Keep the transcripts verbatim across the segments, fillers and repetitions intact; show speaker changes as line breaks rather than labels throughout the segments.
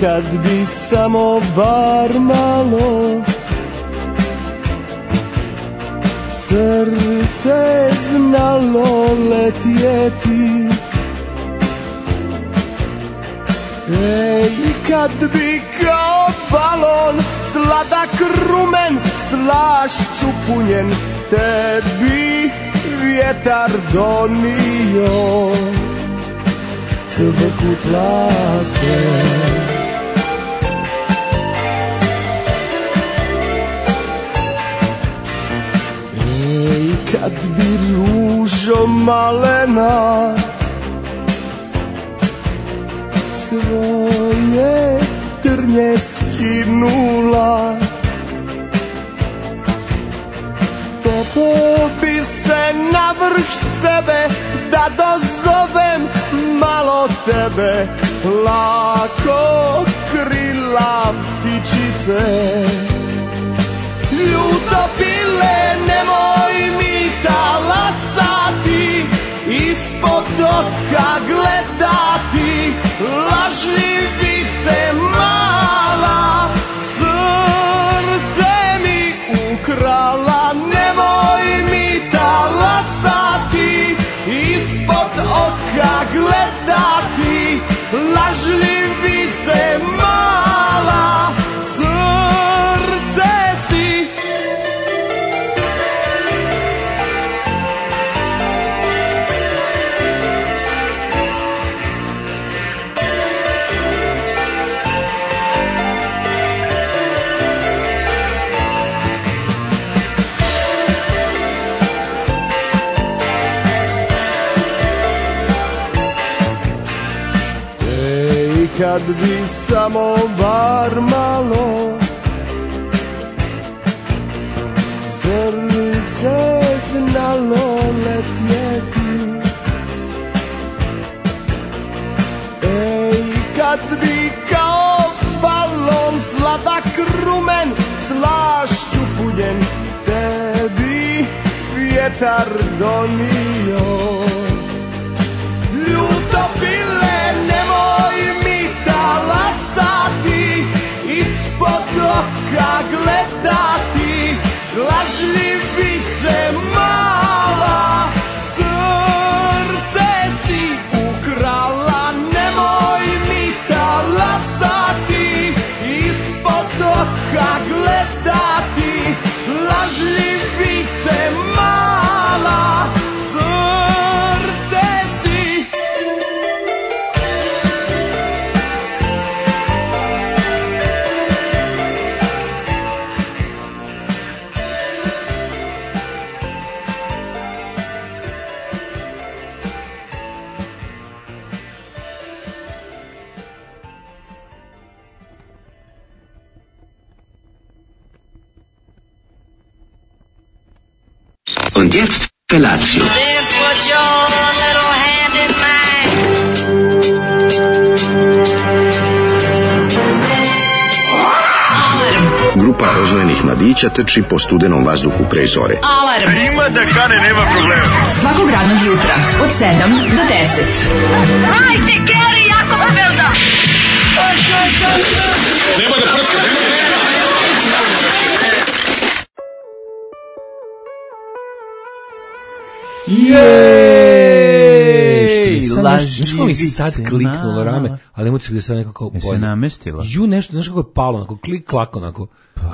kad bi samo bar malo srce znalo letjeti. Ej, kad bi kao balon sladak rumen slašću punjen tebi vjetar donio cvrkut laste. Ej, kad bi ružo malena svoje trnje skinula, popeo bi se na vrh sebe da dozovem malo tebe, lako krila ptičice. Ljuto pile, nemoj mi talasati, ispod oka gledati, lažljivice mala, srce mi ukrala. Nemoj mi talasati, ispod oka gledati, lažljivice mala, srce si. Kad bi samo bar malo srce znalo letjeti. Ej, kad bi kao balon sladak rumen slašću punjen tebi vjetar donio. Ljuto pile, nemoj mi talasati, ispod oka gledati, lažljivice mala, srce si ukrala. Nemoj mi talasati, ispod oka gledati, lažljivice mala, srce si.
Und jetzt Felatio.
Then put your little hand in mine.
Grupa rozvojenih mladića trči po studenom vazduhu pre zore.
Alarm.
Ima da kane, nema problema.
Svakog radnog jutra od sedam do deset.
Hajde, Geri, jako se velda.
Nema da prska, nema da prska.
Jej!
Znaš kako mi sad kliknulo rame, ali emocija gde sad nekako
bolje. Se namestila.
Ju, nešto, znaš kako je palo, onako, klik, klak, onako.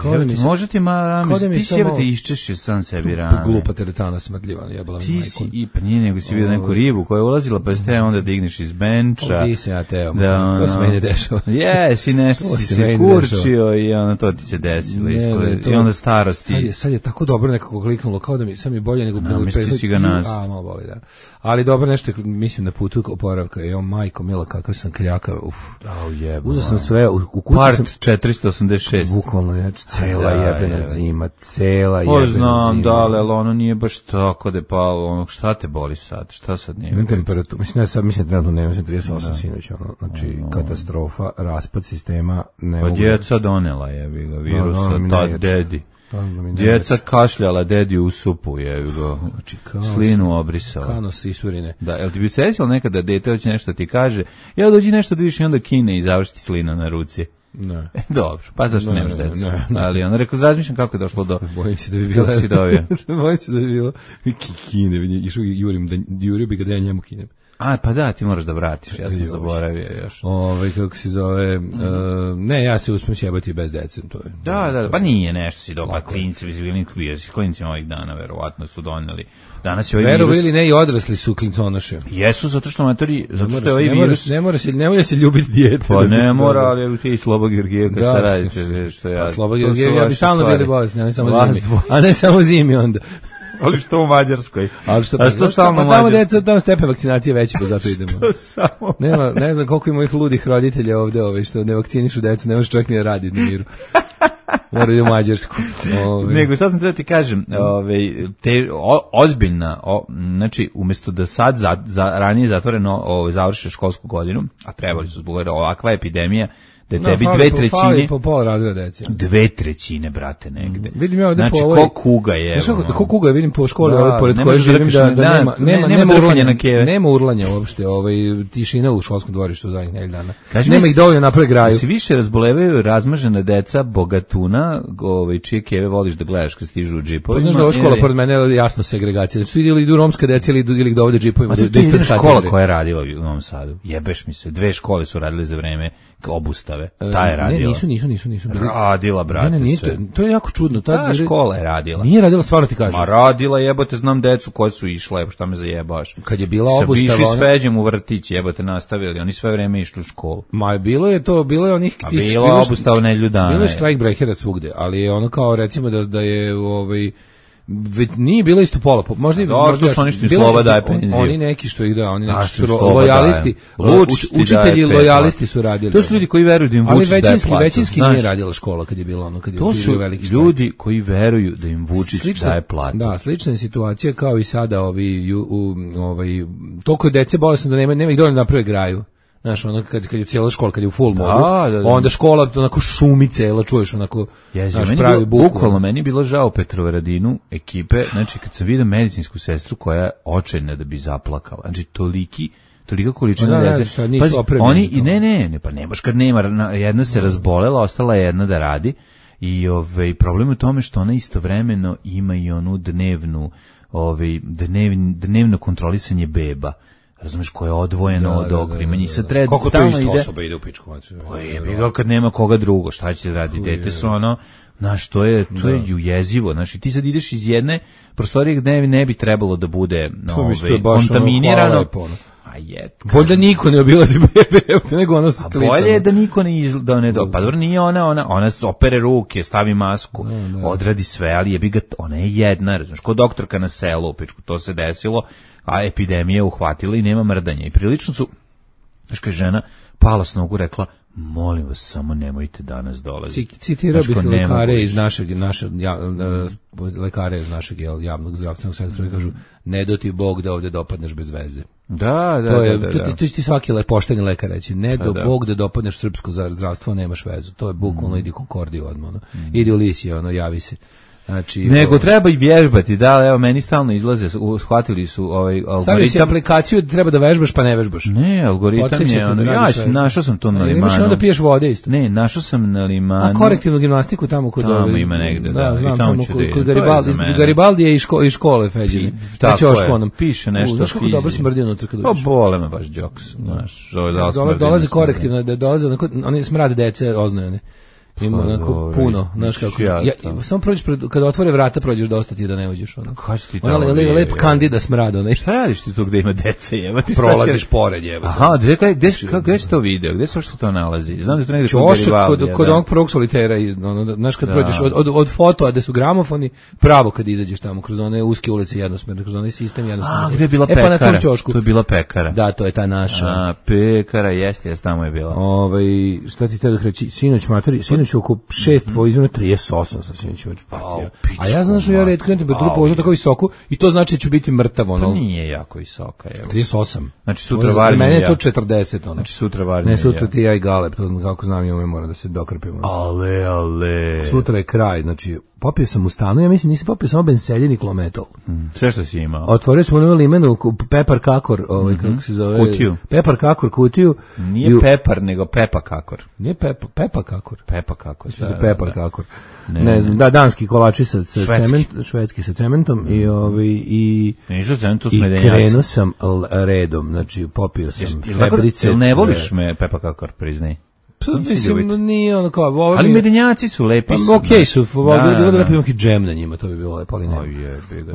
Pa, ja, može ti ma rame, ti si jebate iščešio sam sebi rame.
Glupa teretana smrdljiva, jebala mi majku.
Ti si, i pa nije nego si vidio neku ribu koja je ulazila, pa ste onda digneš iz benča.
Ovdje se ja teo, da, to se meni dešava.
Jesi, nešto si se kurčio i ono to ti se desilo. I onda starosti.
Sad je, sad je tako dobro nekako kliknulo, kao da mi sad mi bolje nego bilo.
Namestio si ga nas.
A, malo boli, da. Ali dobro nešto, mislim, na putu oporavka. Jo, majko, mila, kakav sam kljaka, uf.
Au jebo.
Uzeo sam sve, u, u kući
Part
sam...
četiristo osamdeset šest.
Bukvalno, ja, cela jebena je. Zima, cela jebena
o,
zima.
znam, da, ali ono nije baš tako da je palo, ono, šta te boli sad, šta sad nije?
Imam temperaturu, mislim, ja sad mislim, trenutno nema, mislim, trideset osam sinoć, ono, znači, no. Katastrofa, raspad sistema, ne
pa
mogu...
djeca donela je, virus,
no, no,
ta dedi. Djeca kašljala, dedi u supu, je go. Slinu obrisala.
Kano sisurine.
Da, jel ti bi se sjećalo nekada dete hoće nešto ti kaže, ja dođi nešto da vidiš i onda kine i završiti slina na ruci.
Ne.
Dobro, pa zašto
ne,
nemaš decu?
Ne, ne.
Ali on rekao, razmišljam kako je došlo do...
Bojim se da bi bilo...
si dobio.
Bojim se da bi bilo... Kine, išao jurim, da, jurio bi ga da ja njemu kinem.
A, pa da, ti moraš da vratiš, ja sam zaboravio još.
Ove, kako se zove... Uh, ne, ja se uspem sjebati bez dece, to je...
Da, da, pa nije nešto si dobro, klinci, vizibilni s klincima ovih dana, verovatno su doneli. Danas je ovaj
Verovo
virus...
ili ne, i odrasli su klinconoše.
Jesu, zato što matori, zato što je ovaj
ne
virus...
Ne mora se, ne mora se ljubiti dijete.
Pa ne mora, ali ti i Sloba Georgijevka šta radite, što ja...
Sloba Georgijevka, ja bi stalno bili bolesni, a ne samo zimi. A ne samo zimi onda.
Ali što u Mađarskoj?
Ali što,
pa, što stalno u
Mađarskoj? Tamo deca, tamo stepen vakcinacije veći, pa zato idemo.
Što samo?
Nema, ne znam koliko ima ovih ludih roditelja ovde, ovaj, što ne vakcinišu decu, ne može čovjek ni da radi na miru. Mora ide u Mađarsku. Ove.
Nego, sad sam te da ti kažem, ove, te, o, ozbiljna, o, znači, umjesto da sad za, za, ranije zatvoreno ove, završe školsku godinu, a trebali su zbog ovakva epidemija, da
no,
tebi
fali,
dve trećine...
Fali po pola razreda dece.
Dve trećine, brate, negde.
Mm, vidim ja ovde
znači,
po ovoj...
ko kuga je...
Znaš
ono,
ko kuga je, vidim po školi,
da,
ovaj, pored koje živim, da, da, da nema, nema, nema, nema urlanja, na keve. Nema urlanja uopšte, ovaj, tišina u školskom dvorištu zadnjih nedelju dana. Kaži nema ih dovoljno napravi graju.
Se više razbolevaju razmažena deca bogatuna, ovaj, čije keve voliš da gledaš kad stižu u džipovima.
Pa znaš da ova škola pored mene je jasno segregacija. Znači, ili idu romska deca ili idu, ili ih dovode džipovima.
To je jedna škola koja je radila u Novom Sadu. Jebeš mi se, dve škole su radile za vreme obustave. Ta je radila.
Ne, nisu, nisu, nisu, nisu.
Radila, brate.
Ne, ne, nije, to, to je jako čudno. Ta,
Ta škola je radila.
Nije radila, stvarno ti kažem.
Ma radila, jebote, znam decu koje su išle, evo šta me zajebaš.
Kad je bila obustava...
Sa išli s Feđem u vrtić, jebote, nastavili, oni sve vreme išli u školu.
Ma bilo je to, bilo je onih...
A bilo obustava nedelju dana.
Bilo je strike-breakera svugde, ali je ono kao, recimo, da, da je ovaj... Nije bilo isto pola, možda i
možda su oni što im slova daje penziju.
Oni neki što ih da, oni neki što su lojalisti, učitelji lojalisti su radili.
To su ljudi koji veruju da im Vučić daje platu.
Ali većinski nije radila škola kad je bilo ono, kad je
to su
veliki
ljudi koji veruju da im Vučić daje platu.
Da, slična je situacija kao i sada ovi ovaj toliko dece bolesno da nema nema ih dovoljno naprave graju. Znaš, ono kad, kad je cijela škola, kad je u full modu, da, da, da. Onda škola onako šumi cela, čuješ onako,
znaš, pravi buku. Bukvalno, meni je bilo žao Petrovaradinu ekipe, znači kad sam vidio medicinsku sestru koja je očajna da bi zaplakala, znači toliki, tolika količina
da,
dece.
Ne, Pazi,
oni, i ne, ne, ne, pa ne baš kad nema, jedna se razbolela, ostala je jedna da radi i ovaj, problem je u tome što ona istovremeno ima i onu dnevnu, ovaj, dnev, dnevno kontrolisanje beba. Razumeš, koje je odvojeno da, od okrimanja i sad treba
kako to isto ide, osoba ide u pičku.
Je bilo kad nema koga drugo, šta će radi, dete su ono, znaš, to je, to je jezivo, znaš, i ti sad ideš iz jedne prostorije gde ne bi trebalo da bude ove, kontaminirano. A je.
Bolje da niko ne obilazi bebe, nego ona sa klicama.
A bolje je da niko ne izgleda, ne do, pa dobro nije ona, ona, ona opere ruke, stavi masku, da, da. Odradi sve, ali je bi ga, ona je jedna, razumiješ, ko doktorka na selu u pičku, to se desilo, a epidemija je uhvatila i nema mrdanja. I prilično su, znaš kaj žena, pala s nogu, rekla, molim vas, samo nemojte danas dolaziti.
Citirao bih lekare iz našeg, naše, ja, lekare iz našeg javnog zdravstvenog sektora kažu, ne do ti Bog da ovdje dopadneš bez veze.
Da, da,
to je,
da, da, da.
To, to će ti svaki pošteni lekar reći, ne do da. Bog da dopadneš srpsko zdravstvo, nemaš vezu. To je bukvalno, mm. idi Konkordiju odmah, ono. Mm. Idi u Lisije, ono, javi se. Znači,
nego o... treba i vježbati, da, evo, meni stalno izlaze, shvatili su ovaj algoritam.
Stavio si aplikaciju da treba da vežbaš, pa ne vežbaš.
Ne, algoritam je, ono, ja našao sam to na limanu.
Imaš onda piješ vode isto.
Ne, našao sam na limanu.
A korektivnu gimnastiku tamo kod
tamo ove, ima negde, da,
da znam,
i tamo
tamo
ću
kod,
da
kod Garibaldi, Garibaldi je iz ško, škole Feđine.
Tako je, piše nešto.
Znaš kako dobro smrdi unutra kad uđeš?
Pa bole me baš džoks, znaš.
Dolaze korektivno, dolaze, oni smrade dece oznojene. Ima onako puno, znaš kako. Ja, samo prođeš pred, kada otvore vrata prođeš dosta ti da ne uđeš ono.
Kako ti
tamo? Ona le, lep kandida smrad, onaj.
Šta radiš ti tu gde ima dece, jebote?
Prolaziš pored, jebote.
Aha, gde kaj gde gde se to video? Gde se što to nalazi? Znam da to negde
kod kod kod onog prvog solitera, ono, znaš kad prođeš od od od fotoa gde su gramofoni, pravo kad izađeš tamo kroz one uske ulice jednosmerne, kroz onaj sistem jednosmerno.
A, gde je bila pekara? E pa na tom ćošku. To je bila pekara.
Da, to je ta naša.
A, pekara, jeste, jeste tamo je bila.
Ovaj, šta ti te reći, sinoć matori, sinoć oko šest po izmenu trideset osam sam sinoć patio. A ja znam što ja retko temperaturu pogotovo tako visoku i to znači da ću biti mrtav ono.
To nije jako visoka, evo.
trideset osam.
Znači sutra varim.
Za mene je to četrdeset ono.
Znači sutra varim.
Ne, sutra ti ja i Galeb, to znam kako znam i ove moram da se dokrpimo.
Ale, ale.
Sutra je kraj, znači popio sam u stanu, ja mislim nisam popio samo benseljen i klometol.
Mm, sve što si imao.
Otvorio smo onu limenu, pepar kakor, ovaj,
mm-hmm.
kako se zove?
Kutiju.
Pepar kakor, kutiju.
Nije i, pepar, nego pepa kakor.
Nije pepa, pepa kakor.
Pepa kakor.
Da, da, pepar da. kakor. Ne, ne znam, da, danski kolači sa, sa
švedski.
cement, švedski sa cementom mm. i ovaj i
Nisu cementu
i krenuo sam redom, znači popio sam febrice.
Jel ne voliš me pepa kakor, priznaj?
Mislim, nije ono kao... Ovo
ali medenjaci su lepi su.
Okej okay, su, bilo bi lepo imati džem na njima, to bi bilo lepo, ali ne.
Oj jebi ga.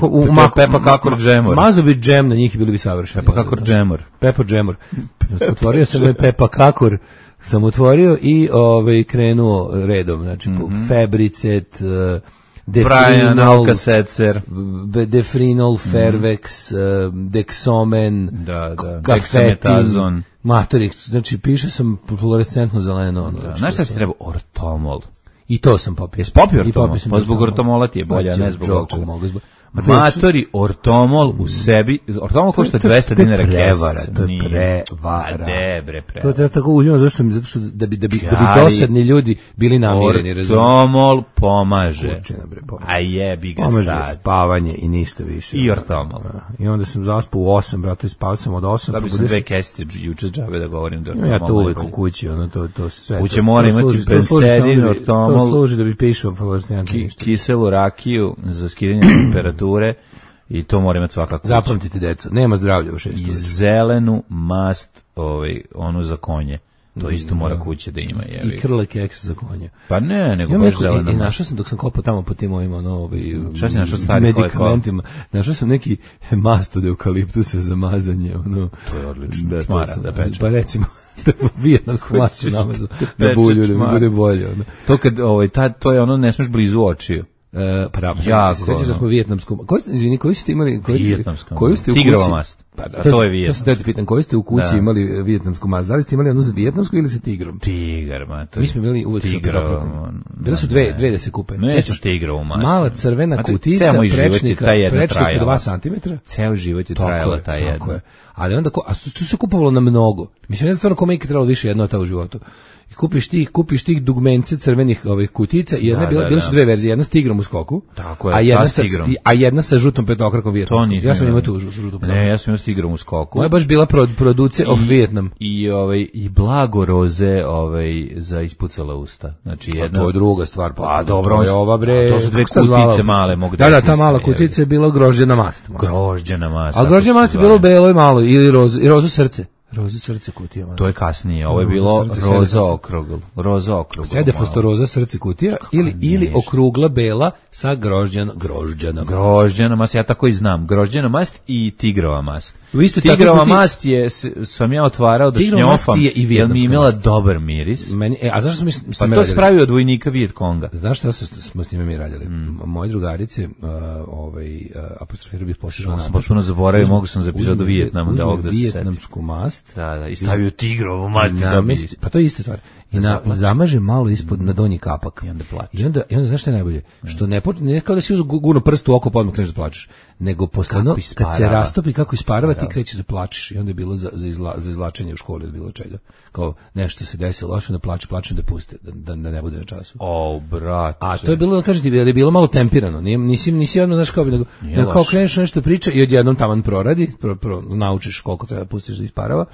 U
pepa kakor džemor.
Mazao bi džem na njih i bili bi savršeni.
Pepa kakor džemor.
Pepa džemor. Otvorio sam pepa kakor, sam otvorio i ovaj krenuo redom, znači mm-hmm. febricet,
Brian Alka-Setzer,
Defrinol, Fervex, Dexomen,
da, da,
Dexametazon, Matorix, znači piše sam fluorescentno zeleno. Ono,
da, znaš šta se treba? Ortomol.
I to sam popio.
Jesi popio ortomol? Pa zbog ortomola ti je bolja, ne zbog očega. Matori, ortomol u sebi, ortomol košta dvesta dinara kesa.
To je prevara.
Ne, bre, prevara.
To treba tako uzimati, zašto mi, zato što da bi, da bi, da bi dosadni ljudi bili namireni.
Ortomol pomaže.
Kurčina, bre, pomaže.
A jebi ga
pomaže
sad.
Spavanje i ništa više.
I ortomol.
I onda sam zaspao u osam, brate, spao sam od osam.
Da bi sam dve kesice juče džabe da govorim da ortomol.
Ja to uvek u kući, ono, to, to sve.
Kuće mora imati pensedin, ortomol.
To služi da bi pišao fluorescentno ništa.
Kiselu rakiju za skidanje temperature. I to mora imati svaka kuća.
Zapamtite, deco, nema zdravlja u šest.
I zelenu mast, ovaj, onu za konje. To isto mora kuća da ima.
I krle keks za konje.
Pa ne, nego baš zelena mast.
I našao sam, dok sam kopao tamo po tim ovim, ono, ovaj,
šta si našao stari
medikamentima, našao sam neki mast od eukaliptusa za mazanje, ono.
To je odlično. Da, čmara, da peče.
Pa recimo, da vijetnamsku masu namazu na bulju, da mi bude bolje. Ono.
To kad, ovaj, ta, to je ono, ne smeš blizu očiju.
Uh, pa da, se sećaš da smo vijetnamsku, koji, izvini, koju ste imali, koju, koju ste u kući?
Tigrova mast.
Pa da,
to je vijetnamska.
To se te pitam, koju ste u kući da. imali vijetnamsku mast? Da li ste imali jednu za vijetnamsku ili sa tigrom?
Tigar, ma. To
mi smo imali uvek
tigrov.
Bile su dve, dve da se kupe.
Sećaš tigrovu mast?
Mala crvena kutica, prečnika, prečnika dva centimetra.
Ceo život je trajala ta jedna. Tako je.
Ali onda, a tu se kupovalo na mnogo. Mislim, ne znam stvarno kome je trebalo više jedno ta u životu. I kupiš tih, kupiš tih dugmence crvenih ovih kutica i jedna da, bila, da, bile su dve verzije, jedna s tigrom u skoku,
tako je,
a jedna sa a jedna sa žutom petokrakom vijetnamskom. Ja sam imao tu žutu petokraku.
Ne, ja sam imao s tigrom u skoku.
Moja baš bila pro, produce of Vijetnam.
I ovaj i blago roze, ovaj za ispucala usta. Znači jedna.
To je druga stvar, pa a, dobro, je ova bre.
To su dve kutice male, mogu
da. Da, da, ta mala kutica je bila grožđena mast.
Grožđena mast.
A grožđena mast je bilo belo i malo ili rozo, i rozo srce. Roza srce kutija. Man.
To je kasnije, ovo je bilo roza, roza okrugl, roza okrugl.
Sedefostoroza srce kutija ili ili okrugla bela sa grožđan, grožđanom.
Grožđana mast, ja tako i znam, grožđana mast i tigrova mast. Tigrova mast je, sam ja otvarao da šnjofam, jer mi imala dobar miris.
Meni, e, a zašto smo mi s
pa to spravi od vojnika Viet Konga.
Znaš šta smo s time mi radili? Mm. Moje drugarice, uh, ovaj, uh, apostrofirao bih posježao
napad. Sam puno zaboravio, mogu sam za epizodu Vijetnama da ovog da se seti.
Vijetnamsku mast.
Da, da, i stavio tigrovu mast.
Namest, pa to je ista stvar. I na, zamaže malo ispod na donji kapak.
I onda plače.
I onda, i onda znaš šta je najbolje? Mm. Što ne, ne kao da si uzu gurno prst u oko pa odmah kreneš da plačeš. Nego posledno, kad se rastopi kako isparava, ti krećeš da plačeš. I onda je bilo za, za, izla, za izlačenje u školi od bilo čega. Kao nešto se desilo loše, da plače, plačem da puste, da, da, da ne bude na času.
O, brate.
A to je bilo, da kažete, da je bilo malo tempirano. Nije, nisi, nisi odmah, znaš kao bi, nego, nego kao kreneš nešto priča i odjednom taman proradi, pro, pro, naučiš koliko treba pustiš da isparava.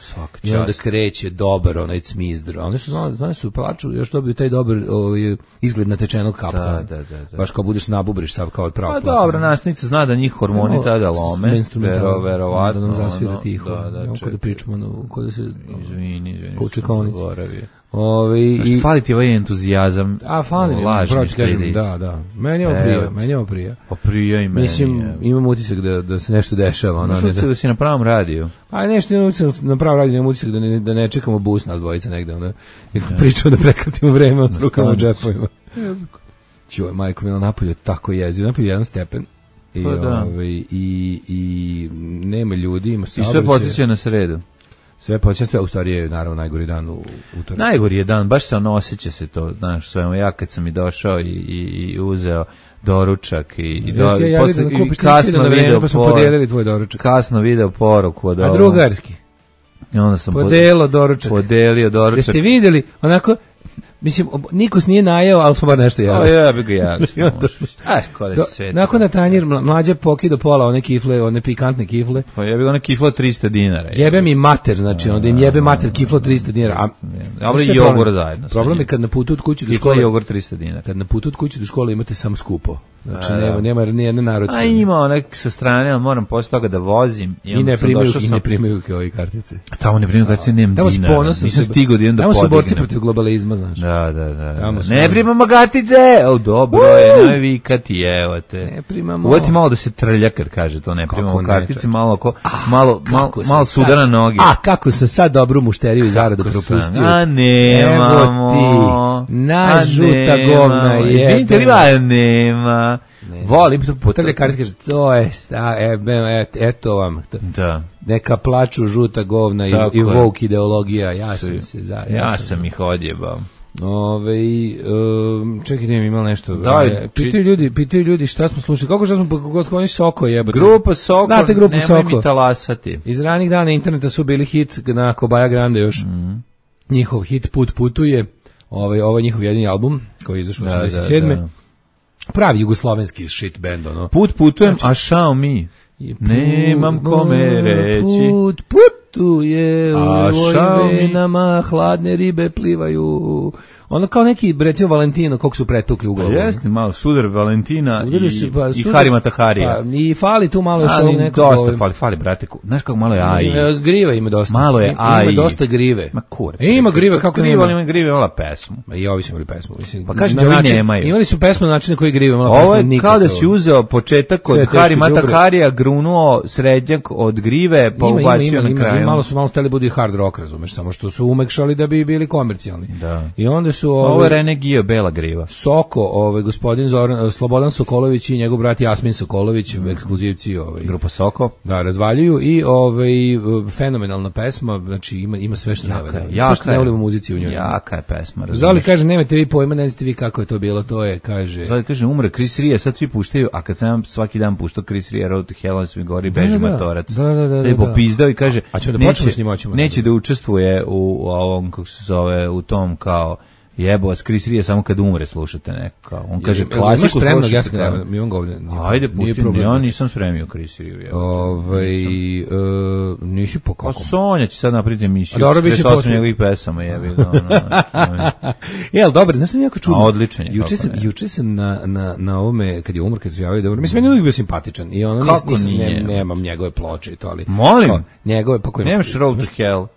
I onda kreće dobar onaj cmizdr. Oni su znali, znali su plaču, još dobiju taj dobar ovaj, izgled natečenog kapka.
Da, da, da, da.
Baš kao budeš nabubriš sav kao od pravo.
Pa dobro, nastavnica zna da njih hormoni no, tada lome. Vero, verovatno.
Da nam zasvira tiho. Da, da, kada pričamo, no, kada se...
Izvini, izvini.
Kučekonic.
Ove, i fali ti ovaj entuzijazam.
A fali mi, proći kažem, da, da. Meni je ovo prija, meni je ovo prija.
Pa prija i meni.
Mislim, imam utisak da, da se nešto dešava.
Imaš utisak da si na pravom radiju.
Pa nešto imam utisak na pravom radiju, imam utisak da ne, da ne čekamo bus nas dvojica negde. Onda pričamo da prekratimo vreme od rukama u džepovima. Čuj, majko, mi na napolju tako jeziv. Napolju jedan stepen. I,
pa da.
Ove, i, i nema ljudi, ima saobraćaj.
I sve podsjeća na sredu.
Sve počinje, u stvari je naravno najgori dan u utorak.
Najgori je dan, baš se ono osjeća se to, znaš, svemo ja kad sam i došao i, i, i uzeo doručak i, i, do,
ja posle, da i kasno video pa smo podijelili tvoj doručak.
Kasno video poruku od
A drugarski?
I onda sam
Podelo doručak.
Podelio doručak.
Jeste vidjeli, onako, mislim, Nikos nije najeo, ali smo bar nešto jeli.
O, ja bih ga jeli. Aj, kod je sve.
Nakon na tanjir mlađe pokido pola one kifle, one pikantne kifle.
Pa ja bih one kiflo trista dinara.
Jebe mi mater, znači, onda im jebe mater kiflo trista dinara. A,
ja bih jogurt zajedno.
Problem je kad na putu od kuće do
škole...
Kiflo
jogurt trista dinara.
Kad na putu od kuće do škole imate samo skupo. Znači, nema, nema nijedne narodske.
A ima onak sa strane, ali moram posle toga da vozim. I,
I ne primaju, i
sam...
ne primaju kao i kartice.
A tamo ne primaju kartice, nemam
tamo
dinara. Nisam stigao da idem da podignem.
Tamo su borci protiv globalizma, znaš.
Da, da, da. da.
Ne
ne primamo kartice! O, dobro je, nemoj vikati, evo te.
Ne primamo.
Uvati malo da se trlja kad kaže to, ne primamo kartice, malo, ko, malo, malo, malo suda na noge.
A, kako sam sad dobru mušteriju i zaradu propustio.
A, nemamo.
Evo ti, na žuta govna je.
Izvinite li va, nema.
Ne.
Volim to
puta. Ljekari kaže, to je, sta, e, et, eto vam.
Da.
Neka plaču žuta govna i, i woke ideologija, ja sam se za...
Ja, ja sam ih odjebao.
Ove, um, čekaj, nemam imao nešto.
Daj,
pitaju ljudi, pitaju ljudi šta smo slušali. Kako šta smo, kako oni Soko jebate?
Grupa Soko,
znate grupu
nemoj
Soko?
Mi talasati.
Iz ranih dana interneta su bili hit na Kobaja Grande još. Mm. Njihov hit Put putuje. Ovaj, ovo je njihov jedini album koji je izašao u osamdeset sedme. Da, da. Pravi jugoslovenski shit band, ono.
Put putujem, znači, a šao mi. Nemam kome reći.
Put putuje, u ovoj venama hladne ribe plivaju. Ono kao neki, recimo, Valentino, koliko su pretukli u glavu.
Jeste, malo sudar Valentina i,
su, pa,
i
sudar,
Harima Taharija.
Pa, i fali tu malo još ovog nekog.
Dosta ovim. fali, fali, brate. Znaš kako malo je Aji?
Grive ima dosta.
Malo je Aji.
Ima dosta grive.
Ma kurac.
E, ima grive, kako
grive,
nema?
Ima grive, imala pesmu.
Ma i ovi su imali pesmu. Mislim,
pa kažem da ovi nemaju.
Imali su pesmu na način na koji grive imala pesmu.
Ovo je kao da si uzeo početak od Harima Taharija, grunuo srednjak od grive, pa ubacio na kraju.
Malo su malo hteli budu i hard rock, razumeš, samo što su umekšali da bi bili komercijalni.
Da.
I onda su
ovo je Rene Gio, bela griva.
Soko, ovaj gospodin Zoran Slobodan Sokolović i njegov brat Jasmin Sokolović, mm. ekskluzivci, ovaj
grupa Soko.
Da, razvaljuju i ovaj fenomenalna pesma, znači ima ima sve što
jaka,
ne,
jaka
sve što ne volimo u muzici u njoj.
Jaka je pesma, razumeš.
Zoli kaže nemate vi pojma, ne znate vi kako je to bilo, to je kaže.
Zoli kaže umre Chris Ria, sad svi puštaju, a kad sam svaki dan puštao Chris Ria Road to Hell, svi gori beži matorac.
Da, da, da. Da,
da, da. Popizdao i kaže
a ćemo da počnemo s njim, hoćemo.
Neće da učestvuje u, u ovom kako se zove, u tom kao jebo, s Chris Ria samo kad umre slušate neko kao. On kaže klasiku
slušate. Ja sam mi on ga ovdje.
Ajde, pusti mi, ja nisam spremio Chris Ria.
Ovaj e, nisi po kako.
Pa Sonja će sad napraviti emisiju.
Dobro biće posle
njegovih pesama, jebi ga.
Jel, dobro, znaš sam jako čudno.
A odličan je.
Juče sam, juče sam na na na ovome kad je umro, kad se javio dobro. Mislim meni uvijek bio simpatičan i ono nisam ne, nemam njegove ploče i to ali.
Molim.
Njegove pa koji.
Nemaš Road to Hell.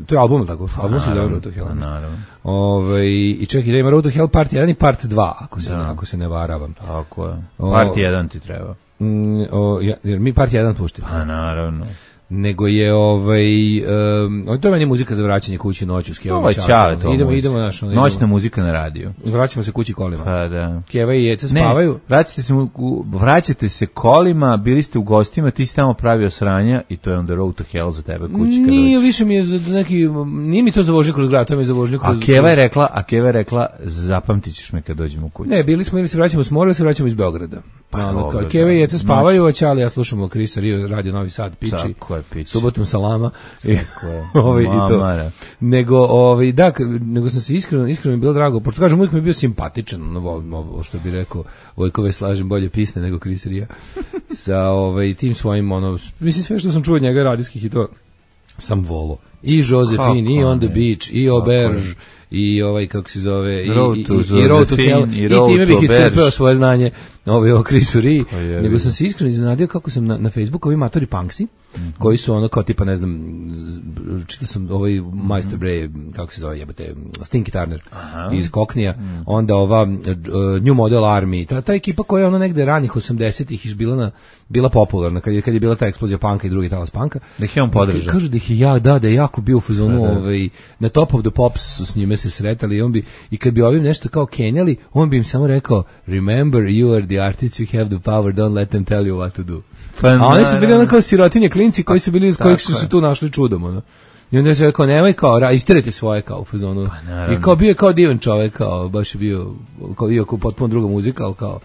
To je album, tako? Album se zove Road to Hell.
Naravno.
Ove, i čekaj, da ima Road to Hell part jedan i part dva, ako se, da. ako se ne varavam.
Tako je. Part jedan ti treba.
Mm, o, ja, jer mi part jedan puštimo.
Pa naravno.
Nego je ovaj um, to je meni muzika za vraćanje kući noću s Kevom.
Ovo je čale to.
Idemo, idemo naš, ono,
noćna idemo. Muzika na radiju.
Vraćamo se kući kolima.
Pa da.
Keva i Jeca spavaju.
Ne, vraćate se vraćate se kolima, bili ste u gostima, ti si tamo pravio sranja i to je on the road to hell za tebe kući kad
nije, više mi je za neki, nije mi to za vožnju kroz grad, to mi je za vožnju kroz...
A Keva je rekla, a Keva je rekla, zapamtit ćeš me kad dođemo kući.
Ne, bili smo ili se vraćamo s mora ili se vraćamo iz Beograda. Pa, ono, Keva i Jeca spavaju, a Ćali ja slušamo Krisa Rio, radio Novi Sad, piči.
Tako je, piči.
Subotom salama. Ovaj i to. Nego ovaj da, nego sam se iskreno iskreno mi bilo drago, pošto kažem uvijek mi je bio simpatičan, ovo što bi rekao Vojkove slažem bolje pisne nego Chris Ria. Sa ovaj tim svojim ono, mislim sve što sam čuo od njega radijskih i to sam volo. I Josephine, i On the Beach, i Auberge, i ovaj kako se zove, i
Road to,
i, i, Road to Hell, i, i time bih iscrpeo svoje znanje ovaj o Chrisu Ri, nego sam se iskreno iznenadio kako sam na, na Facebooku ovi matori punksi, mm-hmm. koji su ono kao tipa ne znam, čitao sam ovaj Majstor Bre, kako se zove jebote, Stinky Turner iz Koknija, mm. onda ova uh, New Model Army, ta, ta ekipa koja je ono negde ranih osamdesetih iš bila na bila popularna kad je kad je bila ta eksplozija panka i drugi talas panka.
Da ih je on podržao.
Kažu da ih je ja da da je jako bio u fazonu ovaj na Top of the Pops su s njime se sretali i on bi i kad bi ovim nešto kao kenjali, on bi im samo rekao remember you are the artists, you have the power, don't let them tell you what to do. Pa, a oni su bili ono kao sirotinje klinci koji su bili iz kojih su se tu našli čudom, ono. I onda je rekao, nemoj kao, ra, istirajte svoje kao u fazonu. Pa, i kao bio je kao divan čovek, kao, baš je bio, kao bio kao potpuno druga muzika, ali kao,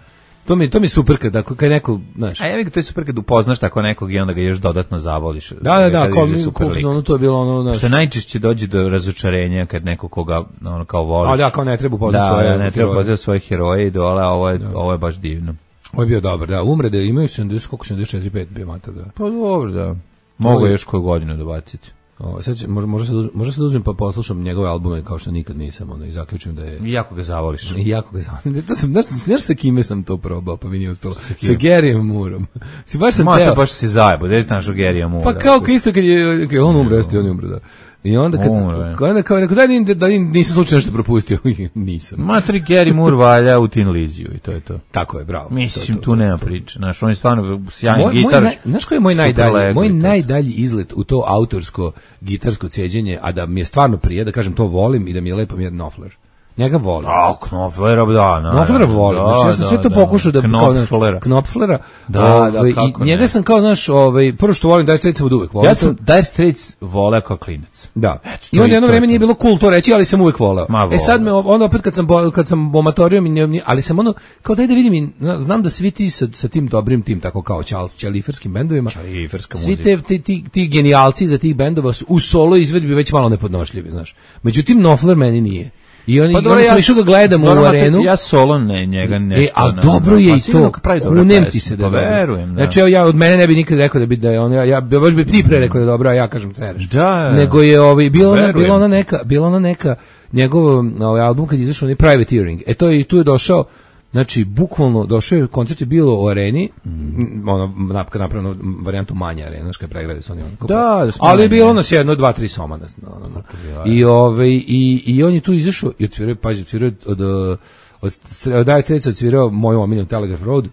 To mi to mi super kad ako kad neko, znaš.
A ja bih to je super kad upoznaš tako nekog i onda ga još dodatno zavoliš.
Da, da, da, kao mi ono to je bilo ono, znaš.
Što najčešće dođe do razočarenja kad neko koga ono kao voliš.
A da, kao ne treba upoznati
da,
svoje.
Da, ne treba upoznati svoje heroje i dole, a ovo je, da. Ovo je baš divno.
Ovo je bio dobar, da. Umre da imaju sedamdeset, koliko sedamdeset četiri pet bio mator, da.
Pa dobro, da. Mogu još koju godinu dobaciti.
O, sad će, može, može se može se uzmem pa poslušam njegove albume kao što nikad nisam, ono, i zaključim da je...
I jako ga zavoliš.
I jako ga zavoliš. To sam, znaš, znaš sa kime sam to probao, pa mi nije uspelo. Sa, sa Garyjem Moorom. Si baš sam
teo... baš si zajebo, gde znaš o Garyja Moora?
Pa kao isto kad je, kad je on umro, jeste on je umro, da. I onda kad sam, kada kao rekao da, da, da nisam slučajno nešto propustio, nisam.
Matri Gary Moore valja u Tin Liziju i to je to.
Tako je, bravo.
Mislim,
to, to,
tu nema priče. Znaš, on je stvarno sjajan gitar.
Znaš koji je moj najdalji, moj najdalji izlet u to autorsko gitarsko ceđenje, a da mi je stvarno prije, da kažem to volim i da mi je lepo, mi je Knopfler. Njega volim.
A, Knopflera, da, na.
Knopflera volim. Znači ja sam sve to pokušao da
Knopflera.
Knopflera.
Da,
ovaj,
da, kako
i njega
ne.
sam kao, znaš, ovaj prvo što volim Dire Straits od uvek volim.
Ja sam Dire Straits voleo kao klinac.
Da. Eto, I onda jedno vreme nije bilo cool to reći, ali sam uvek voleo. E sad me onda opet kad sam kad sam omatorio mi, ali sam ono kao daj da vidim, znam da svi ti sa, sa tim dobrim tim tako kao Charles Chaliferskim bendovima.
Chaliferska
svi te ti, ti, ti genijalci za tih bendova su u solo izvedbi već malo nepodnošljivi, znaš. Međutim Knopfler meni nije. I oni, pa dobro, oni sam ja, išao ga gledam u arenu.
Ja solo ne, njega nešto.
E, ali dobro je i to, kunem ti se da je
verujem, da.
Znači, ja od mene ne bi nikad rekao da bi da je on, ja, ja baš bi ti pre rekao da je dobro, a ja kažem cereš.
Da,
nego je ovaj, bilo ona, bila ona neka, bila ona neka, njegov ovaj album kad je izašao, onaj Privateering, e to je, tu je došao, znači, bukvalno došao je, koncert je bilo u areni, mm. ono, napravljeno varijantu manje arena, znaš kada pregrade su oni. Ono,
da, da
ali je bilo nas jedno, dva, tri soma. No, no, no. I, ove, i, I on je tu izašao i odsvirao, pazi, odsvirao od, od, od, od Dire Straits odsvirao moju omiljenu Telegraph Road,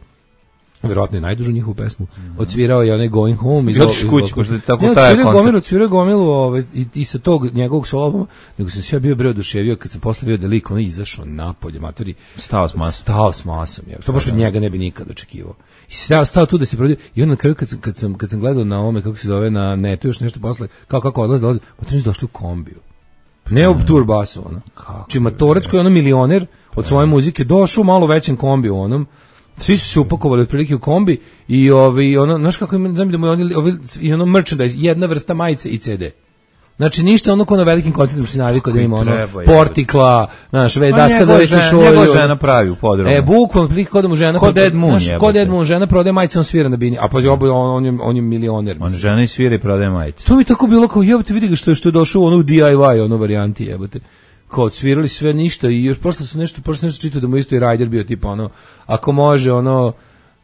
verovatno je najdužu njihovu pesmu, odsvirao je onaj Going Home.
Iz Otiš kući, ko što tako
ne,
taj koncert.
Odsvirao gomilu ove, i, i sa tog njegovog solo albuma, nego sam se ja bio bre oduševio kad sam posle bio da lik on izašao napolje, matori.
Stao s masom.
Stao s masom, je. To baš od njega ne bi nikad očekivao. I stao, stao tu da se prodio, i onda na kraju kad sam, kad sam, kad sam gledao na ome, kako se zove, na netu još nešto posle, kao kako odlazi, dolazi, pa to nisu došli u kombiju. Ne u tur basu, ono. Či matorac koji je ono milioner od svoje muzike, došao u malo većem kombiju, onom, svi su se upakovali otprilike u kombi i ovi, ono, znaš kako ima, znam da mu je oni, ovi, i ono merchandise, jedna vrsta majice i ce de. Znači ništa ono ko na velikim koncertima se navikao da ima ono portikla, znaš, ve daska za veću šolju.
Njegova žena pravi u podrumu.
E, bukvalno prilike kod da mu žena...
Kod Ed Moon je.
Kod Ed Moon žena prodaje majice, on svira na bini. A pa on, on, je, on je milioner.
On žena i svira i prodaje majice.
To mi tako bilo kao, jebote, vidi ga što je, što je došao u onu D I Y, ono varijanti, jebote. Kao svirali sve ništa i još prosto su nešto, prosto nešto čitao da mu isto i Ryder bio tipa ono, ako može ono,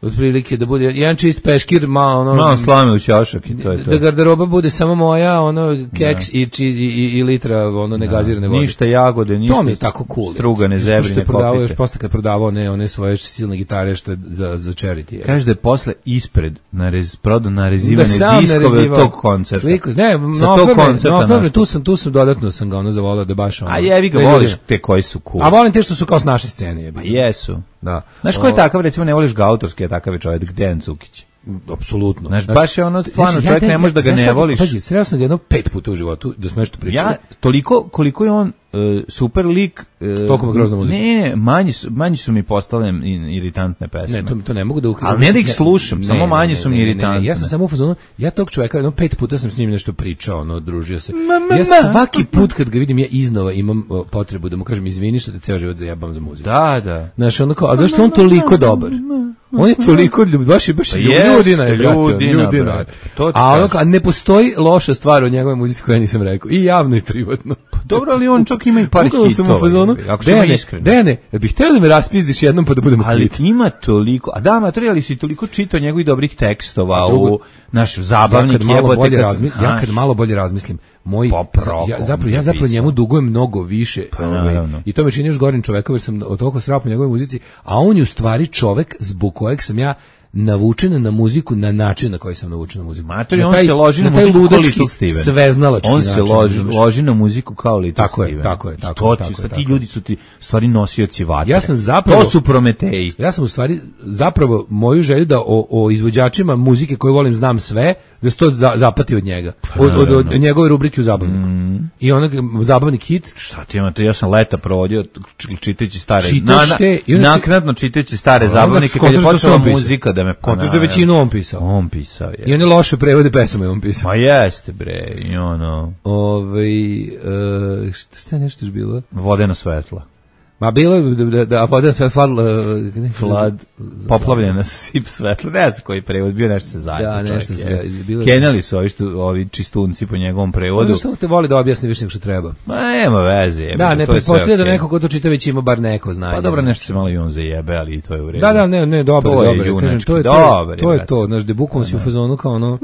otprilike da bude jedan čist peškir, malo ono...
Malo slame u ćošak i to je to.
Da garderoba bude samo moja, ono, keks i, i, i, i litra, ono, negazirane vode.
Ništa jagode, ništa
to mi je tako cool.
Strugane, zebrine,
kopite. Još posle kad prodavao ne, one svoje silne gitare što je za, za charity. Je.
Kaže da je posle ispred narez, prodao narezivane da diskove od tog koncerta.
Sliku, ne, no, tu sam, tu sam dodatno sam ga ono zavolao da baš ono...
A jevi ga, voliš te koji su cool.
A volim te što su kao s naše scene. Je
a jesu.
Da.
Znaš ko je takav, recimo ne voliš ga autorski, je takav je čovjek, Dejan Cukić.
Apsolutno.
Znaš, baš je ono stvarno, znači, čovjek ja, ne može da ga ja, ne voliš.
Pazi, sreo sam ga jedno pet puta u životu, da smo nešto pričali.
Ja, toliko, koliko je on uh, super lik...
Uh, toliko me grozna muzika.
Ne, ne, manji su, manji su mi postale iritantne pesme.
Ne, to, to ne mogu da ukrivam.
Ali ne da ih slušam, ne, samo manji ne, su mi iritantne. Ne, ne,
ja sam samo u fazonu, ja tog čovjeka, jedno pet puta sam s njim nešto pričao, ono, družio se. Ma, ma, ja svaki put kad ga vidim, ja iznova imam uh, potrebu da mu kažem, izvini što te ceo život zajebam za muziku.
Da, da.
Znaš, ono kao, a zašto on toliko dobar? On je toliko ljub, baš je baš
pa
ljudina je, brate,
ljudina,
ljudina.
Brate. To
a ono kao, ne postoji loša stvar od njegove muzici koju ja nisam rekao, i javno i privatno.
Pa dobro, ali on čak ima i par hitova.
Sam u fazonu, ako sam iskren. Dene, bih htio da me raspizdiš jednom pa da budemo
ali
hit.
Ima toliko, a da, materijali si toliko čitao njegovih dobrih tekstova u naš zabavnik
ja jebote. Kad razmi, ja kad malo bolje razmislim, moj ja zapravo ja zapravo njemu dugujem mnogo više,
pa, ovaj,
i to me čini još gorim čovekom jer sam od toliko srao po njegovoj muzici, a on je u stvari čovek zbog kojeg sam ja navučena na muziku na način na koji sam navučen na muziku.
Matori, on se loži na, na muziku kao Little Steven.
Sveznalački
on se loži, loži na muziku kao Little
tako
Steven.
Je, tako je, tako
to
je. Tako
ti,
je,
ti ljudi su ti stvari nosioci vatre.
Ja sam zapravo,
to su Prometeji.
Ja sam u stvari zapravo moju želju da o, o izvođačima muzike koju volim znam sve, da se to za, zapati od njega. Od, od, od, od njegove rubrike u Zabavniku. Mm. I onog Zabavnik hit.
Šta ti imate? Ja sam leta provodio čitajući stare.
Čitaš
na,
te,
na, naknadno čitajući stare Zabavnike kad je počela muzika da me
kontaš da većinu on pisao.
On pisao je.
I one loše prevode pesama je on pisao.
Ma jeste bre, i ono.
Ovaj uh, šta nešto je bilo?
Vodeno svetlo.
Ma bilo je da, da, da vodeno svetlo,
flad, poplavljena sip svetlo, ne znam koji prevod, bio nešto se zajedno.
Da, nešto se bilo.
Kenjali su ovi, što, ovi čistunci po njegovom prevodu.
Ono što te voli da objasni više nego što treba.
Ma nema veze. Je,
da, ne pretpostavlja da neko ko to čita već ima bar neko znanje.
Pa dobro, nešto se malo i on zajebe, ali i to je u redu.
Da, da, ne, ne, dobro,
to
dobro.
Je
Kažem, to je
dobar,
to, to je to, znaš, da bukvalno si u fazonu kao ono.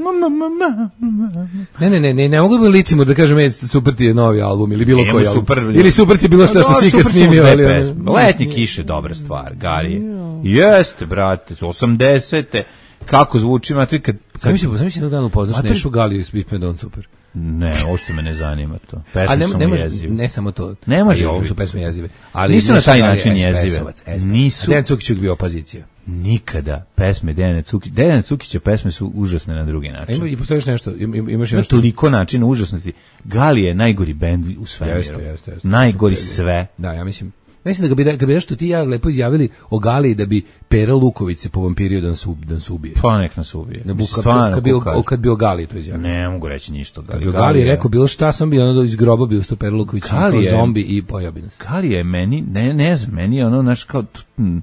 Ne, ne, ne, ne, ne mogu da licimo da kažem, ej, super ti je novi album ili bilo koji album. Ili super ti je bilo što što si ikad snimio, ali
Letnje kiše, dobra stvar, Garije. Jeste, brate, osamdesete kako zvuči, ma ti kad...
Sam mislim, sam mislim jednog dana upoznaš Nešu Galiju i Spitman Don Super.
Ne, uopšte me ne zanima to. Pesme
ne,
su
ne,
mu
može,
jezive.
ne samo to.
Ne može.
Ovo su pesme jezive. Ali
nisu na taj način jezive.
Nisu. Dejan Cukić je bio opozicija.
Nikada. Pesme Dejana Cukića, Dejana Cukića pesme su užasne na drugi način.
Ima i postojiš nešto, imaš
nešto toliko načina užasnosti. Galije je najgori bend u svemiru.
Jeste, jeste, jeste.
Najgori sve.
Da, ja mislim. Mislim da ga bi, ga bi nešto ti ja lepo izjavili o Galiji da bi Pera Luković se po vampirio da nas, da nas ubije.
Pa nek nas ubije.
Ne, kad, kad, bi o, kad bi o Galiji to izjavili.
Ne mogu reći ništa o Galiji.
Kad bi o Galiji rekao bilo šta sam bio, ono iz groba bio sto Pera Luković kao zombi i pojabi nas.
Galija je meni, ne, ne znam, meni je ono, znaš, kao... Hm,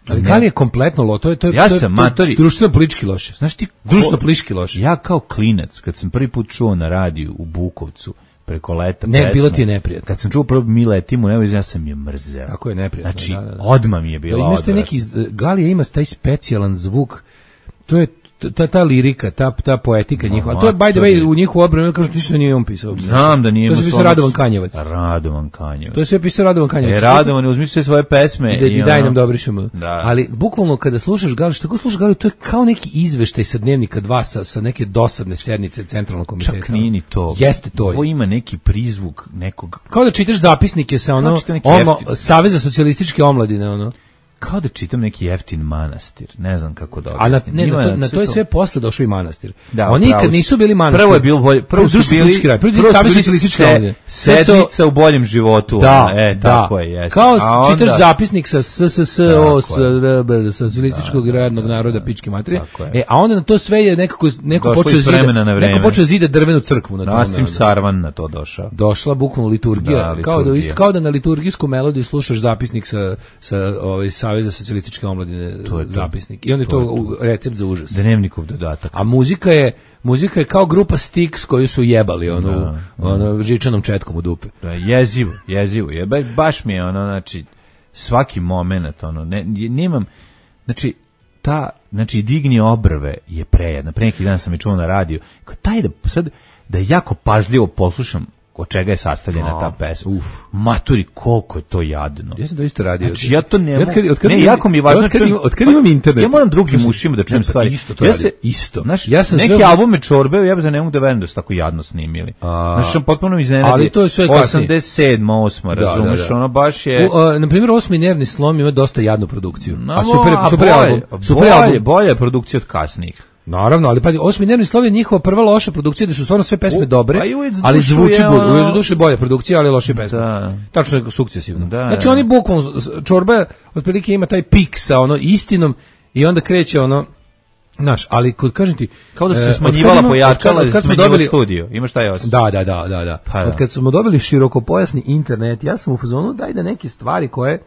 ali Galija je kompletno lo, to je, to je,
ja
to je,
sam,
to je
matori,
društveno politički loše.
Znaš ti,
društveno politički loše.
Ja kao klinac, kad sam prvi put čuo na radiju u Bukovcu, preko leta
ne,
pesmu,
bilo ti je neprijatno.
Kad sam čuo prvo mi letimo, evo, ja sam je mrzeo.
Tako je neprijatno.
Znači,
da, da, da.
odmah mi je bila odvratna.
Neki, Galija ima taj specijalan zvuk, to je ta, ta lirika, ta, ta poetika no, njihova. To je, by the way, u njihovu obranu, kažu, ništa nije on pisao.
Znam da nije.
To se pisao Radovan Kanjevac.
Radovan Kanjevac.
To je sve pisao Radovan Kanjevac.
E, Radovan, uzmi sve svoje pesme.
I, da, i, i daj
ono,
nam dobrišemo.
Da.
Ali, bukvalno, kada slušaš Galiju, što god slušaš Galiju, to je kao neki izveštaj sa Dnevnika dva, sa, sa neke dosadne sednice centralnog komiteta.
Čak nije ni to.
Jeste to.
Ovo ima neki prizvuk nekog...
Kao da čitaš zapisnike sa ono, ono Saveza socijalističke omladine, ono.
Kao da čitam neki jeftin manastir, ne znam kako da
objasnim. A na, ne, na, to, na to je sve posle došao i manastir.
Da,
oni nikad nisu bili manastir.
Prvo je bilo bolje, prvo su bili,
kraj, prvo je Savez socijalističke omladine.
Sedmica u boljem životu.
Da,
e,
da.
Tako je, jeste.
Kao onda, čitaš zapisnik sa S S S O, s socijalističkog radnog naroda, pičke materije. E, a onda na to sve je nekako, neko počeo zida, neko počeo zida drvenu crkvu na tome.
Nasim Sarvan na to došao.
Došla bukvalno liturgija, kao da isto kao da na liturgijsku melodiju slušaš zapisnik sa sa ovaj Saveza socijalističke omladine, to je zapisnik. I on je to, to recept za užas.
Dnevnikov dodatak.
A muzika je muzika je kao grupa Styx koju su jebali ono, da, ono žičanom četkom u dupe.
Da, jezivo, jezivo. Je, baš mi je ono, znači, svaki moment, ono, ne, nemam, znači, ta, znači, digni obrve je prejedna. Pre neki dan sam je čuo na radiju. Kao taj da, sad, da jako pažljivo poslušam od čega je sastavljena ta pesma. Uf. Maturi, koliko je to jadno.
Ja sam to isto radio.
Znači, ja to ne mogu.
Od kad,
ne, jako mi je važno.
Od kad, čujem, od kad imam internet.
Ja moram drugim ušima da čujem stvari.
Isto to
ja
radio.
Se,
isto.
Znaš,
ja sam
neki
sve...
albume čorbe, ja bih da ne mogu da verujem da su tako jadno snimili. A... Znaš, sam potpuno iznenadi.
Ali to je sve kasnije.
osamdeset sedma, osma, razumeš, da, da, da. Ono baš je...
U, uh, na primjer, Osmi nervni slom ima dosta jadnu produkciju.
No,
a super,
a
super
bolje,
album. Super
bolje,
album.
bolje je produkcija od kasnijih.
Naravno, ali pazi, Osmi nervni slov je njihova prva loša produkcija, da su stvarno sve pesme
U,
dobre, ali zvuči bolje. Ono... U duše bolja produkcija, ali loše pesme.
Da.
Tačno je sukcesivno.
Da,
znači oni bukvalno, čorba otprilike ima taj pik sa ono istinom i onda kreće ono, znaš, ali kod kažem ti,
kao da su se smanjivala pojačala, da se smanjivala studio. Imaš taj osjećaj.
Da, da, da, da, da. Pa, od kad smo dobili širokopojasni internet, ja sam u fazonu daj da neke stvari koje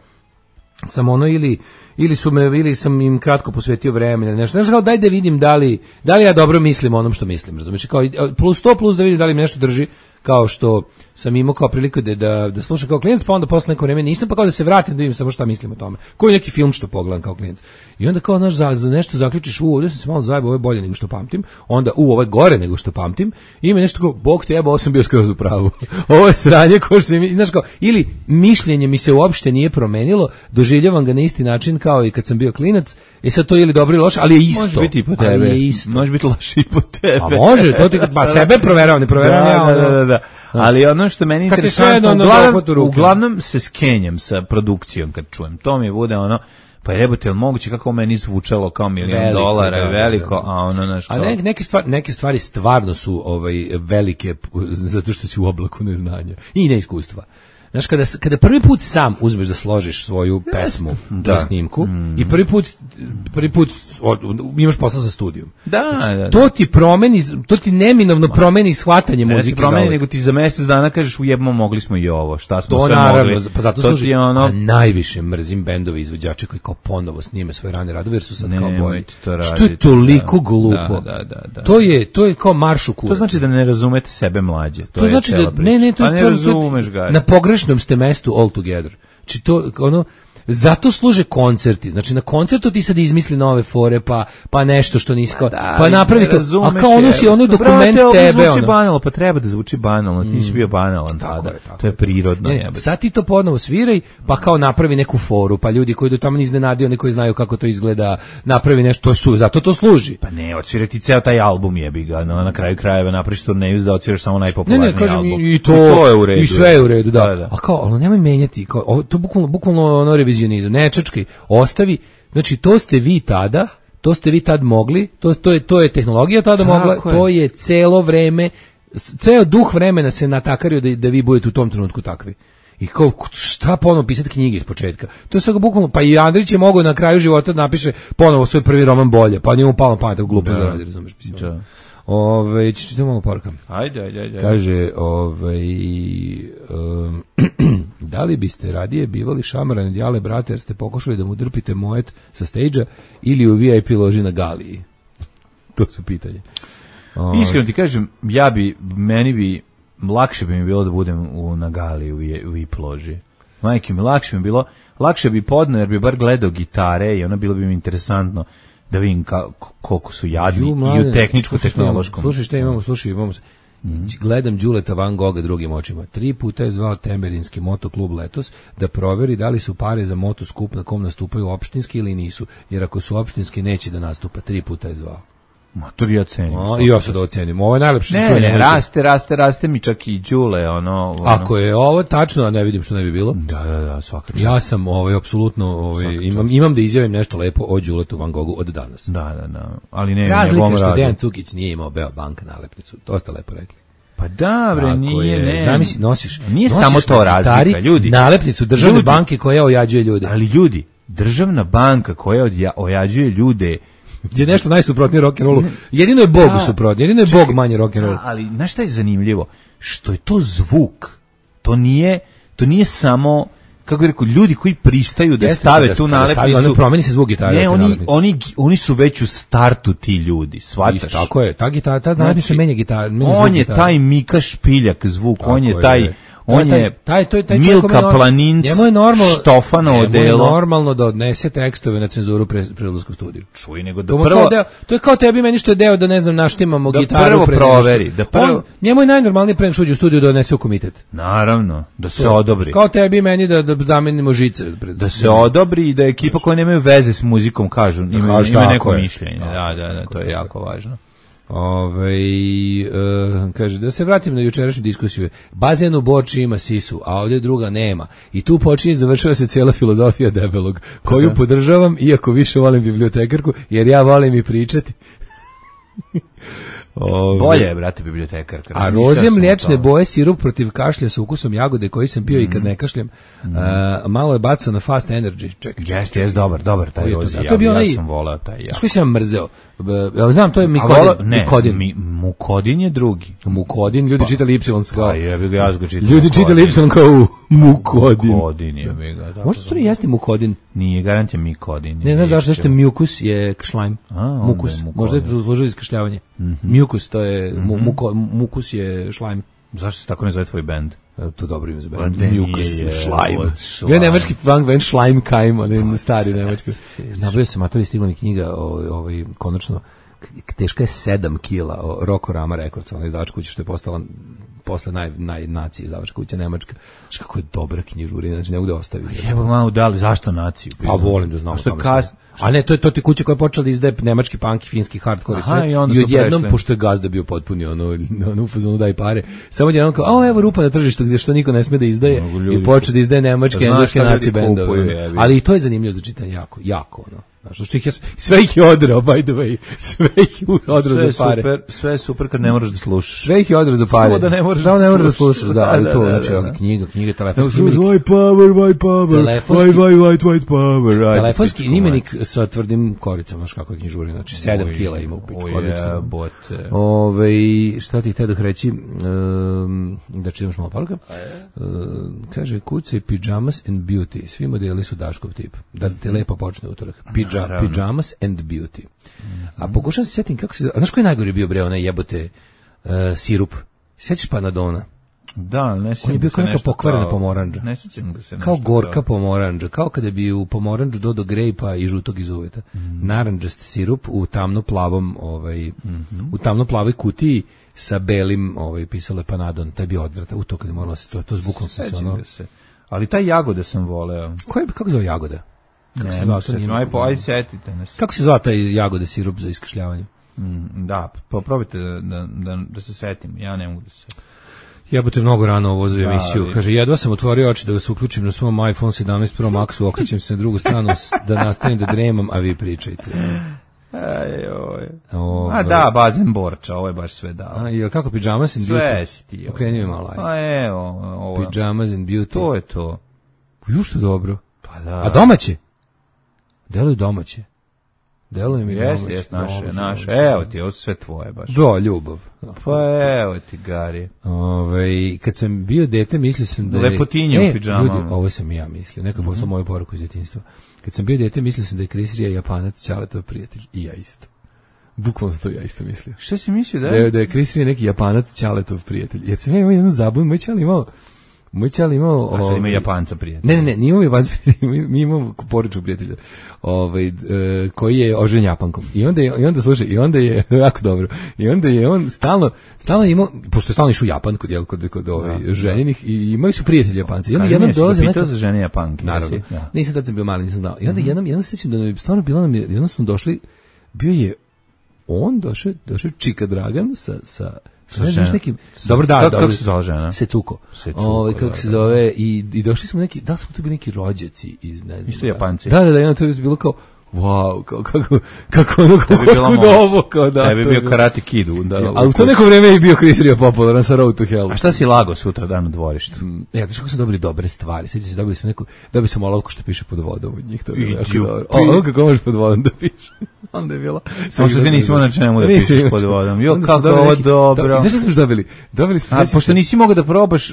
sam ono ili ili su me ili sam im kratko posvetio vremena nešto nešto kao daj da vidim da li da li ja dobro mislim o onom što mislim, razumiješ, kao plus sto plus da vidim da li mi nešto drži, kao što sam imao kao priliku da, da, da slušam kao klijent, pa onda posle neko vreme nisam, pa kao da se vratim da vidim samo šta mislim o tome. Koji neki film što pogledam kao klijent. I onda kao, znaš, za, za nešto zaključiš, u, ovdje sam se malo zajebao, ovo je bolje nego što pamtim, onda, u, ovo je gore nego što pamtim, i ima nešto kao, bog te jeba, ovo sam bio skroz u pravu. Ovo je sranje koje se mi, znaš kao, ili mišljenje mi se uopšte nije promenilo, doživljavam ga na isti način kao i kad sam bio klinac, i sad to je ili dobro ili loše, ali je isto.
Može biti i po tebe.
Je isto.
Može biti loše i po tebe.
A može, to ti, pa sebe proveravam, ne proveravam ja.
Da, da, da, da. Ali ono što meni interesantno, uglavnom, uglavnom se skenjam sa produkcijom kad čujem. To mi bude ono, pa jebote, jel moguće kako meni zvučalo kao milion veliko, dolara, da, veliko, da, da. A ono nešto.
A ne, neke, stvari, neke stvari stvarno su ovaj, velike zato što si u oblaku neznanja i neiskustva. Znaš, kada, kada prvi put sam uzmeš da složiš svoju pesmu da. na snimku mm. i prvi put, prvi put od, imaš posla sa studijom.
Da, znači,
da, da. To ti promeni, to ti neminovno promeni shvatanje ne muzike.
Ne ti promeni, nego ti za mjesec dana kažeš ujebmo, mogli smo i ovo, šta smo
to
sve
naravno,
mogli.
Pa zato
to
služi,
ono...
a najviše mrzim bendove izvođače koji kao ponovo snime svoje rane radove jer su sad ne, kao bolji. Što je toliko da, glupo.
Da, da, da, da.
To je, to je kao marš u kurac.
To znači da ne razumete sebe mlađe. To,
to
je
znači da,
priča.
ne, ne, to
pa
je
ne
to,
razumeš ga.
Na pogrešnom ste mestu all together. Znači to, ono, zato služe koncerti. Znači na koncertu ti sad izmisli nove fore, pa pa nešto što nisi kao, da, pa napravi to. A kao ono si ono dokument brate, tebe
zvuči
ono.
banalno, pa treba da zvuči banalno. Ti si bio banalan tada. Je, to je prirodno,
ne, sad ti to ponovo sviraj, pa kao napravi neku foru, pa ljudi koji do tamo iznenadio, neki koji znaju kako to izgleda, napravi nešto, su, zato to služi.
Pa ne, odsvirati ceo taj album jebi ga, no, na kraju krajeva napraviš turneju da odsviraš samo najpopularniji album. Ne, ne, kažem album.
I to, I to je u redu. I sve je u redu, da. da, da. A kao, ali nemoj menjati, kao, to bukvalno, bukvalno ono revizionizam, ne čačkaj, ostavi, znači to ste vi tada, to ste vi tad mogli, to, to, je, to je tehnologija tada tako mogla, je. To je celo vreme, ceo duh vremena se natakario da, da vi budete u tom trenutku takvi. I kao, šta ponovo pisati knjige iz početka? To je svega bukvalno, pa i Andrić je mogao na kraju života da napiše ponovo svoj prvi roman Bolje, pa njemu palo na pamet, glupo da. Zaradi, razumeš, mislim. Da. Ove, čitamo malo poruka.
Ajde, ajde, ajde.
Kaže, ovaj, um, da li biste radije bivali šamaran od Jale brate jer ste pokušali da mu drpite mojet sa stage-a ili u V I P loži na Galiji? To su pitanje. Ove.
Iskreno ti kažem, ja bi, meni bi, lakše bi mi bilo da budem u, na Galiji u V I P loži. Majke mi, lakše mi bilo, lakše bi podno jer bi bar gledao gitare i ono bilo bi mi interesantno da vidim ka, koliko su jadni Ju, i u tehničko-tehnološkom.
Slušaj šta imamo, slušaj, imamo mm. gledam Đuleta Van Gogha drugim očima. Tri puta je zvao Temerinski motoklub letos da proveri da li su pare za motoskup na kom nastupaju opštinski ili nisu, jer ako su opštinski neće da nastupa. Tri puta je zvao.
Mator ja cenim.
A, I ja sad ocenim. Ovo je najlepše
ne,
se čuje.
Ne, raste, raste, raste mi čak i Đule. Ono, ono.
Ako je ovo tačno, a ne vidim što ne bi bilo.
Da, da, da, svaka čast.
Ja sam ovaj, apsolutno, ovaj, imam, imam da izjavim nešto lepo o Đuletu Van Goghu od danas.
Da, da, da. Ali ne,
razlika je što Dejan Cukić nije imao Beobank nalepnicu. To ste lepo rekli.
Pa da, bre, tako nije, je, ne.
Zamisli, nosiš.
Nije
nosiš
samo to razlika, ljudi.
Nalepnicu državne ljudi, banke koja ojađuje ljude.
Ali ljudi, državna banka koja odja, ojađuje ljude
je nešto najsuprotnije rock'n'rollu. Jedino je Bog suprotnije, jedino je Bog manje rock'n'roll.
Ali znaš šta je zanimljivo? Što je to zvuk. To nije, to nije samo, kako bih rekao, ljudi koji pristaju da Jeste, stave da tu nalepnicu.
Da promeni se zvuk gitare.
Ne, oni, oni, oni su već u startu ti ljudi, shvataš?
Isto, tako je, ta gitara, ta nalepnica menja gitara.
On je gitara. Taj Mika Špiljak zvuk, tako on je taj... Je. On je
taj, taj, taj
Milka Planinc, Štofanovo delo.
Njemu je normalno da odnese tekstove na cenzuru pre, pre odlaska u studiju.
Čuj, nego da
to
prvo...
Deo, to je kao tebi meni što je deo da, ne znam, naštimamo da gitaru.
Prvo pre proveri, da prvo...
On, njemu je najnormalnije pre nego uđe u studiju da odnese u komitet.
Naravno, da se to, odobri.
Kao tebi meni da, da zamenimo žice. Pred,
da se odobri i da ekipa koja nemaju veze s muzikom kažu, ima, ima neko mišljenje. Da, da, da, to je jako važno.
Ove, uh, kaže, da se vratim na jučerašnju diskusiju. Bazen u Borči ima sisu, a ovdje druga nema. I tu počinje i završava se cijela filozofija debelog, koju podržavam, iako više volim bibliotekarku, jer ja volim i pričati.
Ove. Bolje je, brate, bibliotekarka.
A roze mliječne boje, sirup protiv kašlja sa ukusom jagode koji sam pio mm. i kad ne kašljam. Mm. Uh, malo je bacao na fast energy. Čekaj.
Jeste, jeste, dobar, dobar taj rozi. Ja, ja, ja sam volao taj. Ja.
Što sam mrzeo? Ja znam, to je Mikodin.
Ne,
Mukodin.
Mi, Mukodin je drugi.
Mukodin, ljudi pa, čitali Y kao.
Pa je, ja ga čitali.
Ljudi čitali Y kao Mukodin.
Mukodin je, mi ga.
Možda su li jesti Mukodin?
Nije, garant je Mikodin.
Ne znaš zašto što mukus je šlajm. Mukus. Možda je to služilo iskašljavanje. Mukus, to je, mukus je šlajm.
Zašto se tako ne zove tvoj bend?
To dobro ime za band. Mucus, Schleim. Ja nemački punk band Schleimkeim, on stari nemački. Nabavio sam, a to je stigla mi knjiga, ovaj, konačno, teška je sedam kila, Rokorama Records, ona izdavačka kuća što je postala posle naj, naj nacije izdavačka kuća nemačka. Znaš kako je dobra knjižurina, znači ne bude ostaviti.
Evo malo dali, zašto naciju?
Pa volim da znam. Što kas... A ne, to je to ti kuća koja je počela da izdaje nemački punk i finski hardcore. Aha, i, i odjednom, pošto je gazda bio potpuni ono, ono u fazonu daj pare, samo odjednom kao, a evo rupa na tržištu gdje što niko ne sme da izdaje i počeo da izdaje nemačke, engleske naci bendove. Ali i to je zanimljivo za čitanje jako, jako ono. Znaš, što ih je, sve ih je odrao, by the way, sve ih je odrao za pare.
Super, sve je super kad ne moraš da slušaš.
Sve ih je odrao za pare.
Samo da ne moraš
da,
da,
da slušaš. Da, ali to, znači, knjiga, knjiga, telefonski imenik.
White power, white power, white, white, white, white power.
Telefonski imenik sa tvrdim koricama, znaš kako je knjižurina, znači sedam kila ima u pičku, odlično. Ove, šta ti htio da reći, da čitaš malo poruka, kaže, kuca i pijamas and beauty, svi modeli su Daškov tip, da te lepo počne utorak. Pijamas and beauty. Mm-hmm. A pokušam se sjetim kako se... A znaš koji je najgori bio, bre, onaj jebote uh, sirup? Sjećaš Panadona?
Da, ne sjećam.
On je bio kao neka pokvarena kao, pomoranđa.
Ne sjećam ga se.
Kao gorka kao. pomoranđa. Kao kada bi u pomoranđu dodao grejpa i žutog iz uveta. Mm-hmm. Naranđast sirup u tamno-plavom, ovaj, mm-hmm. u tamno-plavoj kutiji sa belim, ovaj, pisalo je Panadon. Taj bi odvrata. U to kad je moralo se to, to zbukno se se ono...
Se. Ali taj jagode sam voleo.
Ko je, kako zove jagoda? Kako
ne,
se zvao,
se, aj, po, aj setite nas.
Kako se zvao taj jagode sirup za iskašljavanje?
Mm, da, pa probajte da, da, da, da se setim, ja ne mogu da se...
Jebote, mnogo rano ovo za emisiju. Da, kaže, jedva sam otvorio oči da vas uključim na svom iPhone sedamnaest Pro Maxu, okrećem se na drugu stranu da nastavim da dremam, a vi pričajte.
Aj, oj. A da, bazen Borča, ovo je baš sve dao.
A, jel kako Pijamas and Beauty?
Sve si ti.
Okrenio je malo.
A evo, ovo.
Pijamas and Beauty.
To je to.
Ju što dobro.
Pa da.
A domaće? Deluju domaće. Deluje mi
yes,
domaće.
Jes, naše,
domaće,
naše.
domaće.
Evo ti, ovo sve tvoje baš.
Da, ljubav.
Pa evo ti, Gari.
Ove, kad sam bio dete, mislio sam da je...
Lepotinje
e,
u pidžamama.
Ljudi, ovo sam i ja mislio. Neko mm-hmm. poslao moju poruku iz djetinjstva. Kad sam bio dete, mislio sam da je Krisrija Japanac, Ćaletov prijatelj. I ja isto. Bukvalno to ja isto mislio.
Šta si mislio da je?
Da je, da je Krisrija neki Japanac, Ćaletov prijatelj. Jer sam ja imao jednu zabunu, moj Ćale imao... Moj Ćale imao...
A sad ima Japanca prijatelja.
Ne, ne, ne, nije imao Japanca prijatelja, mi, mi imamo porodičnog prijatelja, ovaj, e, koji je ožen Japankom. I onda je, i onda, slušaj, i onda je, jako dobro, i onda je on stalno, stalno imao, pošto je stalno išao u Japan kod, jel, kod, kod ovaj, da, ženjenih, da. I imali su prijatelji Japanci. I onda jednom dolaze...
Pitao za žene Japanke.
Naravno. Ja. Nisam tad sam bio mali, nisam znao. I onda mm-hmm. jednom, jednom se sjećam da je stvarno bilo nam, jednom smo došli, bio je on došao, došao Čika Dragan sa... sa Znaš nekim, dobro da,
kako se zove žena?
Secuko. Ovaj kako da, se zove i i došli smo neki, da smo tu bili neki rođaci iz ne znam.
Isto Japanci.
Da, da, da, to je bilo kao wow, kako kako kako ono kako ovo kao da.
Tebi bio Karate Kid onda.
Ja, a u to neko vrijeme je bio Chris Rio popularan sa Road to Hell.
A šta si lago sutra dan u dvorištu?
Ja, znaš kako su dobili dobre stvari. Sjećate se, dobili smo neku, dobili smo olovku što piše pod vodom od njih, to je jako dobro. O, kako možeš pod vodom da piše? Onda je bilo.
Samo što ti nismo na čemu da pišeš pod vodom. Jo, kako ovo dobro.
Znaš što smo dobili? Dobili smo...
A, pošto nisi mogao da probaš,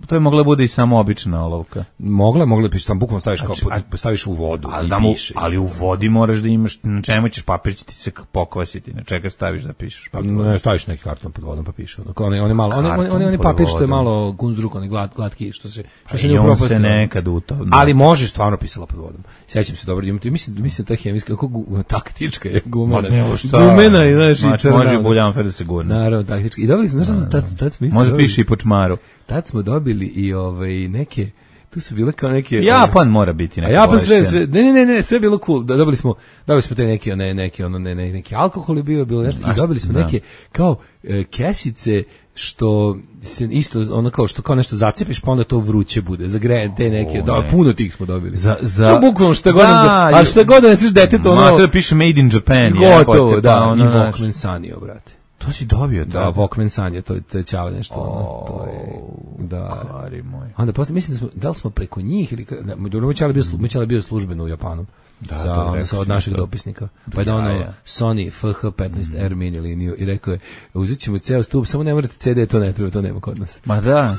to je mogla bude i samo obična olovka.
Mogla, mogla piše, tam bukvalno staviš kao, staviš u vodu
ali
i
da mu,
pišeš.
Ali u vodi moraš da imaš, na čemu ćeš papir će ti se pokvasiti, na čega staviš da pišeš
papir? Ne, staviš neki karton pod vodom pa piše. On je, on je malo, on je, on je, on je papir što je malo gunzdruk, on je glad, glatki, što se, što se
ne upropasti. I on se nekad u to.
Ali može stvarno pisala pod vodom. Sjećam se dobro, mislim, mislim ta hemijska, kako taktička je gumena. Gumena i znaš i crna.
Može buljanfer da se gurne.
Naravno, taktička. I dobili smo, znaš šta tad, tad smo isto.
Može piše i po čmaru.
Tad smo dobili i ovaj neke, tu su bile kao neke
Japan mora biti neka.
Japan sve, sve ne ne ne sve bilo cool. Dobili smo dobili smo te neke one neke ono ne, ne neki alkohol je bio bilo nešto i dobili smo da. neke kao e, kesice što se isto ono kao što kao nešto zacepiš pa onda to vruće bude. Za gre te neke, da ne. puno tih smo dobili.
Za za
bukvalno šta god, da, a šta god da nosiš detetu ono.
Ma to piše made in Japan,
gotovo, ja, da, ono, i Walkman Sanio, brate.
To si dobio,
da, Walkman Sanio, to, to je ćao nešto, oh, to je, da.
Kari moj.
Onda posle, mislim da smo, da li smo preko njih, ili, mi ćali bio, mi ćali bio službeno u Japanu, da, sa, ono, sa od naših to. dopisnika, pa je da ono ja. Sony F H petnaest R mm. mini liniju i rekao je, uzet ćemo ceo stup, samo ne morate C D, to ne treba, to nema kod nas.
Ma da,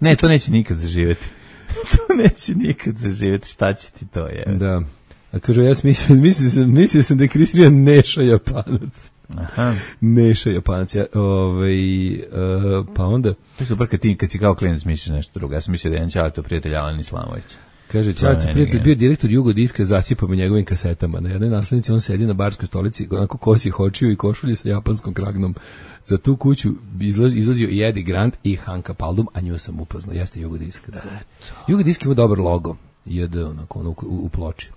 ne, to neće nikad zaživjeti. To neće nikad zaživjeti, šta će ti to je?
Da. A kažu, ja mislio, mislio sam, mislio sam da je Kristina Neša Japanac.
Aha.
Neša Japanac. Ja, ovaj, uh, pa onda...
To je super kad ti, kad si kao klinac misliš nešto drugo. Ja sam mislio da je jedan Ćaletov prijatelj Alen Islamović.
Kaže, Ćaletov prijatelj bio direktor Jugodiska, zasipao me njegovim kasetama. Na jednoj naslednici on sedi na barskoj stolici, onako kosi hočiju i košulji sa japanskom kragnom. Za tu kuću izlaz, izlazio i Eddie Grant i Hanka Paldum, a nju sam upoznao. Jeste Jugodiska. Da. Jugodiska ima dobar logo. J D, onako, ono, u, u ploči.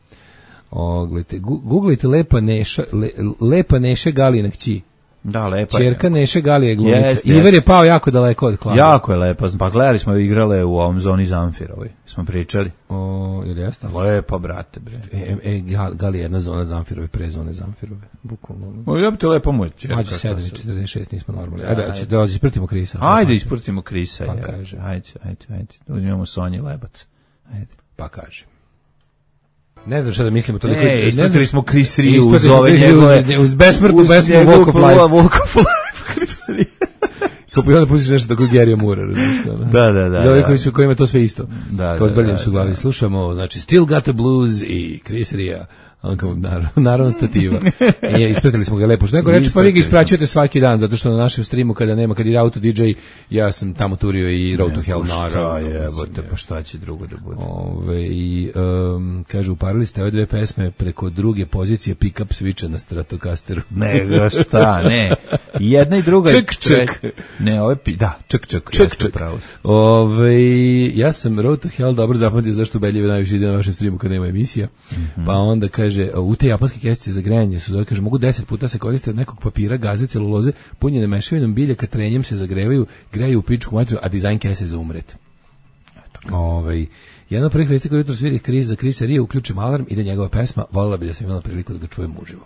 O, gledajte, googlajte Lepa Neša, le, Lepa Neša Galijina kći.
Da, lepa
Čerka
je.
Neše Galije glumica.
Jest,
Iver
jest.
je pao jako daleko od klada.
Jako je lepa. Pa gledali smo igrale u ovom zoni Zamfirovoj. Smo pričali.
O, ili jeste?
Lepa, brate, bre.
E, e, Galije jedna zona Zamfirove, pre zone Zamfirove. Bukvalno.
O, ja bi te lepo moj čerka.
Mađe sedam i četrdeset šest, nismo normalni. Ajde, ajde, da ispratimo Krisa.
Ajde, ispratimo Krisa.
Pa
je.
kaže.
Ajde, ajde, ajde. Uzmemo Sonji Lebac. Ajde.
Pa kaže. Ne znam šta da mislimo to.
Ne,
neko,
ispratili smo Chris Ria uz
smo
ove
Chris
njegove...
Ria uz besmrtnu pesmu Walk of Life.
Walk of Life, Chris Ria.
Kao pa i onda pustiš nešto tako Gary Moore, razumiješ to?
Da, da, da.
Za ove koji su, kojima je to sve isto.
Da,
kao
da,
zbrljam
da,
su u glavi.
da.
Slušamo, znači, Still Got the Blues i Chris Ria. On kao, naravno, naravno stativa. I ispratili smo ga lepo. Što neko reče, pa vi ga ispraćujete svaki dan, zato što na našem streamu kada nema, kad je auto D J, ja sam tamo turio i Road to Hell, naravno.
Šta je, bote, pa šta će drugo da bude?
Ove, i, um, kaže, uparili ste ove dve pesme preko druge pozicije pick-up switcha na Stratocasteru.
Ne, šta, ne. Jedna i druga.
Ček, ček.
Ne, ove, pi, da, ček, ček.
Ček, ček. Ove, ja sam Road to Hell dobro zapamtio zašto ubeljive najviše ide na vašem streamu kad nema emisija. Mm-hmm. Pa onda kaže, u te japanske kesice za grejanje su, kaže, mogu deset puta se koriste od nekog papira, gaze, celuloze, punjene mešavinom biljaka, trenjem se zagrevaju, greju u pičku materiju, a dizajn kese za umret. Ovaj, jedna od prvih vesti koja jutro sviri Chris za Chrisa Ria, uključim alarm, ide njegova pesma, voljela bi da sam imala priliku da ga čujem uživo.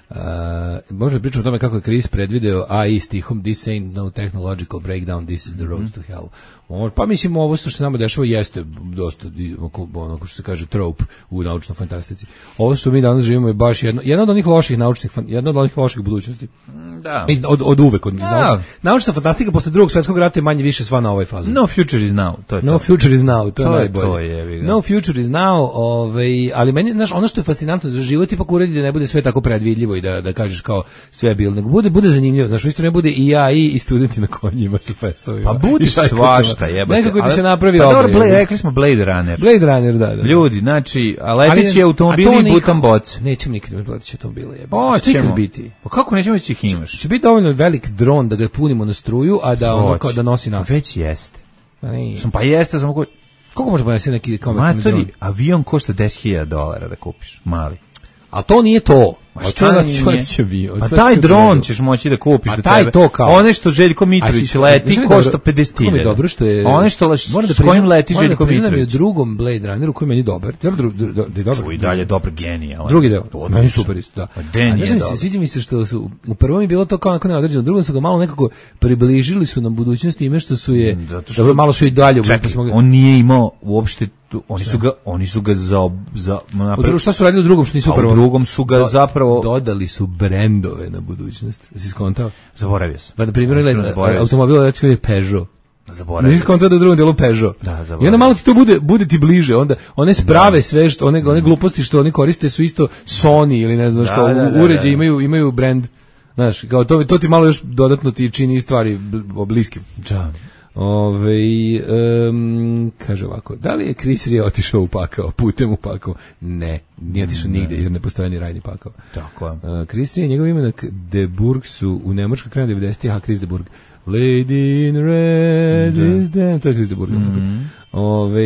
Uh, možda pričam o tome kako je Chris predvideo A I stihom This ain't no technological breakdown, this is the road mm-hmm. to hell. Pa mislim, ovo što se nama dešava jeste dosta onako što se kaže trope u naučnoj fantastici. Ovo što mi danas živimo je baš jedno, jedna od onih loših naučnih, jedna od onih loših budućnosti.
Da.
Od, od uvek. Od,
da.
Naučna fantastika posle drugog svjetskog rata je manje više sva na ovaj fazu.
No future is now. To je
no
to.
future is now, to, to je najbolje.
To je,
no future is now, ovaj, ali meni, znaš, ono što je fascinantno za život ipak uredi da ne bude sve tako predvidljivo i da, da kažeš kao sve je bilo, nego bude, bude zanimljivo. Znaš, u isto ne bude i ja i, i studenti na konjima sa festovima.
Pa budi svašta, jebate.
Nekako ti se napravi
pa
obje.
Dobro, Blade, rekli smo Blade Runner.
Blade Runner, da, da.
Ljudi, znači, a leteći automobili i butan boce.
Nećemo nikad imati leteći automobile, jebate.
Hoćemo.
biti.
Pa kako nećemo već ih imaš?
Će biti dovoljno velik dron da ga punimo na struju, a da ono kao da nosi nas.
Već jeste.
Pa,
Sam, pa jeste, samo ko...
Koliko može ponesti neki komercijalni dron?
Matori, avion košta deset hiljada dolara da kupiš, mali.
A to nije to.
A šta
da
će bio? Pa taj dron ćeš moći da kupiš do
taj
tebe.
To kao.
One što Željko Mitrović leti košta pedeset hiljada.
Dobro što je.
One što leš, s kojim leti Željko Mitrović.
U drugom Blade Runneru koji meni dobar. Dobro, dobro.
Čuj, dalje dobar genijalan.
Drugi deo. Meni super isto, da.
A
znaš mi se sviđa mi se što su u prvom je bilo to kao neko neodređeno, u drugom su ga malo nekako približili su nam budućnosti ime što su je dobro malo su i dalje.
On nije imao uopšte tu, oni su ga oni su ga za za
napravili. Šta su radili u drugom što nisu u prvom?
U drugom su ga zapravo
dodali su brendove na budućnost. Jesi skontao?
Zaboravio sam.
Pa na primjer automobil recimo je Peugeot.
Zaboravio.
Nisi skontao da u drugom delu Peugeot.
Da, zaboravio.
I onda malo ti to bude bude ti bliže, onda one sprave sve što one one gluposti što oni koriste su isto Sony ili ne znam da, kao da, da, uređaji imaju imaju brend. Znaš, kao to to ti malo još dodatno ti čini stvari bliskim.
Da.
Ove, um, kaže ovako, da li je Chris Ria otišao u pakao, putem u pakao? Ne, nije otišao ne. nigde, jer ne postoje ni rajni pakao.
Tako je.
Uh, Chris Ria, njegov imenak De Burg su u Nemačkoj krajem devedesetih, a Chris De Burg. Lady in red da. is dead, to je Chris De Burg. Mm-hmm. Ove,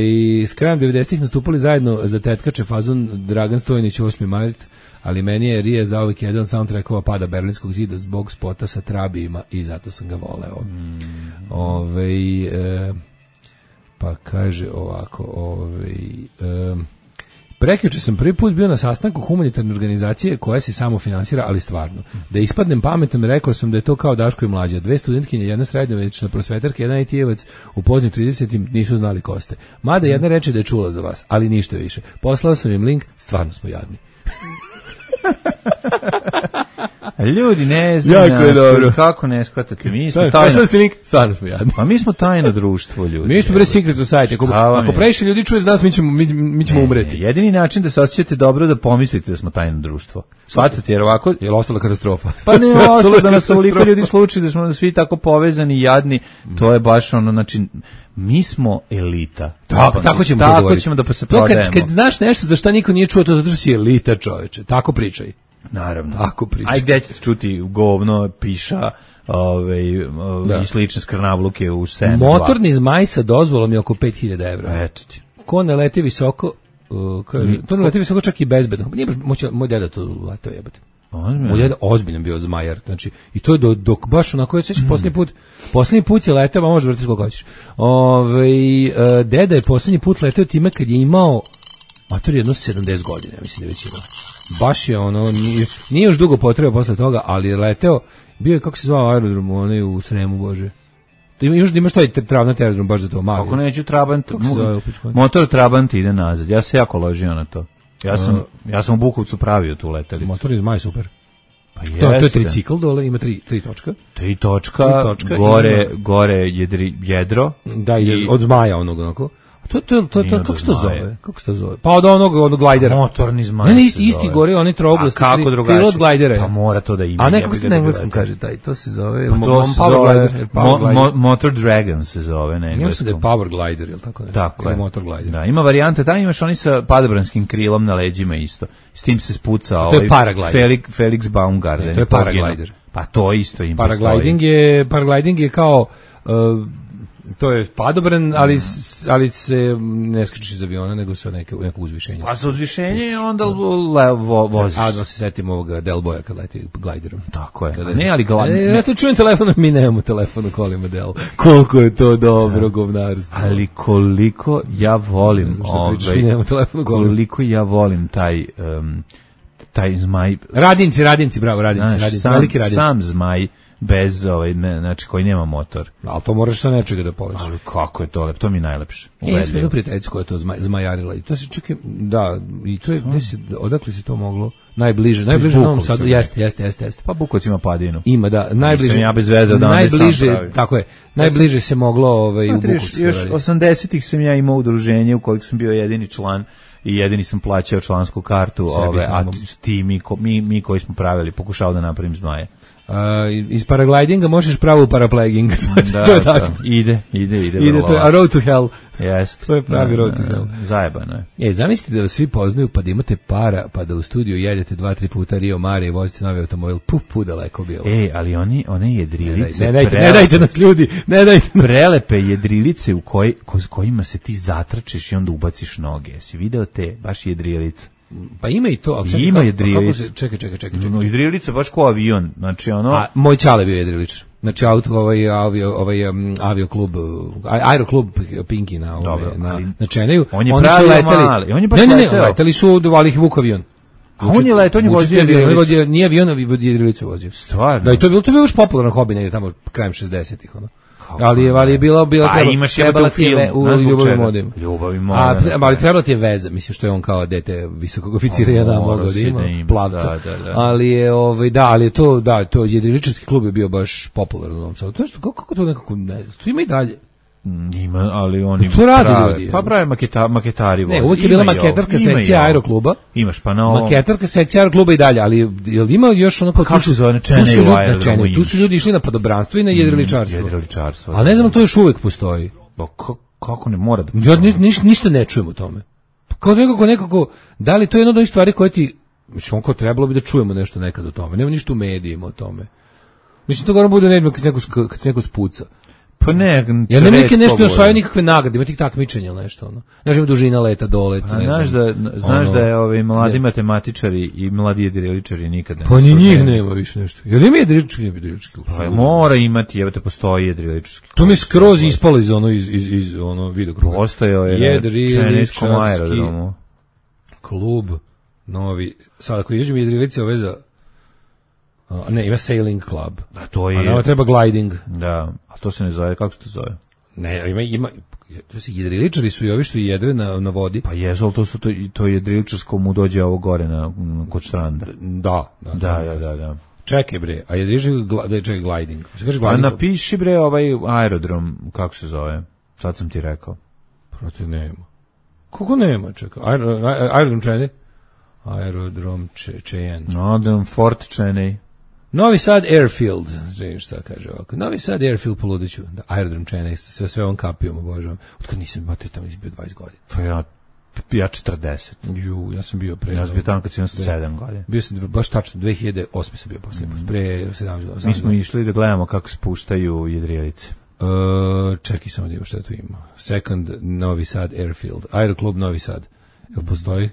s krajem devedesetih nastupali zajedno za tetkače fazon Dragan Stojnić osmi mart, ali meni je Ria zauvijek jedan soundtrackova pada Berlinskog zida zbog spota sa trabijima i zato sam ga voleo. Mm. Ove, e, pa kaže ovako, ove, e, prekjuče sam prvi put bio na sastanku humanitarne organizacije koja se samo finansira, ali stvarno. Da ispadnem pametan, rekao sam da je to kao Daško i Mlađa. Dve studentkinje, jedna srednjovečna prosvetarka, jedan I T-evac u poznim tridesetim nisu znali ko ste. Mada jedna reče da je čula za vas, ali ništa više. Poslao sam im link, stvarno smo jadni.
Ljudi ne znaju
Jako je
nas,
dobro.
kako ne shvatate, mi smo
Sad,
tajno,
sad se link, stvarno smo jadni.
pa mi smo tajno društvo, ljudi.
Mi smo bre secret society. Ako,
Šta vam
ako
je?
previše ljudi čuje za nas, mi ćemo, mi, mi ćemo
Ne,
umreti.
jedini način da se osjećate dobro da pomislite da smo tajno društvo. Shvatate, jer ovako...
Je li ostala katastrofa?
Pa ne
Sve ostalo
ostalo
je
da nas ovoliko
katastrofa.
ljudi sluči, da smo svi tako povezani i jadni, to je baš ono, znači, mi smo elita.
Tako, tako ćemo to
Tako
govoriti.
ćemo da pa se
To
prodajemo.
kad, kad znaš nešto za šta niko nije čuo, to zato što si elita, čoveče. Tako pričaj.
Naravno.
Tako pričaj.
Aj gde ćete čuti govno, piša, ove,
Da.
i slične skrnavluke u Sen
Motorni zmaj sa dozvolom je oko pet hiljada evra.
Eto ti.
Ko ne leti visoko, uh, kaže, to ne leti visoko čak i bezbedno. Nije baš, moće, moj deda to letao jebate. Moj deda ozbiljan bio zmajar, znači, i to je do, dok baš onako, ja sećam, posljednji put, posljednji put je letao, a možeš vrtiš koliko hoćeš. Ove, uh, deda je posljednji put letao time kad je imao, mator jedno sedamdeset godina, mislim da je već imao. Baš je ono, nije, nije još dugo potrebao posle toga, ali je leteo, bio je, kako se zvao aerodrom, onaj u Sremu, Bože. Imaš, imaš taj travnati aerodrom baš za to, mali.
Ako neću Trabant,
Kako se zove, upičko?
motor Trabant ide nazad. Ja se jako ložio na to. Ja sam, ja sam u Bukovcu pravio tu letelicu.
Motor iz Maj super.
Pa
To, to je
jeste.
tricikl dole, ima tri, tri točka.
Tri točka,
Tri točka,
gore,
ima-
gore jedri, jedro.
Da, ide
I-
od zmaja onog onako. A to, to, to,
Nije
to,
od
kako se to
zmaja.
zove? Kako se to zove? Pa od onog, onog glajdera.
Motorni zmaj.
Ne, ne,
se
isti, isti
zove.
gore, oni trouglasti.
A kako
tri-
drugačije?
krilo od glajdera je.
Pa mora to da ima.
A ne,
jebi
kako se
ga
na
da
engleskom
gledate.
kaže taj, to se zove...
Pa
mo-
to
mo-
se
power
zove
glider,
mo,
power glider.
mo, Motor Dragon se zove na
Ja mislim da
engleskom.
je power glider, ili tako nešto.
Tako
Ili
je.
motor glider.
Da, ima varijante, tamo imaš oni sa padobranskim krilom na leđima isto. S tim se spuca
je
ovaj
paraglider.
Felix, Felix Baumgarten.
Ne, to je
poginuo.
paraglider.
Pa to isto im
Paragliding je, paragliding je kao... Uh, to je padobran, ali, s- ali se ne skačeš iz aviona, nego sa neke, nekog uzvišenja.
Pa sa uzvišenje onda le, vo, voziš.
A da se setim ovoga Del Boya kad leti gliderom.
Tako je.
Kada-
Ne, ali glavno...
E, ja to čujem telefon, mi nemamo telefon u kolima Del. Koliko je to dobro govnarstvo.
Ali koliko ja volim
Ne znam šta pričaš, mi
ovaj,
nemamo telefon u kolima.
koliko ja volim taj um, taj zmaj.
Radinci, radinci, bravo, radinci,
Znaš,
radinci,
sam,
veliki radinci.
sam zmaj bez ovaj ne, znači koji nema motor.
Ali to moraš sa nečega da poletiš.
Ali kako je to lep, to mi je najlepše.
E, ja sam
Ubedljivo.
jednu prijateljicu koja je to zmaj, zmajarila i to se čekaj, da, i to je, gde se, odakle se to moglo? Najbliže, najbliže
Iz
Novom
Bukovca,
Sadu,
ne?
jeste, jeste, jeste, jeste.
Pa Bukovac ima padinu.
Ima, da, najbliže.
Nisam ja bez veze odavde
najbliže,
sam pravio.
tako je, najbliže se moglo ovaj, u
Znate, još,
Bukovcu.
još
raditi.
osamdesetih sam ja imao udruženje u kojeg sam bio jedini član i jedini sam plaćao člansku kartu,
Sebi
ove, a
samom.
ti mi, ko- mi, mi koji smo pravili, pokušao da napravim zmaje.
A, iz paraglidinga možeš pravo u parapleging.
Da,
to je
da,
tačno.
ide, ide, ide.
Ide,
vrlo
to je a
lako.
road to hell.
Jeste.
to je pravi road to hell.
Zajebano je.
E, zamislite da vas svi poznaju pa da imate para, pa da u studiju jedete dva, tri puta Rio Mare i vozite novi automobil, pu, pu, daleko bilo.
Ej, ali oni, one
ne,
jedrilice,
ne, dajte, ne
prelepe-
dajte nas ljudi, ne dajte nas.
prelepe jedrilice u koj, ko, kojima se ti zatračiš i onda ubaciš noge. Jesi video te, baš jedrilica?
Pa ima i to, ali čekaj,
Ima
kako-
jedrilica.
kako se- Čekaj, čekaj, čekaj. čekaj.
No, jedrilica baš ko avion, znači ono...
A moj ćale bio jedriličar. Znači auto ovaj avio ovaj um, avio klub aeroklub Pinki na ove,
Dobro,
na
ali-
na Čeneju.
On je
Oni su
pravio
leteli.
mali, on je baš
ne, ne, ne,
leteo.
leteli su do Valih Vuk avion.
A on je letao, on je
Vučić
vozio
avion,
jedrilicu.
vozio- nije avion, a jedrilicu vozio.
Stvarno?
Da, i to je bilo, to je bilo još popularan hobi negdje tamo krajem šezdesetih, ono. Ali je, ali je bila, bila
Pa
treba,
imaš
trebala
jebote u
ti je ve-
filmu,
u
znaš zbog
Ljubavi
čega?
modem.
Ljubavi
A,
modem,
pre- ali trebala ti je veza, mislim što je on kao dete visokog oficira
A,
jedan
morao
mogao da
si
ima,
da ima,
plavca.
da, da, da.
Ali je, ovaj, da, ali je to, da, to jedriličarski klub je bio baš popularan u Novom Sadu. To je što, kako, kako to nekako, ne, to ima i dalje.
Mm, Ima, ali oni
To rade
prave-
ljudi,
Pa
ja.
prave maketa, maketari
Ne,
voze.
uvijek je bila
Ima i ovo,
maketarska
ima i
sekcija
ovo.
aerokluba.
Imaš pa na ovom...
Maketarska sekcija aerokluba i dalje, ali jel ima još ono kao...
Kako
tu su-
se zove, na
tu su
Čeneju
ljudi- na
aerodromu
Čeneju, Tu
imaš.
su ljudi išli na padobranstvo i na jedriličarstvo.
Jedriličarstvo.
A ne znam, to još uvijek postoji.
Pa ko- kako ne mora da...
Ja ni, niš, ništa ne čujem o tome. Kao nekako, nekako, da li to je jedna od onih stvari koje ti, mislim, on kao trebalo bi da čujemo nešto nekad o tome. Nema ništa u medijima o tome. Mislim, to govorom bude nedno kad se neko, sk- kad se neko spuca.
Pa ne,
Ja ne neke nešto ne
čovek
osvajaju nikakve nagrade, ima tih takmičenja ili nešto, ono. Znaš, ima dužina leta, dolet,
A
ne
znaš
znam.
da, znaš
ono,
da je ovi mladi
ne.
matematičari i mladi jedriličari nikad ne...
Pa ni
su-
njih nema više nešto. Jel ima jedrilički, nema jedrilički?
Pa mora imati, evo te postoji jedriličarski.
To mi je skroz ispalo iz ono, iz, iz, iz ono videokruga.
Postojao je na
Jedriličarski
Čeneskom aerodromu.
klub novi. Sad ako izađemo jedrilice ove za... A, ne, ima sailing club.
A to
A
je...
nama treba gliding.
Da, a to se ne zove, kako se to zove?
Ne, ima, ima, to se jedriličari su i ovi što jedre na, na vodi.
Pa jesu, ali to su to, to jedriličarsko mu dođe ovo gore na, kod štranda.
Da, da,
Da, da, da, da.
Čekaj bre, a je diže da je čekaj gliding. Se kaže gliding.
A napiši bre ovaj aerodrom, kako se zove? Sad sam ti rekao.
Protiv nema. Kako nema, čekaj. Aer, aerodrom Čene? Aerodrom Čejen.
Aerodrom Fort Čene.
Novi Sad Airfield, znači šta kaže ovako. Novi Sad Airfield poludiću. Da, aerodrom Čene, sve sve on kapijom, obožavam. Otkad nisam batio tamo izbio dvadeset godina.
Pa ja ja četrdeset.
Ju, ja sam bio pre.
Ja sam bio tamo kad sam sedam godina.
Bio sam baš tačno dve hiljade osme sam bio posle, mm. pre sedamnaest godina.
Mi smo išli da gledamo kako se puštaju jedrijelice.
Uh, čekaj samo da ima šta tu ima. Second Novi Sad Airfield. Aeroklub Novi Sad. Jel postoji?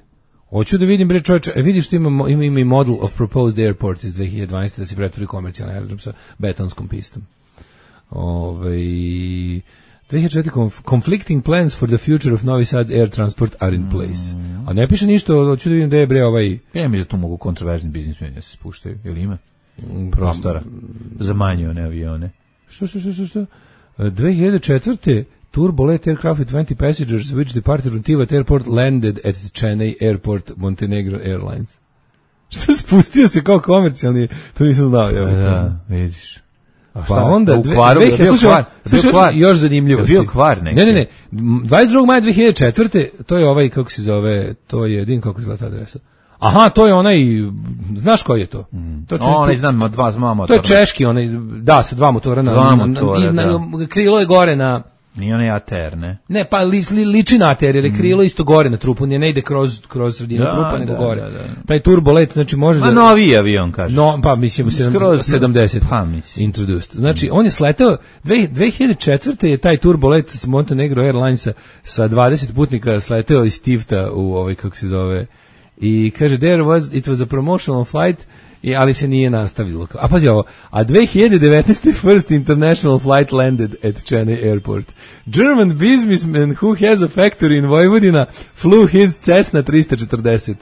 Hoću da vidim, bre čovječe, e, vidiš što ima, ima, ima i Model of Proposed Airport iz dve hiljade dvanaeste da se pretvori komercijalni aerodrom sa betonskom pistom. Ove, dve hiljade četvrte Conflicting plans for the future of Novi Sad air transport are in place. A ne piše ništa, hoću da vidim da je bre ovaj...
Ja mi da tu mogu kontroverzni biznismeni da se spuštaju, ili ima prostora za manje one avione.
Što, što, što, što, što? dve hiljade četvrte Turbolet aircraft with twenty passengers which departed from Tivat Airport landed at Chennai Airport, Montenegro Airlines. Što spustio se kao komercijalni, to nisam znao. Ja,
da, vidiš.
A pa onda, u kvaru, dve, dve, slušaj, slušaj, slušaj, još zanimljivosti.
Bio kvar neki.
Ne, ne, ne, dvadeset drugog maja dve hiljade četvrte to je ovaj, kako se zove, to je, din kako izgleda ta adresa. Aha, to je onaj, znaš koji je to?
Mm. to, to onaj, znam, dva, dva motora.
To je češki, onaj, da, sa dva motora. Na,
dva motora,
na,
da.
Na, krilo je gore na...
Nije onaj A T R, ne?
Ne, pa li, li, liči na A T R, jer je krilo mm. isto gore na trupu, nije ne ide kroz, kroz sredinu da, trupa, nego da, gore. Da, da. Taj turbolet, znači može
Ma
da...
Ma novi avion, kažeš.
No, pa mislim, sedamdeset
Pa mislim.
Introduced. Znači, mm. on je sletao, dve hiljade četvrte je taj turbolet s Montenegro Airlinesa sa dvadeset putnika sletao iz Tifta u ovaj, kako se zove, i kaže, there was, it was a promotional flight, I, ali se nije nastavilo. A pazi ovo, a dve hiljade devetnaeste first international flight landed at Chennai Airport. German businessman who has a factory in Vojvodina flew his Cessna trista četrdeset.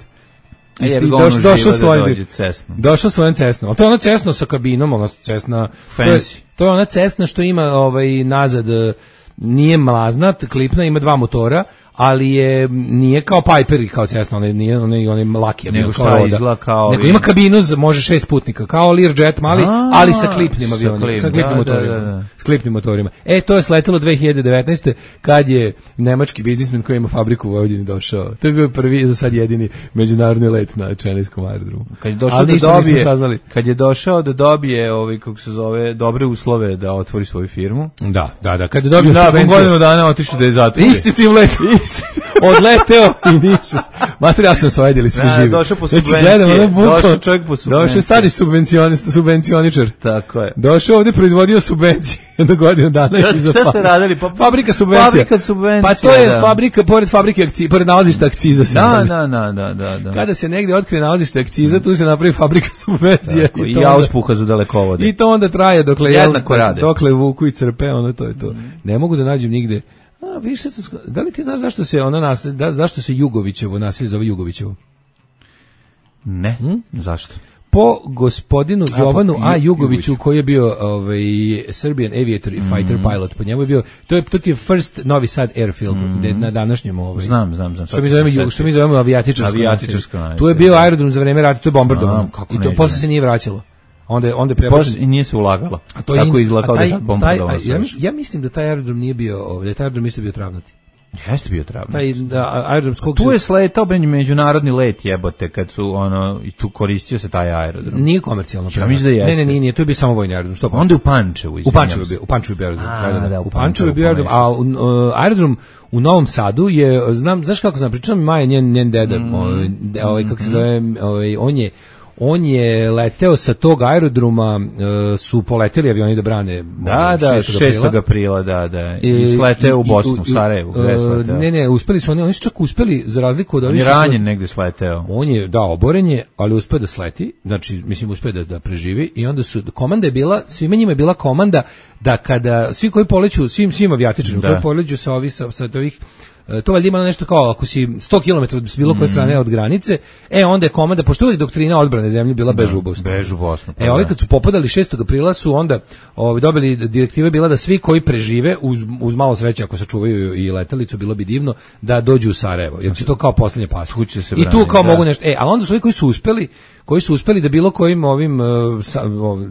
E, je
doš, došao
da
svojim došao svojim Cessnom. Ali to je ona Cessna sa kabinom, ona Cessna
fancy.
To je ona Cessna što ima ovaj nazad, nije mlazna, klipna, ima dva motora, ali je nije kao Piper i kao Cessna, on nije onaj onaj laki,
nego šta izgleda kao,
nego ima kabinu za može šest putnika, kao Learjet mali, a, ali sa klipnim avionima, sa klipnim motorima, da, da, da. S klipnim motorima. E, to je sletelo dve hiljade devetnaeste kad je nemački biznismen koji ima fabriku u Vojvodini došao. To je bio prvi, za sad jedini međunarodni let na Čenejskom aerodromu.
Kad je došao da dobije, kad je došao da dobije ovaj kako se zove dobre uslove da otvori svoju firmu.
Da, da, da, kad je dobio
da, godinu dana otišao da je zatvori.
Isti tim let. Odleteo i ništa. Mater, ja sam svajdili svi živi.
Došao po subvencije. Znači, došao čovjek po subvencije.
Došao stari subvencioničar.
Tako je.
Došao ovdje, proizvodio subvencije do godinu dana.
Ja, sve ste radili? Pa,
fabrika subvencija.
Fabrika subvencija,
pa to je
da.
Fabrika, pored fabrike akciza, pored nalazišta akciza.
Da, da, da, da, da, da.
Kada se negdje otkrije nalazište akciza, tu se napravi fabrika subvencija.
Tako, i to i auspuha za dalekovode.
I to onda traje dokle,
jednako rade.
Dokle vuku i crpe, ono to je to. Mm. Ne mogu da nađem nigde. A, više, da li ti znaš zašto se ona naselje, da, zašto se Jugovićevo naselje zove Jugovićevo?
Ne, hm? Zašto?
Po gospodinu
A,
Jovanu
po,
A. Jugoviću,
Jugović.
koji je bio ovaj, Serbian aviator i fighter mm. pilot, po njemu je bio, to je, to je first Novi Sad Airfield, mm. na današnjem ovaj.
Znam, znam, znam.
Što mi zovemo, što mi zovemo avijatičarsko.
Avijatičarsko naselje.
Tu je bio aerodrom za vreme rata, to je bombardovano. I to posle se nije vraćalo. Onda je onda je prebačen
i nije se ulagalo. A to kako izgleda kao da sad bombardovano.
Ja, ja mislim da taj aerodrom nije bio, ovdje, taj aerodrom isto bio travnati.
Jeste bio travnati.
Taj da, aerodrom skog
tu je sletao ben međunarodni let jebote kad su ono i tu koristio se taj aerodrom.
Nije komercijalno.
Ja mislim da jeste.
Ne, ne, nije, nije, to je bio samo vojni aerodrom, sto posto.
Onda u Pančevu,
u Pančevu bio, u Pančevu bio aerodrom. A, da, da, u Pančevu bio aerodrom, a uh, aerodrom u Novom Sadu je, znam, znaš kako sam pričao, Maja njen njen deda, mm. ovaj, ovaj kako se zove, ovaj on je on je leteo sa tog aerodroma, uh, su poleteli avioni da brane.
Da, da, šestog aprila, da, da. I, I sleteo u Bosnu, u Sarajevu, gde je sleteo?
Ne, ne, uspeli su oni, oni su čak uspeli, za razliku od
ovih... On je ranjen negde sleteo.
On je, da, oboren je, ali uspeo da sleti, znači, mislim, uspeo da, da preživi, i onda su, komanda je bila, svima njima je bila komanda da kada, svi koji poleću, svim, svim avijatičarima koji poleću sa ovih, sa, sa ovih, to valjda ima nešto kao ako si sto kilometara s bilo koje strane od granice, e onda je komanda, pošto uvijek doktrina odbrane zemlje bila bež u Bosnu.
Bež u Bosnu.
E, ovi kad su popadali šestog aprila su onda ovi, dobili, direktiva je bila da svi koji prežive, uz, uz malo sreće ako sačuvaju i letelicu, bilo bi divno, da dođu u Sarajevo, jer će to kao posljednje pas. I tu kao da. mogu nešto, e, ali onda su ovi koji su uspeli, koji su uspeli da bilo kojim ovim uh, sa,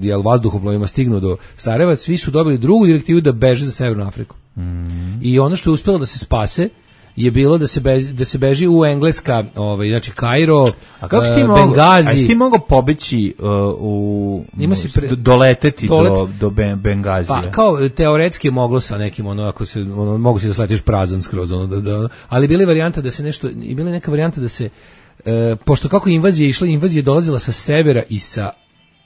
jel, vazduhoplovima stignu do Sarajeva, svi su dobili drugu direktivu da beže za Severnu Afriku. Mm. I ono što je uspelo da se spase je bilo da se beži, da se beži u Engleska, ovaj znači Kairo,
a kako si ti mogao, Bengazi. A si ti mogao pobeći uh, u ima si pre, doleteti dolet, do do ben, Bengazija.
Pa kao teoretski moglo sa nekim ono ako se ono mogu se da sletiš prazan skroz ono da, da ali bili varijanta da se nešto i bile neka varijanta da se uh, pošto kako invazija išla, invazija dolazila sa severa i sa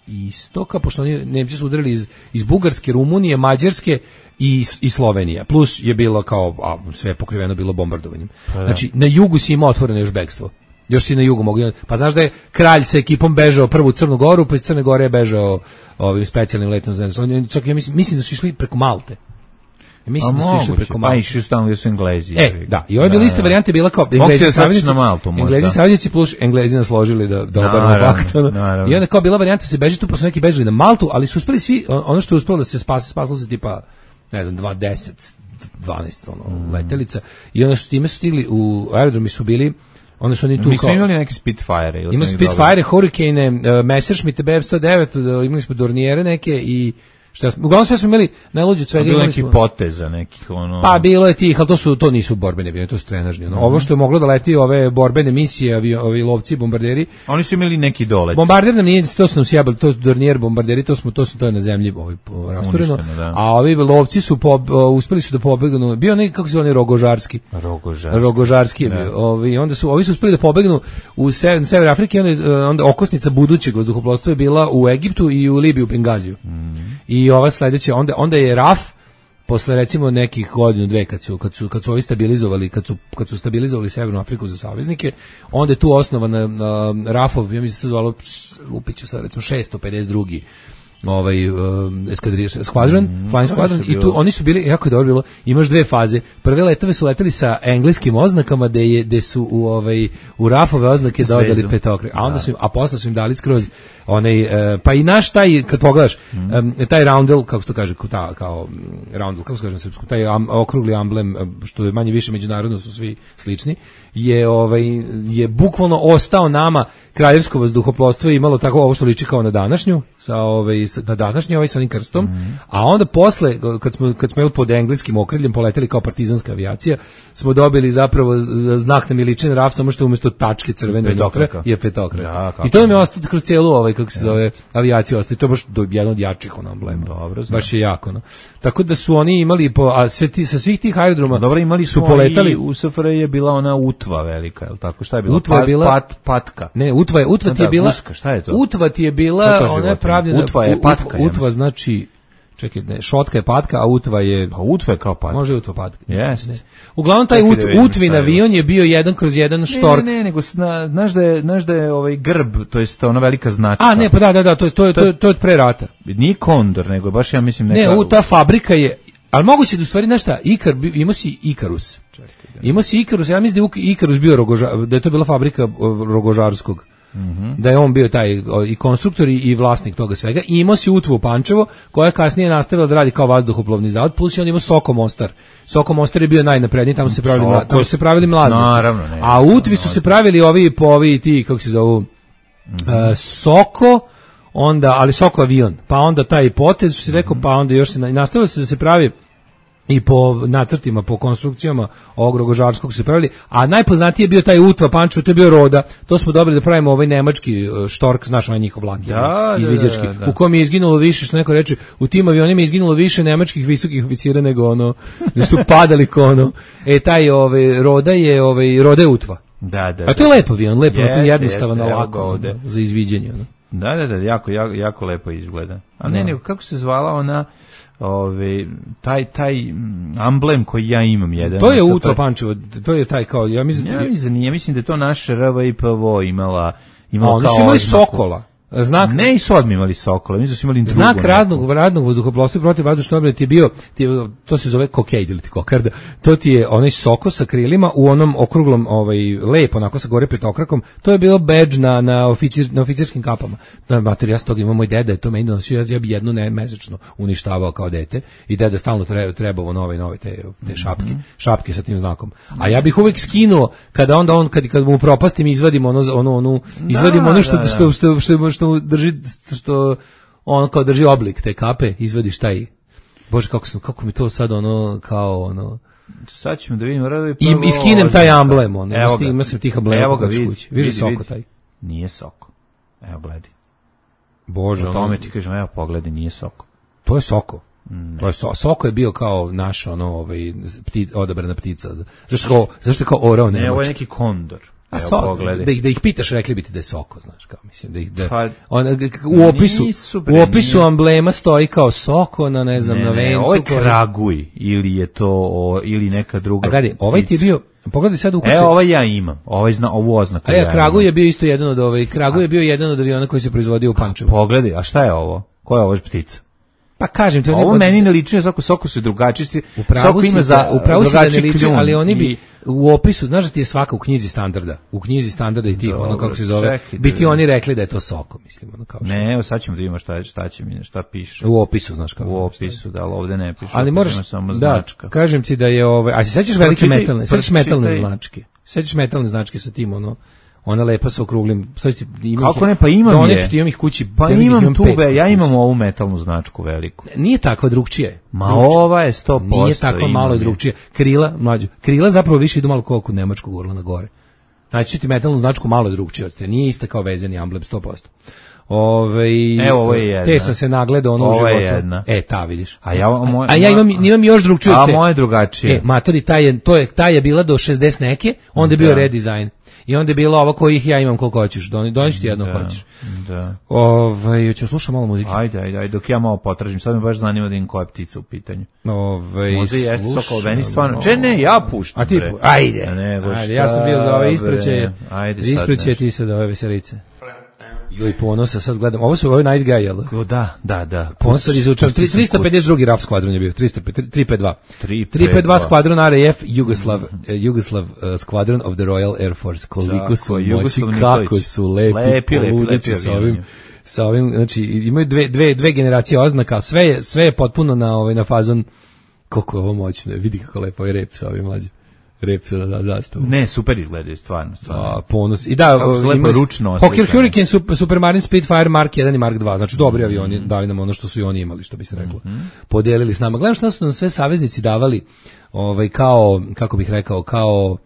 istoka, pošto oni Nemci su udarili iz, iz Bugarske, Rumunije, Mađarske i, i Slovenije. Plus je bilo kao, a, sve pokriveno bilo bombardovanjem. Pa, znači, na jugu si imao otvoreno još bekstvo. Još si na jugu mogu. Pa znaš da je kralj sa ekipom bežao prvu u Crnu Goru, pa iz Crne Gore je bežao ovim specijalnim letom. Znači, čak ja mislim, mislim da su išli preko Malte. Ja mislim da su išli preko Malte.
Pa išli su tamo gdje su Englezi.
E, da. I ove bile iste varijante bila kao Englezi saveznici, Englezi saveznici plus Englezi nas složili da da obaramo pakt. I onda kao bila varijanta se beži tu, pa su neki bežali na Maltu, ali su uspeli svi, ono što je uspelo da se spase, spaslo se tipa, ne znam, dvadeset, dvanaest ono, mm. letelica. I onda su time su stigli u aerodromi su bili onda su oni tu
mi smo imali neke Spitfire.
Imali Spitfire, Hurricane, uh, Messerschmitt B F sto devet, uh, imali smo Dorniere neke i šta smo, uglavnom sve smo imeli najluđe od svega.
Bilo neki poteza nekih ono.
Pa bilo je tih, ali to su to nisu borbene avioni, to su trenažni. Ono. Mm-hmm. Ovo što je moglo da leti ove borbene misije, ovi, ovi lovci, bombarderi.
Oni su imeli neki dolet.
Bombarder nam nije, to su nam sjebali, to su Dornier bombarderi, to smo to su to je na zemlji ovaj rastureno. A ovi lovci su po, uspeli su da pobegnu. Bio neki kako se zove Rogožarski.
Rogožarski.
Rogožarski je bio. Ovi onda su ovi su uspeli da pobegnu u sever, sever Afrike, onda, onda okosnica budućeg vazduhoplovstva je bila u Egiptu i u Libiji u Bengaziju. Mm-hmm. I ova sledeća, onda, onda je R A F posle recimo nekih godinu dve kad su kad su kad su ovi stabilizovali kad su kad su stabilizovali Severnu Afriku za saveznike, onda je tu osnovana uh, R A F-ov, ja mislim se to zvalo Lupiću sad recimo šesto pedeset dva ovaj um, eskadrilja squadron, mm, flying squadron i tu oni su bili jako je dobro bilo. Imaš dve faze. Prve letove su leteli sa engleskim oznakama da je da su u ovaj u R A F-ove oznake dodali petokrake. A onda su im, a posle su im dali skroz onaj uh, pa i naš taj kad pogledaš mm. um, taj roundel kako se to kaže kao kao roundel kako se kaže na srpskom taj am, okrugli amblem što je manje više međunarodno su svi slični je ovaj je bukvalno ostao nama kraljevsko vazduhoplovstvo je imalo tako ovo što liči kao na današnju sa ovaj na današnji ovaj sa onim krstom, mm. a onda posle kad smo kad smo pod engleskim okriljem poleteli kao partizanska avijacija smo dobili zapravo znak na miličin R A F samo što umjesto tačke crvene petokraka je petokraka. I to nam je ostalo kroz celu ovaj kako se zove avijaciju ostalo. To je baš do jedan od jačih on amblema. Dobro, baš je jako, no. Tako da su oni imali po a sve ti, sa svih tih aerodroma
dobro imali su poletali u S F R J je bila ona Utva velika, je l' tako? Šta je bila?
Utva je bila
pat, patka.
Ne, Utva je Utva ti je bila.
Uska, šta je to?
Utva ti je bila, ona je pravljena.
Utva je patka.
Utva znači čekaj, ne, šotka je patka, a Utva je...
Pa Utva je kao patka.
Može Utva patka.
Jeste.
Uglavnom, taj ut, Utvin avion je bio jedan kroz jedan štork.
Ne, ne, nego znaš da je, znaš da je ovaj grb, to jest ona velika značka.
A, ne, pa da, da, da, to je, to je, to je, to je od pre rata.
Nije Kondor, nego baš ja mislim neka...
Ne, u, ta fabrika je... Ali moguće da u stvari, znaš šta, Ikar, imao si Ikarus. Imao si Ikarus, ja mislim da je Ikarus bio Rogožar, da je to bila fabrika Rogožarskog. Mm-hmm. Da je on bio taj i konstruktor i vlasnik toga svega. I imao si Utvu u Pančevo, koja je kasnije nastavila da radi kao vazduhoplovni zavod, plus je on imao Soko Mostar. Soko Mostar je bio najnapredniji, tamo se pravili, Soko, tamo se pravili mlaznici.
Naravno, ne,
a u Utvi su se pravili ovi po ovi ti, kako se zovu, mm-hmm. uh, Soko, onda, ali Soko avion, pa onda taj potez, što si rekao, pa onda još se nastavilo se da se pravi i po nacrtima, po konstrukcijama ovog Rogožarskog se pravili, a najpoznatiji je bio taj Utva Pančevo, to je bio Roda, to smo dobili da pravimo ovaj nemački štork, znaš, onaj njihov vlak,
da,
izviđački,
da, da, da.
u kojem je izginulo više, što neko reče, u tim avionima je izginulo više nemačkih visokih oficira nego ono, da su padali ko ono, e taj ovaj, Roda je, ovaj, Roda je Utva.
Da, da,
a to je lepo avion, lepo,
jeste,
jednostavan,
jeste,
lako ovde za izviđenje. Ono.
Da, da, da, jako, jako, jako lepo izgleda. A ne, nego, kako se zvala ona... Ove, taj taj amblem koji ja imam jedan.
To je Utva Pančevo, to je taj kao, ja mislim,
ja mislim, ja mislim da je to naša R V I P V O imala, imala
oni
kao
su imali Sokola. Znak
ne i su odmimali Sokole, mi su imali drugu.
Znak radnog radnog vazduhoplovstva protiv vazdušne obrane ti je bio, ti je, to se zove kokejd ili ti kokarda. To ti je onaj soko sa krilima u onom okruglom, ovaj lepo onako sa gore petokrakom. To je bilo bedž na na oficir na oficirskim kapama. Na materija ja tog ima moj deda, je to meni donosio, ja bi jednu ne mesečno uništavao kao dete i deda stalno treba trebao nove nove te te šapke, mm-hmm. šapke sa tim znakom. A ja bih uvek skinuo kada onda on kad kad mu propastim izvadim ono ono onu izvadim da, ono što, da, da. što što što što drži što on kao drži oblik te kape, izvadiš taj. Bože kako sam kako mi to sad ono kao ono
sad ćemo da vidimo radi
i iskinem taj amblem, on ima se tih amblema evo ga kući. Vidi Soko taj.
Nije Soko. Evo gledaj.
Bože,
o tome ti kažem, evo pogledaj, nije Soko.
To je Soko. Mm. To je so, Soko je bio kao naš ono ovaj pti, odabrana ptica. Zašto kao zašto kao orao ne?
Ne, ovo je neki kondor.
A so, da, ih, da ih pitaš, rekli bi ti da je Soko, znaš, kao mislim da ih da pa, on, u opisu u opisu nije. Amblema stoji kao Soko na ne znam ne, na vencu. Ne,
ovo je Kraguj ili je to o, ili neka druga.
A gledaj, ovaj ti je bio pogledaj sad u kući.
E, ovaj ja imam. Ovaj zna ovu oznaku.
A ja, Kraguj je bio isto jedan od ovaj Kraguj je bio jedan od aviona koji se proizvodio u Pančevu.
Pogledaj, a šta je ovo? Koja je ovo ptica?
Pa kažem ti,
ovo meni ne liči, Soko Soko su drugačiji.
Soko ima za upravo se ne liči, ali oni bi u opisu, znaš da ti je svaka u knjizi standarda, u knjizi standarda i tih, ono kako se zove, biti oni rekli da je to Soko, mislim, ono kao što.
Ne, evo sad ćemo da vidimo šta, šta će mi, šta piše.
U opisu, znaš kako.
U opisu, da, ali ovde ne piše.
Ali moraš, samo značka. Da, kažem ti da je ove, a se sećaš velike metalne, sećaš metalne značke, sećaš metalne značke sa tim, ono, ona lepa sa okruglim.
Kako ne, pa imam
je. Doneću ti, imam ih kući.
Pa imam, imam tu, ve, ja imam ovu metalnu značku veliku.
Nije takva, drugčije.
Ma drugčije. Ova je sto posto.
Nije takva, malo je drugčije. Krila, mlađu. Krila zapravo više idu malo koliko nemačkog urla na gore. Znači ti metalnu značku malo je drugčije od te. Nije ista kao vezani amblem sto posto. Ove,
evo, ovo je jedna.
Te sam se nagledao ono u životu.
Ovo je jedna.
E, ta vidiš.
A ja, moj,
a ja imam, imam još drugčije od te.
A moje drugačije.
E, matori, taj je, to je, taj je bila do šezdeset neke, onda je bio redizajn. I onda je bilo ovo kojih ja imam koliko hoćeš. Doniš ti jedno
da,
hoćeš.
Da.
Ovaj, ću slušati malo muzike.
Ajde, ajde, ajde, dok ja malo potražim. Sad me baš zanima da im koja ptica u pitanju.
Ovaj,
možda jeste Sokol, meni stvarno. Če ne, ja puštam.
A ti, pu... ajde.
A nego,
ajde, ja sam bio za ove ispraćaje.
Ajde sad.
Ispraćaje ti se da ove veselice. Joj, Ponosa, sad gledam. Ovo su ovaj Nice Guy, jel?
Da, da, da.
Ponosa izučavam. tristo pedeset drugi RAF skvadron je bio. tristo pedeset dva. tristo pedeset dva skvadron R A F Jugoslav, Jugoslav uh, Squadron of the Royal Air Force. Koliko su moći, kako su lepi, lepi, lepi, lepi sa ovim, sa ovim, znači imaju dve, dve, dve generacije oznaka, sve je, sve je potpuno na, ovaj, na fazon, koliko je ovo moćno, vidi kako lepo je rep sa ovim mlađim. Rep se da zastavu.
Ne, super izgledaju, stvarno, stvarno.
A, Ponos. I da,
ima ručno.
Hawker Hurricane, Super, Supermarine Spitfire Mark jedan i Mark dva, znači dobri mm-hmm. avioni, dali nam ono što su i oni imali, što bi se reklo. Mm-hmm. Podelili s nama. Gledam šta su nam sve saveznici davali, ovaj, kao, kako bih rekao, kao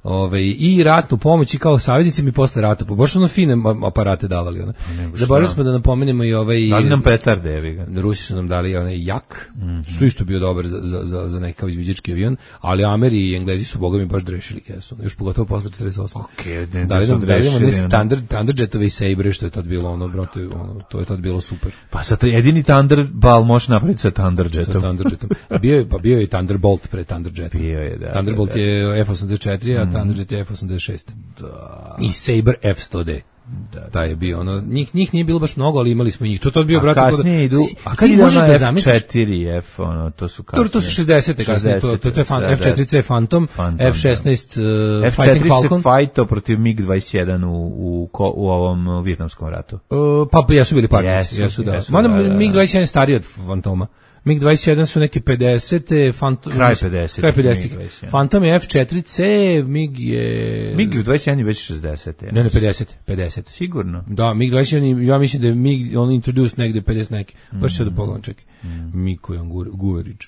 Ove, i ratnu pomoć i kao saveznici mi posle rata, baš su ono fine aparate davali. One. Zaboravili smo da napomenemo i ovaj...
Dali nam petarde, evi ga.
Rusi su nam dali onaj Jak, mm-hmm. što isto bio dobar za, za, za, za nekakav izviđački avion, ali Ameri i Englezi su boga mi baš drešili kesu, još pogotovo posle četrdeset osme.
Okay,
dali nam, dali nam ne standard, Thunderjetove i Sabre, što je tad bilo ono, brate, ono, to je tad bilo super.
Pa sad jedini Thunderball može napraviti sa Thunderjetom.
Sa Thunderjetom. Bio je, pa bio je Thunderbolt pre Thunderjeta.
Bio je, da.
Thunderbolt
da, da.
je F osamdeset četiri, a mm. Thunderjet je F osamdeset šest.
Da.
I Sabre F sto D. Da, da, taj je bio ono, njih, njih nije bilo baš mnogo, ali imali smo i njih. To to bio, brate,
kasnije idu. A kad ide ono F četiri F, ono, to su kasnije.
To su šezdesete kasnije, to, to, to je fan, F četiri C Phantom, Phantom F šesnaest uh, Fighting Falcon.
F četiri se fajtao protiv MiG dvadeset jedan u, u, u ovom Vijetnamskom ratu.
Uh, pa jesu bili partners, jesu, da.
Jesu,
Mada
da, da, da.
MiG dvadeset jedan je stariji od Phantoma. MiG dvadeset jedan su neke pedesete, Phantom,
kraj pedesetih.
Kraj pedesetih. Phantom je F četiri C, MiG je...
MiG dvadeset jedan je već šezdesete.
Ne, ne, pedeset, pedeset.
Sigurno.
Da, MiG dvadeset jedan, ja mislim da je MiG, on introduced negde pedeset neki. Baš mm. se da pogledam, čekaj. Mm. MiG koji on Guverić.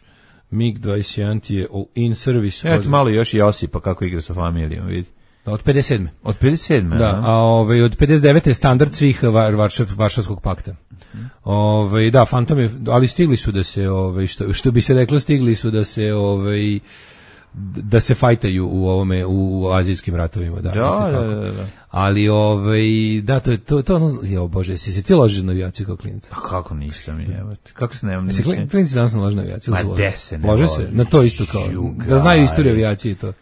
MiG dvadeset jedan ti je in service.
Eto malo još Josipa kako igra sa familijom, vidi.
Od pedeset sedme.
Od pedeset sedme,
da. A ovaj od pedeset devete je standard svih Varšav, Varšavskog pakta. Mm. Ovaj da, Phantom je, ali stigli su da se ovaj što što bi se reklo stigli su da se ovaj da se fajtaju u ovome u azijskim ratovima, da.
Da, da, da, da.
Ali ovaj da to je to to ono, jo bože, si se ti ložiš na avijaciju kao klinac?
A kako nisam, jebote. Kako se ne
Se klinci danas ne lože na avijaciju?
Ma de se ne
lože se na to isto kao Juga, da znaju istoriju avijacije i to.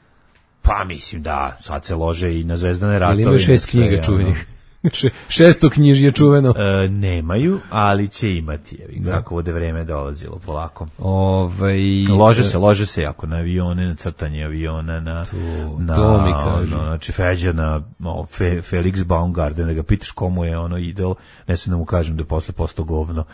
Pa mislim da, sad se lože i na Zvezdane ratove.
Ali imaju šest knjiga čuvenih. Šesto knjižje čuveno.
E, nemaju, ali će imati, jevi, kako bude vreme dolazilo polako.
Ovaj
lože se, lože se jako na avione, na crtanje aviona, na
to,
na,
to mi kaže.
No, znači Feđa na no, Fe, Felix Baumgarten, da ga pitaš komu je ono idol, ne sam da mu kažem da je posle postao govno.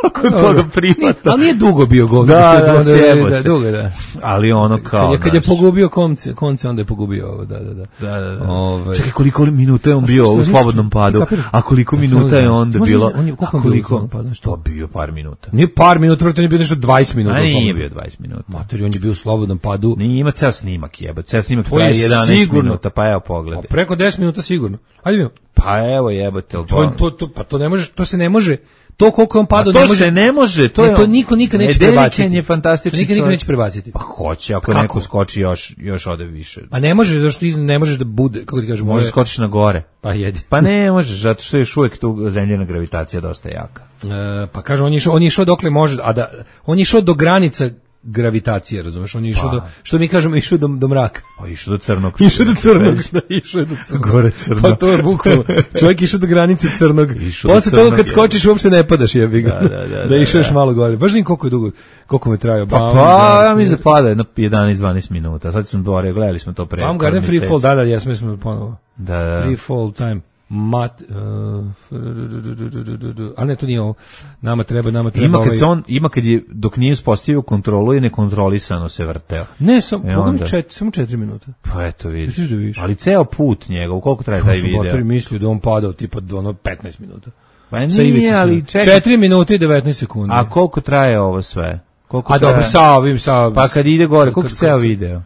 Nakon toga privatno.
Ali nije dugo bio govno.
Da, da,
da,
sjebo
da,
se.
dugo, da.
Ali ono kao...
Kad je, kad je pogubio konce, konce, onda je pogubio ovo, da, da, da.
Da, da, da.
Ove...
Čekaj, koliko minuta je on bio u slobodnom padu, a koliko minuta je onda bilo...
On je, koliko on bio u slobodnom padu?
Što? Bio par minuta.
Nije par minuta, on je bio nešto dvadeset minuta.
A nije bio dvadeset minuta.
Matori, on je bio u slobodnom padu.
Nije, ima ceo snimak, jeba. Ceo snimak traje jedanaest minuta, pa evo pogledaj.
Preko deset minuta sigurno. Ajde mi.
Pa evo jebate.
To, to, to, pa to ne može, to se ne može. To koliko on padao
ne
može.
To se ne može, to
ne,
je
to niko nikad neće prebaciti.
Nedeličan je fantastični.
Nikad niko neće prebaciti.
Pa hoće, ako kako? Neko skoči još još ode više.
A ne može, zašto ne možeš da bude, kako ti kažeš,
može skočiš na gore.
Pa jedi.
Pa ne možeš, zato što je još uvijek tu zemljena gravitacija dosta jaka.
E, pa kaže on je išao, on je išao dokle može, a da on je išao do granica gravitacije, razumeš? On je išao pa. do, što mi kažemo, išao do, do mraka.
Pa išao do crnog.
Išao do crnog, da, išao do crnog.
Gore crno.
Pa to je bukvalno. Čovjek išao do granice crnog. Posle toga kad skočiš uopšte ne padaš, jebi ga.
Da, da, da,
da išao još malo gore. Baš nim koliko je dugo, koliko me trajao.
Pa, pa ja mi se pada jedno jedanaest dvanaest minuta. Sad sam dvorio, gledali smo to pre.
Baumgarten Free Fall, da, da, jesmo smo ponovo.
Da, da.
Free Fall time. Mat, uh, a ne, to nije ovo. Nama treba, nama treba
ima kad
ovaj...
se on, ima kad je, dok nije uspostavio kontrolu i nekontrolisano se vrteo.
Ne, sam,
e
onda... čet, samo četiri minuta.
Pa eto vidiš.
Da vidiš.
Ali ceo put njega, u koliko traje taj video?
Motori mislio da on padao tipa ono petnaest minuta.
Pa nije, ali čekaj.
četiri minuta i devetnaest sekundi.
A koliko traje ovo sve? Koliko
a
traje...
dobro, sa ovim, sa...
Pa kad ide gore, koliko ceo video?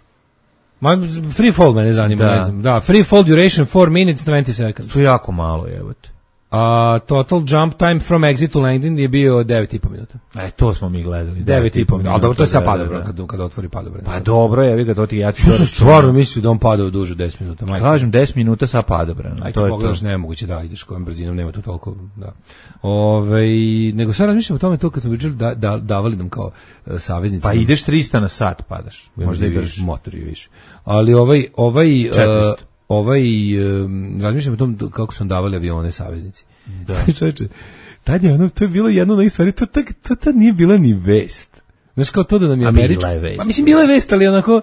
Ma, free fall me ne zanima,
da.
ne znam. Da, free fall duration four minutes twenty seconds.
To je jako malo, jebote.
A total jump time from exit to landing je bio devet i po minuta.
E, to smo mi gledali.
devet i po minuta. Ali dobro, to je sad padobran, kad, kad otvori padobran.
Pa dobro, je, vi ga to ti ja ću...
Ja sam stvarno mislio da on padao duže od deset minuta. Majke.
Kažem, deset minuta sa padobran.
Ajde, to je pogledaš, to. Nemoguće da ideš kojom brzinom, nema tu toliko, da. Ove, nego sad razmišljam o tome to kad smo pričali da, da, davali nam kao uh, saveznici.
Pa ideš trista na sat, padaš.
Možda i viš, motori više. Ali ovaj, ovaj, uh, ovaj, um, razmišljam o tom kako su davali avione saveznici.
Da.
Čovječe, tad je ono, to je bilo jedno na isto stvari, to, to, to tad nije bila ni vest. Znaš, kao to da nam je američka.
Pa
mislim, bila je vest, ali onako,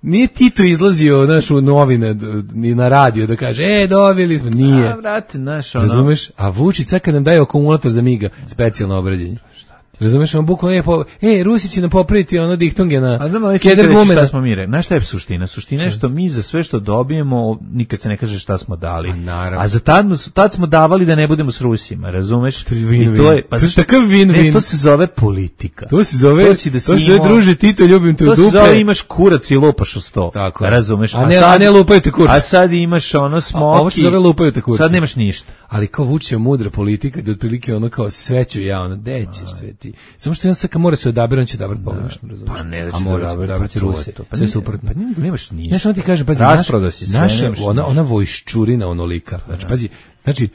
nije Tito izlazio, znaš, u novine, ni na radio da kaže, e, dobili smo, nije.
A, vrate, znaš, ono.
Razumeš? A Vučić sad kad nam daje akumulator za Miga, specijalno obrađenje. Razumeš, on bukvalno je po, e, Rusi će nam popraviti ono dihtonge na keder gume.
Šta smo mi rekli? Znaš šta je suština? Suština je što mi za sve što dobijemo, nikad se ne kaže šta smo dali.
A,
A za tad, tad smo davali da ne budemo s Rusima, razumeš?
To je win,
I to je,
pa to je takav win-win.
Ne, to se zove politika.
To se zove,
to, si da
to se zove druže Tito, ljubim te u dupe.
To se zove imaš kurac i lupaš u sto.
Tako,
razumeš?
A ne, a, sad, a ne lupaju te kurac.
A sad imaš ono smoki.
A ovo se zove lupaju te kurac.
Sad nemaš ništa.
Ali kao Vučić je mudra politika, da otprilike ono kao sve ću ja, ono, gde ćeš sve ti. Samo što jedan sad kad mora se odabrati, on će odabrati pogrešno, razumiješ?
Pa ne da će
a mora se odabrati Rusije,
pa
sve suprotno.
Pa nemaš ništa.
Znaš, on ti kaže, pazi, naša, ona, ona vojščurina onolika, znači, pazi, znači,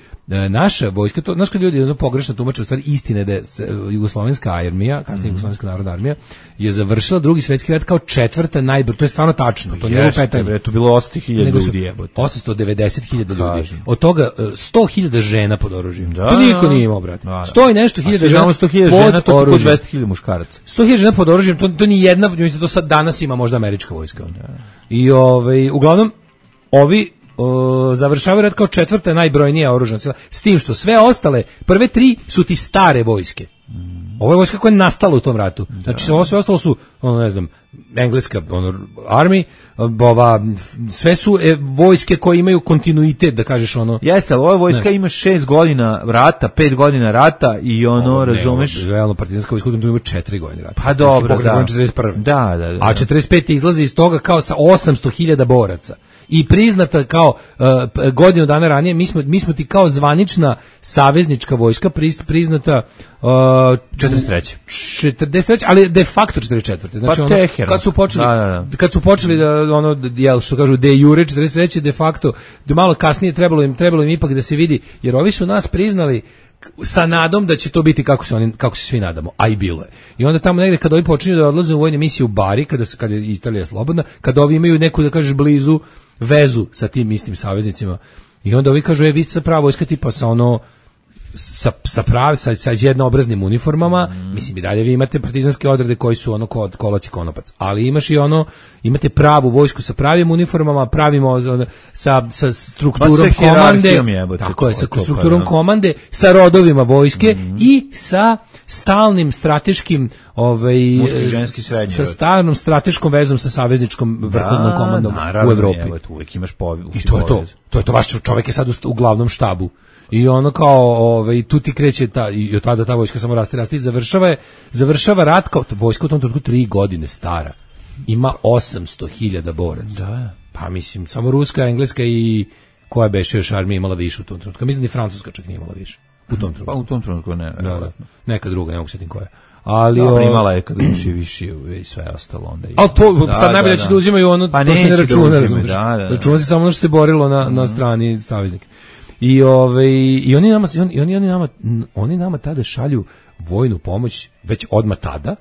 naša vojska, to, znaš kad ljudi jedno pogrešno tumače, u stvari istine da je jugoslovenska armija, kasnije jugoslovenska narodna armija, je završila drugi svjetski rat kao četvrta najbroj, to je stvarno tačno, to nije lupetanje.
To bilo osamsto hiljada ljudi, jebote.
osamsto devedeset hiljada ljudi. Od toga sto hiljada žena pod oružjem. Da, to niko nije imao, brate. sto i nešto hiljada žena,
sto hiljada žena, to je dvesta hiljada muškaraca.
sto hiljada žena pod oružjem, to, to ni jedna, mislim, to sad danas ima možda američka vojska. Da. I ovaj, uglavnom, ovi O, završavaju rat kao četvrta najbrojnija oružana sila, s tim što sve ostale, prve tri su ti stare vojske. Ovo je vojska koja je nastala u tom ratu. Znači, sve, sve ostalo su, ono, ne znam, engleska ono, army, ova, sve su e, vojske koje imaju kontinuitet, da kažeš ono.
Jeste, ali ova vojska ne. ima šest godina rata, pet godina rata i ono, ovo, razumeš?
Ne, realno, partizanska vojska ima četiri godine rata.
Pa dobro, da.
četrdeset prve.
Da, da, da.
A četrdeset pete izlazi iz toga kao sa osamsto hiljada boraca. I priznata kao uh, godinu dana ranije, mi smo, mi smo ti kao zvanična saveznička vojska priznata uh,
četrdeset treće
četrdeset treće ali de facto četrdeset četvrte Znači,
pa
ono, kad su počeli, da, da, da. kad su počeli da, ono, jel, što kažu, de jure četrdeset treće de facto, da malo kasnije trebalo im, trebalo im ipak da se vidi, jer ovi su nas priznali sa nadom da će to biti kako se oni, kako se svi nadamo, a i bilo je. I onda tamo negde kad ovi počinju da odlaze u vojne misije u Bari, kada se kad je Italija slobodna, kad ovi imaju neku, da kažeš, blizu vezu sa tim istim saveznicima I onda ovi kažu, e, vi ste prava vojska tipa sa ono, sa, sa pravi, sa, sa jednoobraznim uniformama, mm. mislim i dalje vi imate partizanske odrede koji su ono kod kolac i konopac, ali imaš i ono, imate pravu vojsku sa pravim uniformama, pravimo sa, sa strukturom komande,
jebote,
tako je, sa strukturom komande, sa rodovima vojske mm. i sa stalnim strateškim ovaj, sa stalnom strateškom vezom sa savezničkom vrhovnom da, komandom naravno, u Evropi.
Evo, uvijek imaš povi,
I to je to, to je to, vaš čovjek je sad u, u glavnom štabu. I ono kao, ovaj, tu ti kreće ta, i od tada ta vojska samo raste, raste i završava, je, završava rat kao vojska u tom trenutku tri godine stara. Ima osamsto hiljada boraca.
Da.
Pa mislim, samo ruska, engleska i koja beše još armija imala više u tom trenutku. Mislim da i francuska čak nije imala više. U tom trenutku.
Pa u tom trenutku ne.
Da, da. Neka druga, ne mogu setim koja. Ali
no, primala je kad uči više i sve ostalo onda.
Ali to da, sad najbolje da, će da uzimaju ono, pa to se ne računa, da razumiješ. Da, da, da. Računa se samo ono što se borilo na, mm. na strani saveznika. I ovaj i oni nama i oni, oni nama oni nama tada šalju vojnu pomoć već odmah tada.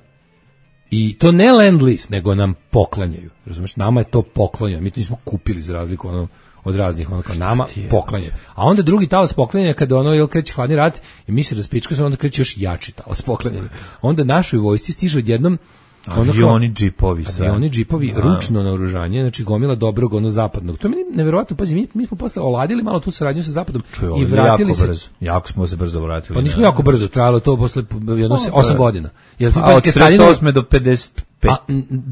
I to ne lend lease, nego nam poklanjaju. Razumeš, nama je to poklonjeno. Mi to nismo kupili za razliku ono od raznih ono kao nama poklanjaju. A onda drugi talas poklanjanja kada ono jel kreće hladni rat i mi se raspička se onda kreće još jači talas poklanjanja. Onda našoj vojsci stiže odjednom
avioni, džipovi, sve.
Avioni, džipovi, a. ručno naoružanje, znači gomila dobrog, ono zapadnog. To mi je neverovatno, pazi, mi, mi smo posle oladili malo tu saradnju sa zapadom
Čuj,
i vratili
jako
se.
Brzo. Jako smo se brzo vratili.
Pa nismo jako brzo, trajalo to posle jedno osam godina. Jel ti
pa, od četrdeset osme do pedeset pet.
A,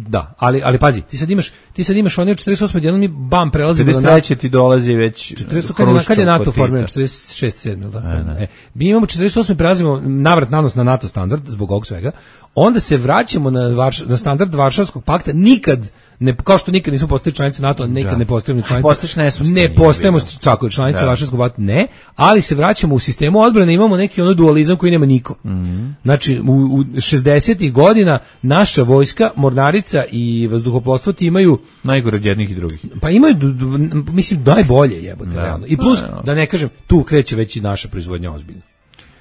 da, ali ali pazi, ti sad imaš, ti sad imaš one od četrdeset osme jednom mi bam prelazimo
na pedeset treće ti dolazi već
četrdeset kad je, kad je NATO formiran četrdeset šest sedam da. E, mi imamo četrdeset osme prelazimo navrat nanos na NATO standard zbog ovog svega. Onda se vraćamo na Varš, na standard Varšavskog pakta, nikad ne, kao što nikad nismo postali članice NATO, nikad da. ne postajemo članice. Ne postajemo čako članice da. Varšavskog pakta, ne, ali se vraćamo u sistemu odbrane, imamo neki ono dualizam koji nema niko. Mm-hmm. Znači u, u šezdesetih godina naša vojska, mornarica i vazduhoplovstvo ti imaju
najgore od jednih i drugih.
Pa imaju du, du, mislim najbolje jebote da. realno. I plus da, da ne kažem, tu kreće već i naša proizvodnja ozbiljno.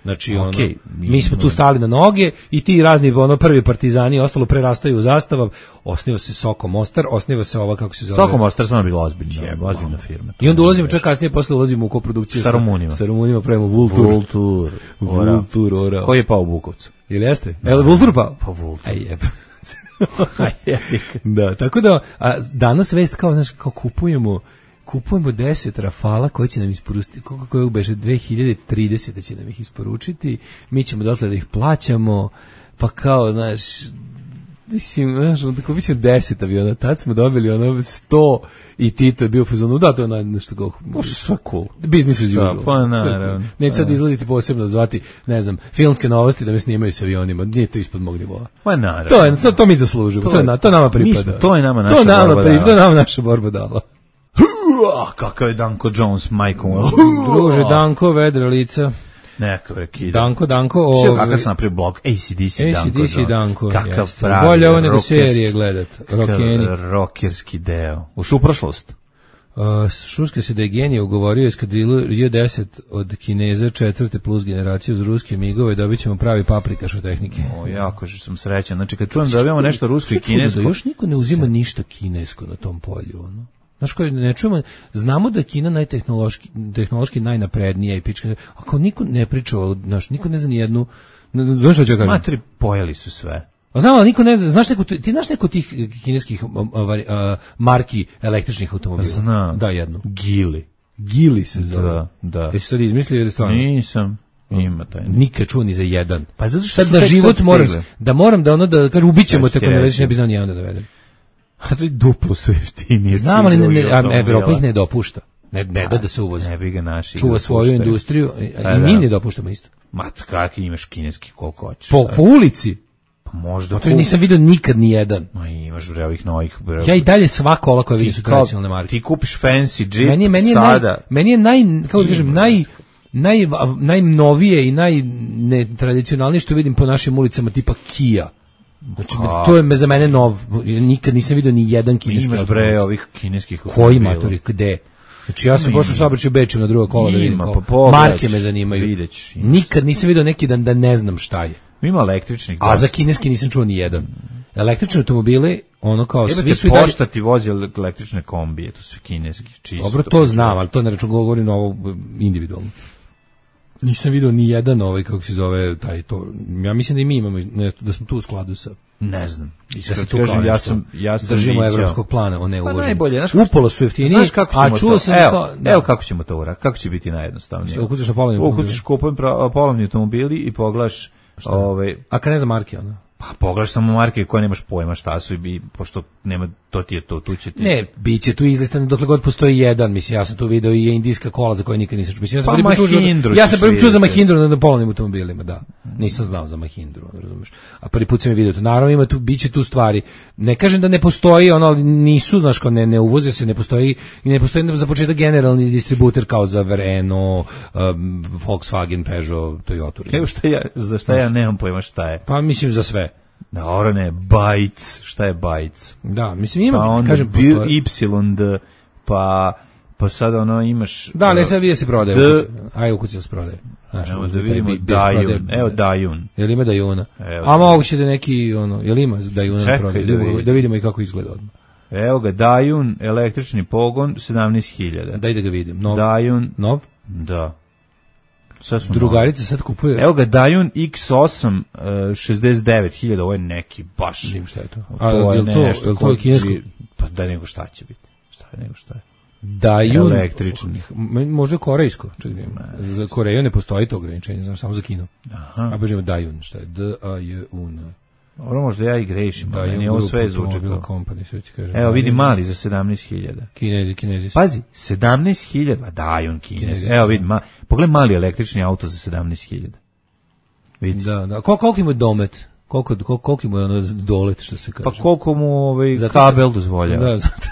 Znači okay, ono, mi smo tu stali na noge i ti razni ono prvi partizani ostalo prerastaju u zastava, osniva se Soko Mostar, osniva se ova kako se zove.
Soko Mostar samo bila ozbiljna, ozbiljna firma.
I onda ulazimo čak kasnije posle ulazimo u koprodukciju
sa Rumunima.
Sa Rumunima pravimo Vultur.
Vultur.
Vultur, ora.
Koji je pao u Bukovcu?
Ili jeste? El Vultur pao?
Pa Vultur.
Aj jebe. Da, tako da a danas vest kao znaš kao kupujemo kupujemo deset Rafala koji će nam isporučiti, koliko koje beše dve hiljade tridesete će nam ih isporučiti, mi ćemo dotle da ih plaćamo, pa kao, znaš, mislim, znaš, onda kupit ćemo deset aviona, tad smo dobili ono sto i Tito je bio u fazonu, da, to je nešto kao,
sve cool.
Biznis as usual.
Pa, naravno.
Neće sad izgledati posebno, zvati, ne znam, filmske novosti da me snimaju sa avionima, nije to ispod mog nivoa.
Pa, naravno.
To, je, to, to mi zaslužimo, to, to, je, to nama pripada.
Mi, to je nama naša
to nama
borba
pripada, to nama naša borba dala.
Ah, kakav je Danko Jones, majkom.
Druže, Danko, vedra lica.
Neka vreki.
Danko, Danko.
Sve kakav sam napravio blog, A C D C Danko.
A C D C Danko.
Kakav pravi.
Bolje ovo nego serije gledat. Rokeni.
Rokerski deo. Ušu u prošlost.
Uh, Šuška se da je genije ugovorio eskadrilu J deset od Kineza četvrte plus generacije uz ruske migove, dobit ćemo pravi paprikaš od tehnike.
O, jako što sam srećan. Znači, kad čujem da dobijamo nešto rusko i kinesko...
Da još niko ne uzima ništa kinesko na tom polju, ono. Znaš koji ne čujemo, znamo da je Kina najtehnološki, tehnološki najnaprednija i pička, ako niko ne priča, znaš, niko ne zna ni jednu, znaš što ću kažem?
Matri, pojeli su sve.
A znam, ali niko ne zna, znaš neko, ti znaš neko tih kineskih uh, uh, marki električnih automobila?
Znam.
Da, jednu.
Gili.
Gili se zove.
Da, da.
Jesi sad izmislio ili stvarno?
Nisam. Ima taj.
Nikad čuo ni za jedan.
Pa zato što
sad na život moram, da moram da ono da kažem ubićemo te ako ne već ne bi znao ni jedan da dovedem.
A to je duplo sve jeftinije.
Znam, ali ne, ne, Evropa ih ne dopušta. Ne, ne da da se uvozi.
Ne bi ga naši.
Čuva svoju industriju i, i mi ne dopuštamo isto.
Ma, kakvi imaš kineski koliko hoćeš.
Po, po ulici?
Pa možda.
To nisam vidio nikad ni jedan.
Ma imaš bre ovih novih. Bre.
Ja i dalje sva kola koja vidim su tradicionalne marke.
Ti kupiš fancy Jeep
meni, meni je
sada.
Naj, meni je naj, kako da kažem, naj... Naj, najnovije i najnetradicionalnije što vidim po našim ulicama tipa Kia. Znači, a, to je me za mene nov. Nikad nisam vidio ni jedan kineski
automobil. Imaš bre ovih kineskih
koji matori, gde? Znači ja sam pošao u saobraćaju u Beču na drugo kola da vidim. Pa pogled, marke me zanimaju. Videć, nikad nisam vidio neki dan da ne znam šta je.
Ima električnih.
A za kineski nisam čuo ni jedan. električni automobili, ono kao
Jebate,
svi su i dalje...
Pošta ti vozi električne kombije, to su kineski, čisto.
Dobro, to znam, ali to ne račun govorim ovo individualno. Nisam vidio ni jedan ovaj, kako se zove, taj to. Ja mislim da i mi imamo, ne, da smo tu u skladu sa...
Ne znam.
Da se tu
kažem,
kao
ja
nešto
sam, ja sam
držimo
viđao.
evropskog plana, o ne
Pa
uvoženje.
najbolje, znaš,
Upolo su jeftiniji,
znaš kako ćemo
a čuo
to,
sam
evo,
kao... Da.
Evo kako ćemo to uraditi, kako će biti najjednostavnije.
Ukucaš na polovni automobil.
Ukucaš kupujem pra- polovni automobili i poglaš... Ovaj,
a kad ne za marke, ono?
Pa pogledaš samo marke koje nemaš pojma šta su i pošto nema, to ti je to, tu će ti...
Ne, bit će tu izlistan dokle god postoji jedan, mislim, ja sam tu video i indijska kola za koje nikad nisam čuo. Mislim, ja sam
pa
prvi
Mahindru
ja sam prvi čuo za Mahindru na, na polovnim automobilima, da. Nisam znao za Mahindru, razumeš. A prvi put sam je video to. Naravno ima tu, bit će tu stvari. Ne kažem da ne postoji, ono, ali nisu, znaš, kao ne, ne uvoze se, ne postoji i ne postoji za početak generalni distributer kao za Renault, um, Volkswagen, Peugeot, Toyota.
Evo šta ja, za šta ja nemam pojma šta je.
Pa mislim za sve.
Dobro, ne, Bytes, šta je Bytes?
Da, mislim ima,
pa onda
kažem,
postoji Y, D, pa, pa sad ono imaš...
Da, ne, sad vidi se prodaje.
D...
Aj, ukuci se prodaje. Znaš,
evo da vidimo Dajun, evo Dajun.
Jel ima Dajuna?
Evo,
a moguće da neki, ono, jel ima Dajuna na prodaje? Da,
vidim.
da vidimo i kako izgleda odmah.
Evo ga, Dajun, električni pogon, sedamnaest hiljada.
Daj da ga vidim. Nov?
Dajun.
Nov?
Da.
Drugarica sad kupuje.
Evo ga, Dajun X osam, uh, šezdeset devet hiljada, ovo je neki baš.
Vidim šta je to.
A, to je,
je to,
nešto.
Je to je kinesko?
Pa da nego šta će biti. Šta je nego šta je?
Dajun.
Električni.
Možda korejsko. Čekaj, za Koreju ne postoji to ograničenje, znaš, samo za Kinu.
Aha.
A bežemo Dajun, šta je? D A J U N.
Dobro, možda ja i grešim, da, meni ovo sve zvuči kao. Evo, vidi mali za sedamnaest hiljada.
Kinezi, kinezi.
Pazi, sedamnaest hiljada, Dajun kinezi. Evo, vidi, ma, pogledaj mali električni auto za sedamnaest hiljada. Vidi.
Da, da. Kol, koliko mu je domet? Koliko, koliko, koliko mu je ono dolet, što se kaže?
Pa koliko mu ovaj, kabel dozvoljava.
Da, zato.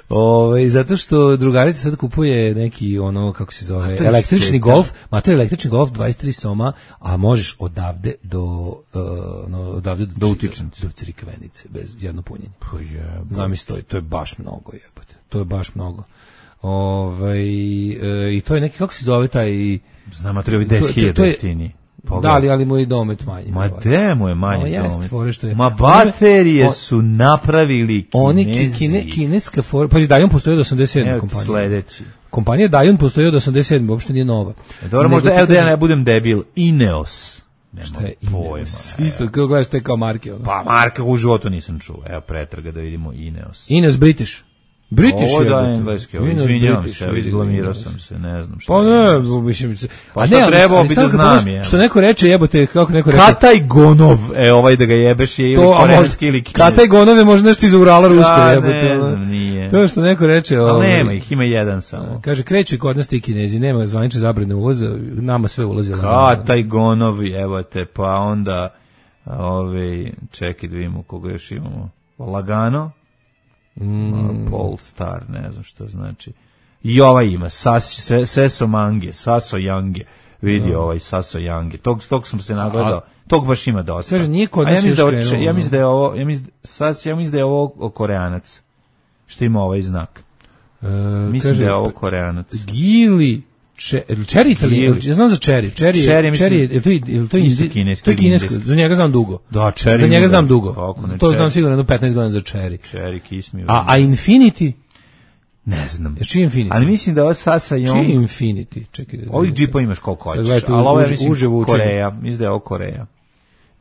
Ove, zato što drugarica sad kupuje neki ono, kako se zove, električni golf, mater električni golf dvadeset tri soma, a možeš odavde do uh, no, odavde do,
do utičnice,
do Crikvenice bez jedno punjenje.
Pa je.
Zamisli to, to je baš mnogo, jebote. To je baš mnogo. Ovaj e, i to je neki, kako se zove taj,
znam, a treba deset hiljada jeftini.
Da, ali, ali mu je domet manji.
Ma de mu je manji domet.
Je.
Ma baterije on, su napravili Kinezi.
Oni kine, kineska for... Pa Dajun postoji od osamdeset sedme kompanije.
Sledeći.
Kompanija Dajun postoji od osamdeset sedme, uopšte nije nova.
E, dobro, možda, evo da ja ne budem debil, Ineos. Nema
šta je
pojma.
Ineos? Isto, kako gledaš te kao marke. Ono.
Pa marke u životu nisam čuo. Evo pretraga da vidimo Ineos.
Ineos British. British
ovo
je.
Ovo da je engleski, izvinjavam se, izglamirao sam se, ne znam šta.
Pa ne, mislim se.
Pa šta trebao bi da znam je.
Što neko reče, jebote, kako neko reče.
Kataj Gonov, e ovaj da ga jebeš je ili koreanski ili kineski.
Kataj Gonov je možda nešto iz Urala rusko, jebote.
Ne znam, nije.
To što neko reče.
Ali nema ih, ima jedan samo.
Kaže, kreću i kod nas ti Kinezi, nema zvanične zabrane uvoza, nama sve ulazi.
Kataj Gonov, jebote, pa onda, ovaj, čekaj da vidimo koga još imamo. Lagano. Mm. Polestar, ne znam što znači. I ovaj ima, Sas, Seso Mange, Saso Yange, vidi no. ovaj Saso Yange. Tog, tog sam se nagledao, tog baš ima dosta.
Kaže, nije kod nas
ja
još
krenuo. Ja mislim da je ovo, ja mislim, Sas, ja mislim da je ovo Koreanac, što ima ovaj znak.
E,
mislim
kaže,
da je ovo Koreanac.
Gili, Cherry Italy, ja znam za Cherry. Cherry,
Cherry,
Cherry je to je to
isto kineski.
To je kinesko, za njega znam dugo.
Da, Cherry.
Za njega znam dugo. To znam sigurno jedno petnaest godina za Cherry.
Cherry kismi.
A a Infinity?
Ne znam.
Je čiji Infinity?
Ali mislim da ovo Sasa i on...
Čiji Infinity? Čekaj.
Ovih džipa imaš koliko hoćeš, ali ovo je mislim Koreja. Mislim da je ovo Koreja.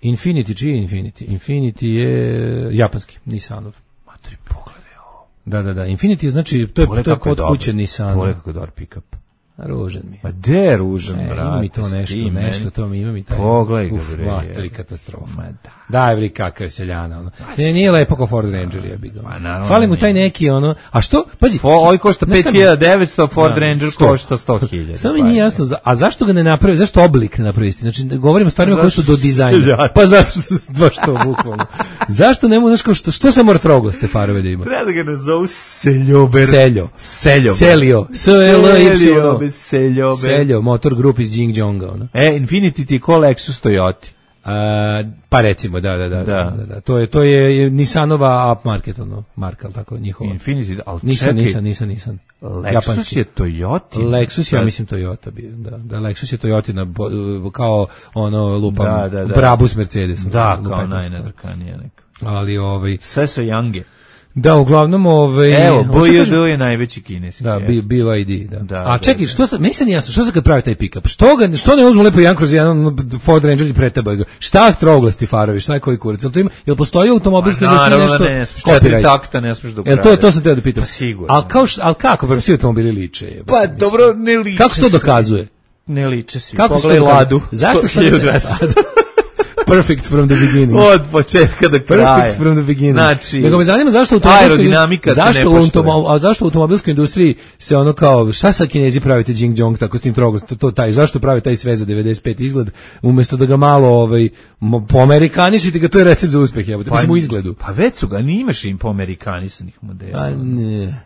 Infinity, čiji je Infinity? Infinity je japanski, Nissanov.
Matri, pogledaj ovo.
Da, da, da. Infinity je znači, to je, to je kod kuće Nissan.
Pogledaj kako je dobar pick-up.
Ružan mi.
Ma de je ružan,
e,
brate.
Ima mi to nešto,
Stim,
nešto, to mi ima mi taj.
Pogledaj ga,
bre. Uf, to je katastrofa.
Ma da.
Daj, vri, kakav je seljana, ono. Ne, nije lepo kao Ford Ranger, ja bih ga.
Ma,
fali mu taj neki, ono, a što, pazi.
Ovo košta pet hiljada devetsto, Ford Ranger košta sto hiljada.
Samo mi nije jasno, a zašto ga ne napravi, zašto oblik ne napravi? Znači, govorimo stvarima koje su do dizajna. Pa zato što baš to, bukvalno. Zašto ne možeš, što, što se mora troglaste farove da ima?
Treba da ga nazovu Seljober.
Seljo.
Seljo.
Selio. S-E-L-Y.
Seljober.
Seljo, motor grup iz Jing Jonga, ono.
E, Infinity ti ko Lexus Toyota.
A, pa recimo, da, da, da,
Da.
da, da, da. To je to je Nissanova upmarket, ono, marka, al tako njihova.
Infiniti, al
Nisam,
čekaj,
nisam, nisam, nisam.
Lexus
Japanski.
je Toyota.
Lexus, ja mislim Toyota bio, da, da Lexus je Toyotina, bo- kao ono lupam,
Da, da, da.
Brabus Mercedes.
Da,
lupam,
kao najnadrkanije neka.
Ali ovaj,
Sve su Yange.
da, uglavnom ovaj,
Evo,
ovo što
B Y
kažem-
D je najveći kineski.
Da,
eto.
B- BYD, da.
Da,
A
da,
čekaj,
da.
što sad, meni se nije jasno, što se kad pravi taj pick-up? Što ga, što ne uzmu lepo jedan kroz jedan Ford Ranger i pretabaju ga? Šta trouglasti farovi, šta je koji kurac? Jel to ima, jel postoji automobilska
Pa
industrija
naravno
nešto?
da ne, smiješ, četiri
copyright?
takta ne smiješ da
Jel to,
ukrade.
to sam teo da pitam.
Pa sigurno.
Al kao, š- al kako, pa svi automobili liče? jebote,
Pa
mislim.
dobro, ne liče.
Kako se to
svi.
dokazuje?
Ne liče svi.
Kako se to
Pogledaj
dokazuje?
Ladu.
Zašto sam
hiljadu dvesta.
Perfect from the beginning.
Od početka do kraja.
Perfect from the beginning.
Znači,
nego me zanima zašto u automobilskoj
aerodinamika se
zašto
ne
u
poštuje.
automo- a zašto u automobilskoj industriji se ono kao šta sa Kinezi pravite Jing Jong tako s tim trogom to, to taj zašto prave taj sve za devedeset pet izgled umjesto da ga malo ovaj mo- poamerikanišite ga, to je recept za uspeh, jebote, mislim u izgledu.
Pa već su ga, nimaš im poamerikanisanih modela.
Pa ne.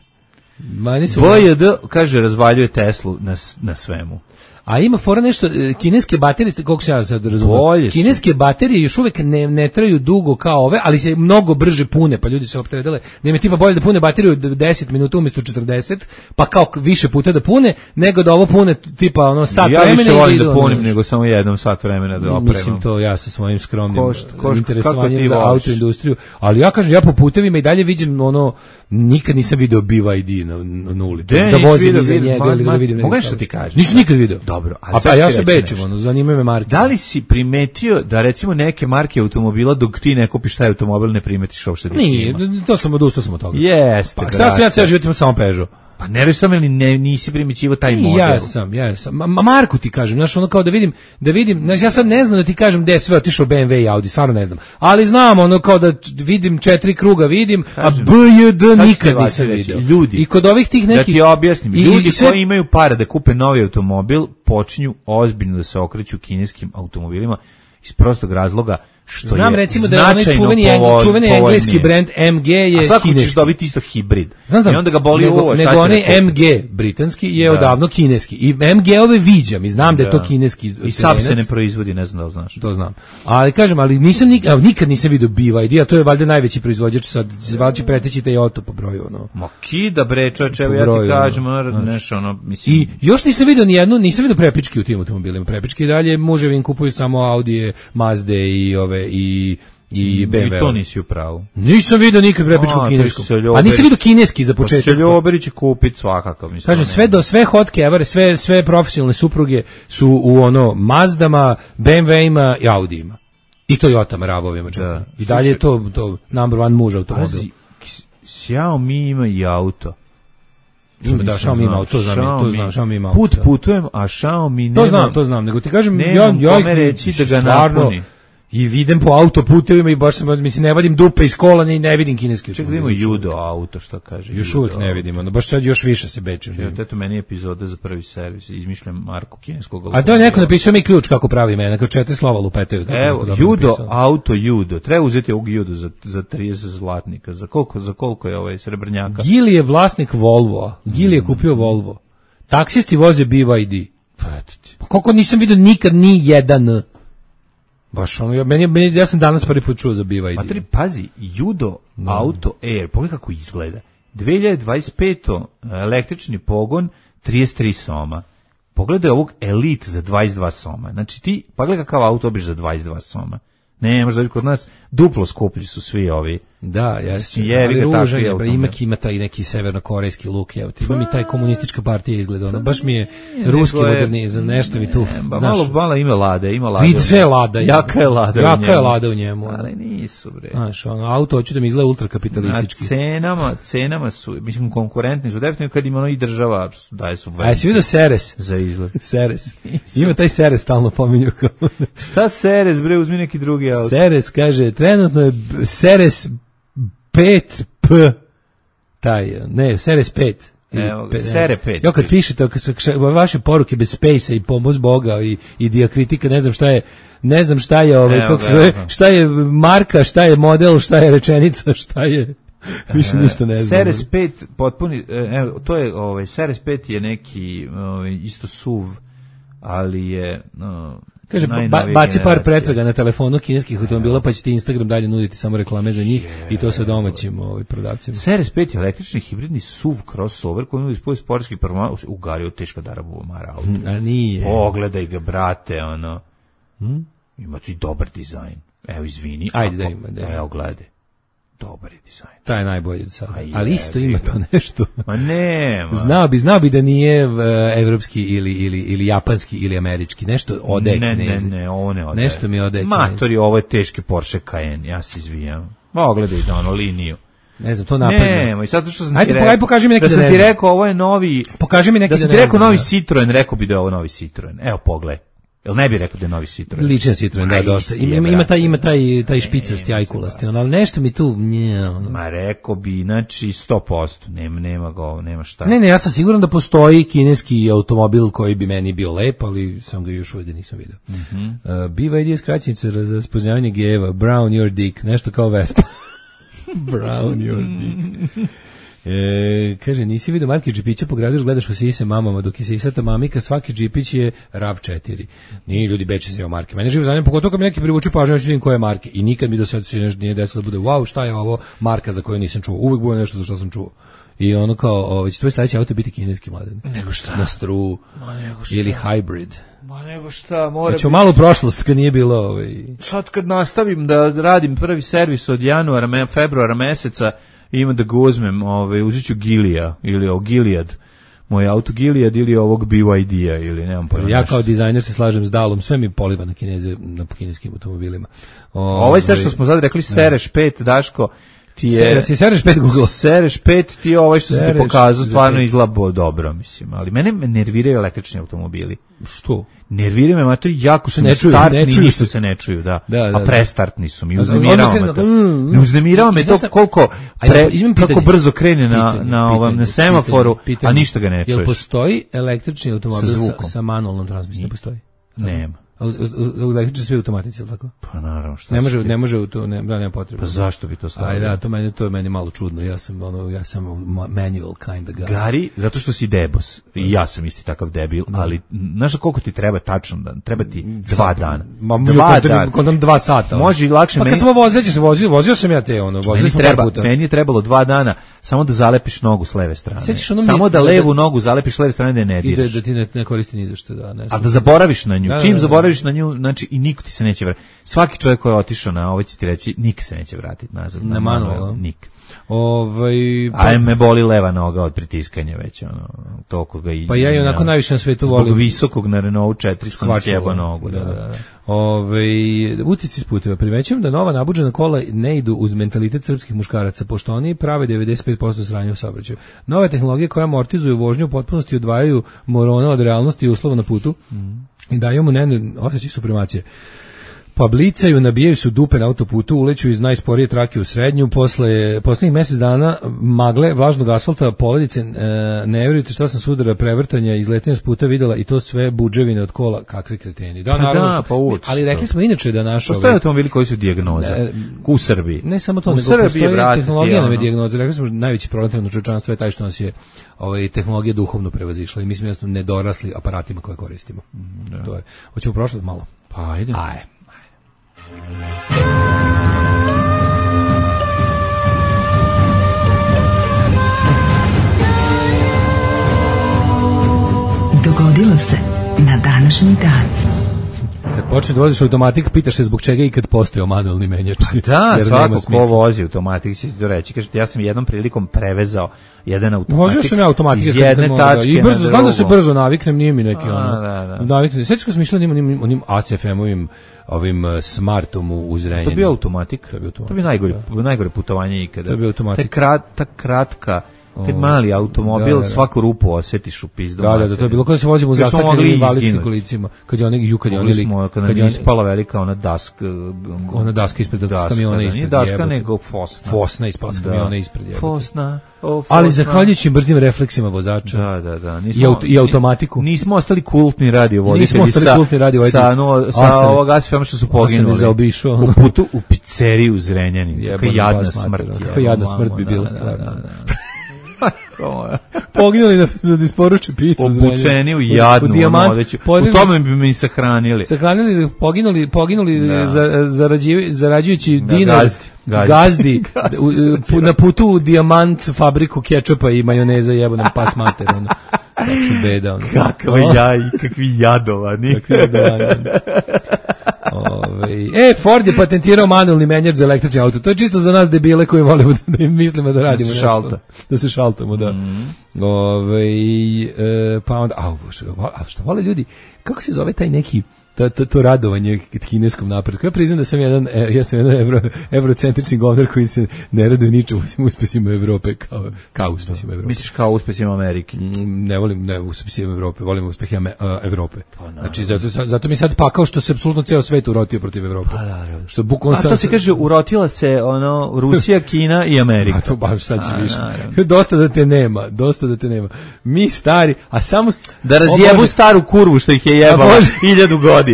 Ma nisu.
B Y D, kaže, razvaljuje Teslu na, s- na svemu.
A ima fora nešto, e, kineske baterije, koliko se ja sad razumem,
Bolje su.
kineske baterije još uvek ne, ne traju dugo kao ove, ali se mnogo brže pune, pa ljudi se opteretile, da im je tipa bolje da pune bateriju deset minuta umjesto četrdeset, pa kao k- više puta da pune, nego da ovo pune tipa ono sat
Ja
vremena
više
i
volim
idu,
da
ono,
punim
znaš.
nego samo jednom sat vremena da opremam.
Mislim to ja sa svojim skromnim
Ko šta- ko šta-
interesovanjem
kako ti
za
voliš?
autoindustriju, ali ja kažem, ja po putevima i dalje vidim ono, nikad nisam video B Y D na, na, na ulici,
De,
da
nisi
vozim
video,
iza
vidim,
njega
ma-
ili da
ma-
vidim.
mogu
nego
nešto ti
saobraćaj.
kažem?
Nisam nikad video.
Dobro, ali
a
sad
pa
ću
ja
ti
se
reći
bečim,
nešto.
ono, zanimaju me marke.
Da li si primetio da recimo neke marke automobila dok ti ne kupiš taj automobil ne primetiš uopšte da ih
Nije,
ima?
to sam odustao sam od toga.
Jeste,
Pa sad sam ja ceo život imam samo Peugeot.
Pa ne sam ili ne, nisi primećivo taj
I
model.
ja sam, ja sam. Ma, ma Marku ti kažem, znaš, ono kao da vidim, da vidim, znaš, ja sad ne znam da ti kažem gde je sve otišao B M W i Audi, stvarno ne znam. Ali znam, ono kao da č- vidim četiri kruga, vidim,
Kažem,
a B Y D
sad ću
nikad
ti
nisam
reći,
vidio.
ljudi,
I kod ovih tih
Da
nekih...
ti objasnim,
i-
ljudi
i sve-
koji imaju para da kupe novi automobil počinju ozbiljno da se okreću kineskim automobilima iz prostog razloga što
Znam
je
recimo da je onaj
značajno
čuveni, eng-
povol-
čuveni engleski
povoljnije.
brand M G je
A svako ćeš
kineski.
dobiti isto hibrid.
Znam, znam.
I onda ga boli
nego,
uvo, šta
nego
će
onaj
da kupi?
M G britanski je
Da.
odavno kineski. I M G-ove viđam i znam da, je to
Da.
kineski
I Saab se
terenac.
ne proizvodi, ne znam da li znaš.
To znam. Ali kažem, ali nisam nik, evo, nikad nisam vidio B Y D, a to je valjda najveći proizvođač, sad valjda će preteći Toyota po broju, ono.
Ma kida bre, čoveče, evo
Po
ja ti
broju,
kažem,
ono,
ono,
znaš.
nešto, ono, mislim...
I još nisam vidio ni jednu, nisam vidio prepičke u tim automobilima. Prepičke i dalje muževi im kupuju samo Audije, Mazde i ove i i B M W.
I to nisi u pravu.
Nisam vidio nikad prepičku
A, to
kinesku.
se
A
ljuberi.
nisam vidio kineski za
Pa
početak.
se Ljuberi će kupiti svakako, mislim.
Kažem,
ne.
sve do sve hot kevare, sve sve profesionalne supruge su u ono Mazdama, B M W-ima i Audijima. I Toyotama, Ravovima čak.
Da.
I dalje je to, to number one muž automobil.
Pazi, X- Xiaomi ima i auto.
Ima, da,
nisam
Xiaomi ima
znao.
auto, to znam, ja, to znam, Xiaomi ima auto.
Put putujem, a Xiaomi nema...
To znam, to znam, nego ti kažem, ja,
Nemam
ja ih
kome reći da ga
stvarno,
napuni.
I vidim po autoputevima i baš sam, mislim, ne vadim dupe iz kola, ni ne vidim kineski
Ček da ima
automobil.
judo auto, što kaže.
Još
judo
uvijek ne
auto.
vidim, ono, baš sad još više se bečem.
Evo, eto meni epizoda za prvi servis, izmišljam marku kineskog
A da
automobila.
je neko napisao mi ključ kako pravi imena, kao četiri slova lupetaju. kako neko
Evo,
dobro
judo,
napisao.
auto, judo. Treba uzeti ovog judo za, za trideset zlatnika. Za koliko, za koliko je ovaj srebrnjaka?
Gili je vlasnik Volvo, Gili je kupio Volvo. Taksisti voze B Y D.
Pa eto ti.
Pa koliko nisam vidio nikad ni jedan. Baš ono, ja, meni, meni, ja sam danas prvi put čuo za B Y D.
Materi, pazi, judo, auto, air, pogledaj kako izgleda. dve hiljade dvadeset pete. električni pogon, trideset tri soma. Pogledaj ovog Elite za dvadeset dva soma. Znači ti, pogledaj kakav auto obiš za dvadeset dva soma. Ne, možda bi kod nas duplo skuplji su svi ovi.
Da, jeste.
Jebi ga,
Ali
takvi
ružan je, bre,
automobil.
ima, ima taj neki severnokorejski luk, evo ti, ima mi taj komunistička partija izgleda, ono, baš mi je ruski
Nego je-
modernizam, nešto mi tu,
Ne, ba,
znaš,
malo, malo ima lade, ima lade.
vid
u
sve
njemu.
lada.
Jaka je lada u
Jaka je
njemu.
lada u njemu. ono.
Ali nisu, bre.
Znaš, ono, auto hoću da mi izgleda
Na
ultrakapitalistički.
cenama, cenama su, mislim, konkurentni su, definitivno kad ima ono i država daje
A
subvencije.
jesi vidio Seres?
Za izgled.
Seres. Ima taj Seres stalno pominju kao.
Šta Seres, bre, uzmi neki drugi auto.
Seres kaže, trenutno je b- Seres pet P. Taj, ne, Seres pet. Ili
Evo,
pe-
Sere pet
Jo, kad
piše.
pišete, kad se- kša- vaše poruke bez space i pomoć Boga i, i dijakritika, ne znam šta je, ne znam šta je, ovaj,
Evo
kako
ga,
se zove,
evo ga.
šta je marka, šta je model, šta je rečenica, šta je, više ništa ne znam.
Seres pet potpuni, e, evo, to je, ovaj, Seres pet je neki, ovaj, isto S U V, ali je, no,
Kaže, ba, baci par pretraga na telefonu kineskih automobila, pa će ti Instagram dalje nuditi samo reklame za njih je, i to sa domaćim ovaj, prodavcima.
Series pet je električni hibridni S U V crossover koji nudi spoj sportskih performansa. U Gariju teško da rabu mara auto.
A nije.
Pogledaj ga, brate, ono.
Hmm?
Ima ti dobar dizajn. Evo, izvini.
Ajde
ako,
da ima. Da.
Evo, gledaj. Dobar je dizajn.
Taj je najbolji do sada.
Je,
ali isto ima to nešto.
Ma nema.
Znao bi, znao bi da nije uh, evropski ili, ili, ili japanski ili američki. Nešto ode
ne,
Kinezi.
Ne, ne, ovo ne ode.
Nešto mi ode
Matori, ovo je teški Porsche Cayenne. Ja se izvijam. Pogledaj da ono liniju.
Ne znam, to napadno.
Nema, i sad što sam
Ajde,
ti rekao. Ajde,
pokaži mi neki
da,
da
sam ti rekao, ovo je novi.
Pokaži mi neki
da sam ti rekao novi Citroen, rekao bi da je ovo novi Citroen. Evo, pogledaj. Jel ne bi rekao da je novi Citroen?
Ličan Citroen, da, dosta. Ima, ima taj, ima taj, taj špicasti, ajkulasti, ali nešto mi tu, nje, ono.
Ma rekao bi, znači, sto posto, nema, nema go, nema šta.
Ne, ne, ja sam siguran da postoji kineski automobil koji bi meni bio lep, ali sam ga još uvijek nisam vidio.
Mm-hmm.
Uh, biva idija skraćenica za spoznavanje gejeva, Brown your dick, nešto kao Vespa. Brown your dick. E, kaže, nisi vidio marke džipića po gradu, gledaš u sise mamama, dok je sisata mamika, svaki džipić je RAV četiri. Nije ljudi beče se o marke. Mene živo zanima, pogotovo kad mi neki privuči pažnju, ja ću vidim koje marke. I nikad mi do sada se nije desilo da bude, wow, šta je ovo marka za koju nisam čuo. Uvijek bude nešto za što sam čuo. I ono kao, ovo, će tvoj sledeći auto biti kineski, mladen.
Nego šta?
Na struju.
Ma nego šta?
Ili hybrid.
Ma nego šta, mora
znači, biti. Malo prošlost kad nije bilo ovaj.
Sad kad nastavim da radim prvi servis od januara, me, februara meseca, ima da ga uzmem, ovaj, uzet ću Gilija ili o Gilead, moj auto Gilead ili ovog B Y D-a ili nemam pojma.
Ja kao dizajner se slažem s Dalom, sve mi poliva na kineze, na kineskim automobilima.
O, ovaj sve što smo sad rekli, Sereš pet, Daško, ti je...
Se, Sereš pet Google.
Sereš pet ti je ovaj što sam ti pokazao, stvarno izgleda dobro, mislim, ali mene nerviraju električni automobili.
Što?
Nerviraju me, matori, jako su
ne
startni, ništa se ne čuju, da.
Da, da,
a prestartni su mi, uznemirao me to.
Mm,
ne uznemirao me to koliko, pre, kako brzo krene na,
pitanje,
na, ovom,
pitanje,
na semaforu,
pitanje, pitanje.
a ništa ga ne čuješ.
Jel postoji električni automobil
sa,
sa, sa manualnom transmisijom? Ne postoji?
Nema.
A u, u, u električni sve automatici, ili tako?
Pa naravno, šta
ne može, ne može u to, ne, da, nema potrebe.
Pa zašto bi to stavio?
Aj da, to meni to je meni malo čudno. Ja sam ono, ja sam manual kind of guy.
Gari, zato što si debos. I ja sam isti takav debil, no. ali znaš koliko ti treba tačno dan? Treba ti dva dana.
Ma dva dana. Kod nam dva sata.
Može i lakše.
Pa kad smo vozeći se vozio, vozio sam ja te ono, vozili smo
treba,
par puta.
Meni je trebalo dva dana samo da zalepiš nogu s leve strane. Samo da levu nogu zalepiš s leve strane da je ne diraš.
I da, da ti ne, ne koristi ni za što, da, ne.
A da zaboraviš na nju. Čim zaboraviš na nju, znači i niko ti se neće vratiti. Svaki čovjek koji je otišao na ovo će ti reći, nikad se neće vratiti nazad.
Na, na manual,
nikad.
Ovaj
pa, a me boli leva noga od pritiskanja već ono toliko ga i
pa ja i onako najviše na svetu volim
visokog na Renault četiri sam sjebao nogu da, da, da.
Ovaj utisci s puteva primećujem da nova nabuđena kola ne idu uz mentalitet srpskih muškaraca pošto oni prave devedeset pet posto sranja u saobraćaju. Nove tehnologije koje amortizuju vožnju u potpunosti odvajaju morona od realnosti i uslova na putu mm. i daju mu ne osjećaj supremacije. Pa blicaju, nabijaju su dupe na autoputu, uleću iz najsporije trake u srednju, posle posljednjih mjesec dana magle, vlažnog asfalta, poledice, e, ne vjerujete šta sam sudara prevrtanja, izletanja s puta videla i to sve budževine od kola, kakvi kreteni. Da, naravno,
da, pa uč,
ali rekli smo inače da naš...
Postoje automobili koji su dijagnoza ne, u Srbiji.
Ne samo to,
u
nego
Srbiji,
postoji
brate,
tehnologija nam je dijagnoza. Rekli smo najveći problem trenutno čovječanstva je taj što nas je ovaj, tehnologija duhovno prevazišla i mi smo jasno nedorasli aparatima koje koristimo. Da. To je. Hoćemo prošlat malo?
Pa ajde.
Ajde.
Dogodilo se na današnji dan.
Kad počne da voziš automatik, pitaš se zbog čega i kad postoji manualni menjač.
Pa da, svako ko vozi automatik će ti to reći. Kažete, ja sam jednom prilikom prevezao jedan automatik.
Vozio sam ja automatik
iz jedne tačke
i brzo,
na
znam da se brzo naviknem, nije mi neki
a,
ono.
Da, da.
Naviknem. Sećaš kad sam išla onim, onim A S F M-ovim ovim smartom u Zrenjaninu.
To bio automatik.
To bio automatik.
To bi najgore, da. najgore putovanje ikada.
To bio automatik.
Ta, krat, ta kratka taj mali automobil, da, da, da. Svaku rupu osjetiš u pizdu.
Da, da, da, to je bilo kada se vozimo u zataknenim invalidskim kolicima. Kad je oni, ju, kad je oni lik...
Kad, kad je ispala velika ona daska...
Ona daska ispred daska, kamiona ispred.
Nije daska, nego fosna.
Fosna ispala s kamiona ispred. Jebate.
Fosna, o, fosna.
Ali zahvaljujući brzim refleksima vozača.
Da, da, da. Nismo,
I, auto, I automatiku.
Nismo ostali kultni radio voditelji.
Nismo ostali
sa,
kultni radio voditelji.
Sa, no, sa
osam,
ovog A S F M što su poginuli.
Zaobišao.
U putu u pizzeriju u Zrenjaninu. Kakva jadna smrt.
Kakva jadna smrt bi bila stvarno. Poginuli da, da isporuče picu.
Obučeni u jadnu, u, dijamant, odeću. U tome bi mi sahranili.
Sahranili, poginuli, poginuli
da.
za, zarađuju, zarađujući
da,
dinar
gazdi, gazdi.
gazdi, gazdi u, na putu u dijamant fabriku kečapa i majoneza jebo nam pas mater. Ono. Znači beda. Ono.
Kakva jaj, kakvi jadovani.
Kakvi jadovani. Ove, e, Ford je patentirao manualni menjač za električni auto. To je čisto za nas debile koji volimo da, da im mislimo da radimo
da se
nešto.
Šalta.
Da se šaltamo, da. Mm. Ove, e, pa onda, a, a što vole ljudi, kako se zove taj neki To, to, to radovanje kineskom napretku. Ja priznam da sam jedan, ja sam jedan evro, evrocentrični govnar koji se ne raduje ničemu osim uspesima Evrope kao, kao uspesima Evrope.
Misliš kao uspesima Amerike?
Ne volim ne uspesima Evrope, volim uspehe uh, Evrope. Pa, znači, zato, zato mi sad pakao što se apsolutno ceo svet urotio protiv Evrope.
Pa, naravno.
Što bukvalno
A to se kaže, urotila se ono, Rusija, Kina i Amerika.
A to baš sad će više. Dosta da te nema, dosta da te nema. Mi stari, a samo...
Da razjebu o, staru kurvu što ih je jebala hiljadu godina.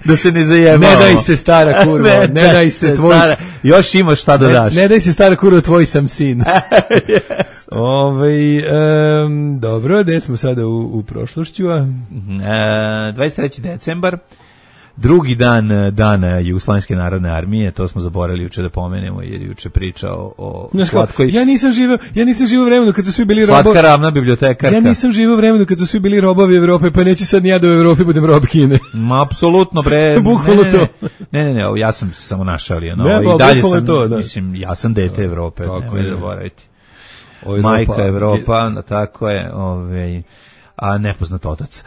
Da se ne zajebamo.
Ne daj se stara kurva, ne, ne daj se tvoj...
Stara, još imaš šta da daš.
Ne, ne daj se stara kurva, tvoj sam sin. Yes. Ove, um, dobro, gde smo sada u, u prošlošću? A?
E, dvadeset treći decembar, drugi dan dana Jugoslovenske narodne armije, to smo zaboravili juče da pomenemo, jer juče pričao o
Znaš,
slatkoj...
Ja nisam živeo, ja nisam živeo vremenu kad su svi bili robovi.
Slatka ravna bibliotekarka.
Ja nisam živeo vremenu kad su svi bili robovi Evrope, pa neću sad ni ja da u Evropi budem rob Kine.
Ma, apsolutno, bre.
Bukvalno
ne,
to.
Ne, ne, ne, ja sam samo našalio. No,
ne,
i dalje sam,
to, da.
mislim, ja sam dete Evrope,
tako
ne zaboraviti. Majka Evropa, je... tako je, ovaj... a nepoznat otac.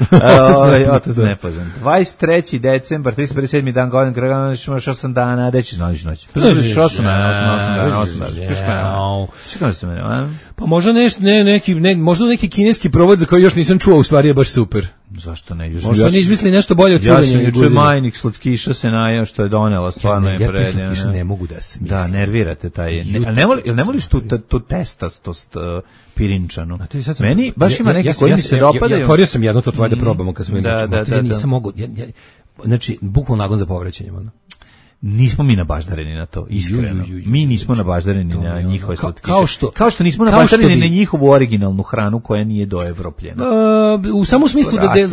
Ovaj otac nepoznat. dvadeset treći decembar, trideset sedmi dan godine, Grganović imaš osam dana, gde ćeš noć noć? Pa znaš osam dana, osam dana, osam dana. Čekam se mene, a?
Pa možda nešto, ne, neki, ne, možda neki kineski provod za koji još nisam čuo, u stvari je baš super.
Zašto ne? Još,
možda oni izmislili nešto bolje od curenja.
Ja sam juče majnik slatkiša se najao što je donela, stvarno je predivno.
Ja slatkiša ne mogu da smislim.
Da, nervirate taj. Ne, ne voli, ne voliš tu tu testastost pirinčanu. Meni baš ima neki koji mi se dopadaju.
Ja otvorio sam jedno to tvoje da probamo kad smo inače.
Da, da,
ja nisam mogu, ja, ja, znači bukvalno nagon za povraćanjem ono.
Nismo mi nabaždareni na to, iskreno. Ju, ju, ju, mi nismo nabaždareni na njihove slatkiše.
Kao što,
kao što nismo nabaždareni na njihovu originalnu hranu koja nije doevropljena.
Uh, u samo smislu da del,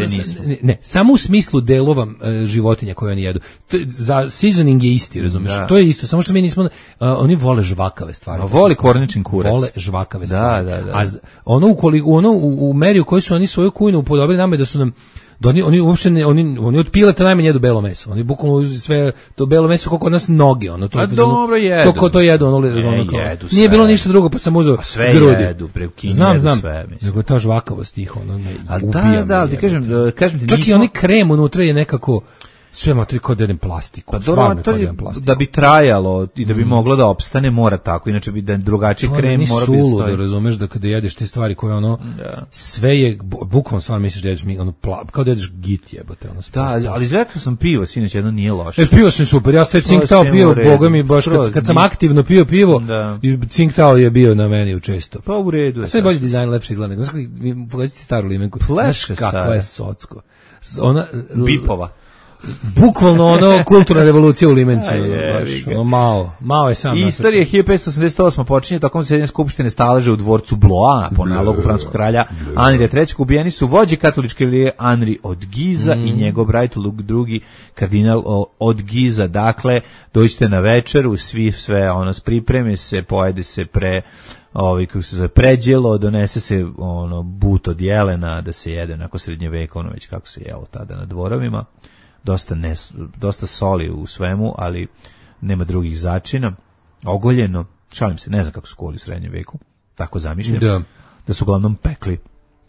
ne, ne, samo u smislu delova uh, životinja koje oni jedu. To, za seasoning je isti, razumeš? Da. To je isto, samo što mi nismo uh, oni vole žvakave stvari.
A voli korničin kurac.
Vole žvakave stvari.
Da, da, da.
A ono u koliko ono u, u meri u kojoj su oni svoju kujnu upodobili nama da su nam da oni oni uopšte ne, oni oni od pileta najmanje jedu belo meso. Oni bukvalno sve to belo meso kako kod nas noge, ono to.
A dobro jedu.
To ko to jedu, ono,
ne,
ono kao.
Jedu
nije bilo ništa drugo, pa sam uzeo
sve
grudi.
Jedu, bre, u Kini
znam,
jedu
znam.
sve, mislim.
Nego ta žvakavost tih, ono ne.
A da, da, ti kažem, kažem ti
čak
nismo...
i onaj krem unutra je nekako sve matri kod jedan plastiku.
Pa dobro, to je, da bi trajalo i da bi mm. moglo da opstane, mora tako, inače bi da drugačiji krem mora biti
suludo, da razumeš da kada jedeš te stvari koje ono, da. Sve je, bukvalno stvarno misliš da jedeš mi, ono, pla, kao da jedeš git jebote. Ono,
da, ali izrekao sam pivo, sinoć jedno nije loše.
E, pivo sam super, ja ste cinktao pio, boga mi, baš kad, kad sam aktivno pio pivo, da. I cinktao je bio na meni u često.
Pa u redu je.
A sve bolje dizajn, lepše izgleda. Znaš kako, pogledajte staru limenku, znaš kakva je socko. Ona,
Bipova.
Bukvalno ono kulturna revolucija u Limenci. Ono, malo, malo je sam.
Istorija hiljadu petsto osamdeset osme počinje tokom zasedanja skupštine staleža u dvorcu Blois po nalogu francuskog kralja Anrija trećeg. Ubijeni su vođe katoličke religije Anri od Giza mm. i njegov brat Luk drugi kardinal od Giza. Dakle, dođite na večeru, svi sve ono pripreme se, pojede se pre ovaj kako se zove pređelo, donese se ono but od jelena da se jede nakon srednjevekovno već kako se jelo tada na dvorovima. Dosta, ne, dosta soli u svemu, ali nema drugih začina. Ogoljeno, šalim se, ne znam kako su koli u srednjem veku, tako zamišljam, da, da su uglavnom pekli.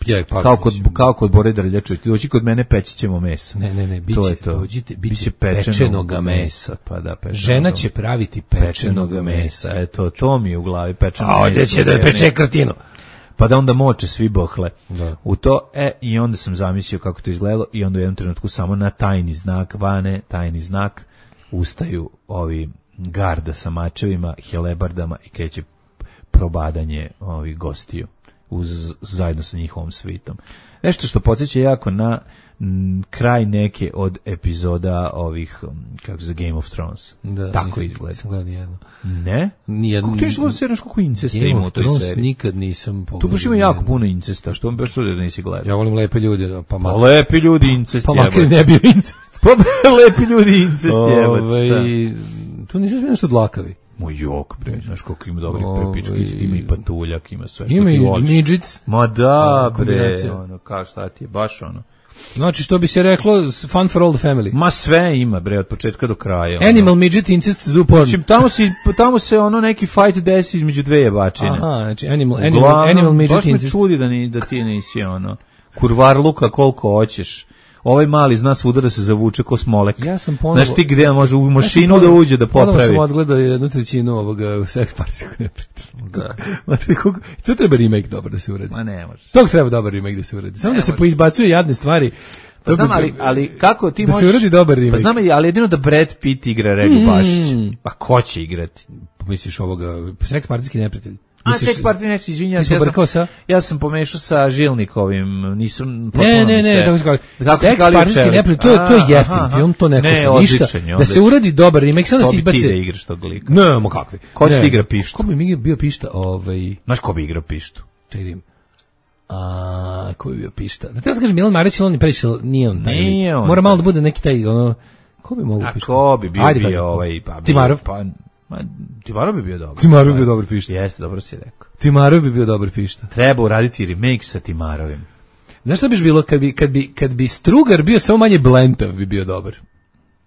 Ja, pa,
kao, kod, kao kod Bore Drljačević, dođi kod mene peći ćemo mesa.
Ne, ne, ne, biće,
to je to.
Dođite, biće pečenoga mesa.
Pa da, pečenoga.
Žena će praviti pečenoga mesa. mesa.
Eto, to mi je u glavi pečeno
mesa. A ovdje će da peče krtinu.
Pa da onda moče svi bohle
da.
U to, e, i onda sam zamislio kako to izgledalo i onda u jednom trenutku samo na tajni znak Vane, tajni znak, ustaju ovi garda sa mačevima, helebardama i kreće probadanje ovih gostiju. uz, zajedno sa njihovom svitom. Nešto što podsjeća jako na m, kraj neke od epizoda ovih, kako se Game of Thrones.
Da,
tako
nisam,
izgleda.
Nisam gledao nijedno.
Ne?
Nijedno.
Kako ti što se znaš koliko incesta
Game
ima u
of
toj
Thrones
seriji?
nikad nisam pogledao.
Tu baš ima jako puno incesta, što on baš čudio da nisi gledao.
Ja volim lepe ljude, da, pa
Pa
malo.
lepi ljudi incest
Pa
jebać.
makar ne bio incest.
Pa lepi ljudi incest jebać.
Ovaj, tu nisu sve nešto dlakavi.
Moj jok, bre, znaš koliko ima dobrih
Ovaj,
prepičkić, ima i patuljak, ima sve što
Ima
ti
i
voliš.
midžic.
Ma da, bre,
kombinacija.
ono, kao šta ti je, baš ono.
Znači, što bi se reklo, fun for all the family.
Ma sve ima, bre, od početka do kraja. Ono.
Animal, midget, incest, zoo porn.
Znači, tamo, si, tamo se ono neki fight desi između dve jebačine.
Aha, znači, animal, animal,
Uglavnom,
animal midget,
baš me
incest.
čudi da, ni, da ti nisi ono, kurvarluka koliko hoćeš. Ovaj mali zna svuda da se zavuče ko smolek.
Ja sam ponovo...
Znaš ti gde on može u mašinu
ja
da uđe da
Ponovo
popravi.
sam odgledao jednu trećinu ovoga seks partijskog neprijatelja.
Da.
Matri, koliko... To treba remake dobro da se uredi.
Ma ne može.
Tog treba dobar remake da se uredi. Samo
Ne
da se
može.
poizbacuje jadne stvari.
Pa znam, ali, ali kako ti
da
možeš...
se uredi dobar remake.
Pa znam, ali jedino da Brad Pitt igra Regu
Mm.
Bašić. Pa ko će igrati?
Misliš ovoga, seks partijski neprijatelj?
A
Misliš-
seks partij neće, izvinjam
Ti
se, ja
si pobrkao sa?
sam, ja sam pomešao sa Žilnikovim, nisam... potpuno
Ne,
mi
ne, ne,
se-
tako se kaže.
Kako se
Seks
kalio
partijski
čelik.
neprijatelj, to je, to je
A,
jeftin
aha, aha.
film, to ne košta
Ne,
ništa.
odličan je,
Da se
odličan.
uradi dobar remake, samo da
Ko
se
bi ti da
izbaci.
igraš tog lika?
Ne, mo kakvi.
Ko će
Ne.
ti igra pištu?
Ko bi mi bio pišta? Ovaj,
Znaš ko bi igrao pištu?
čekaj da vidim. A, ko bi bio pišta? Da treba se kažem, Milan Marić, ali on je previše, nije on taj.
Nije
lik.
on
Mora
taj.
malo da bude neki taj, ono, ko bi mogu
A
pišta?
ko bi bio,
Ajde,
bio
kaži.
ovaj... Pa, bio-
Timarov?
Pa, ma, Timarov bi bio dobar.
Timarov bi bio dobar pišta.
Jeste, dobro si rekao.
Timarov bi bio dobar pišta.
Treba uraditi remake sa Timarovim.
Znaš šta biš bilo kad bi, kad bi, kad bi Strugar bio samo manje blentav bi bio dobar.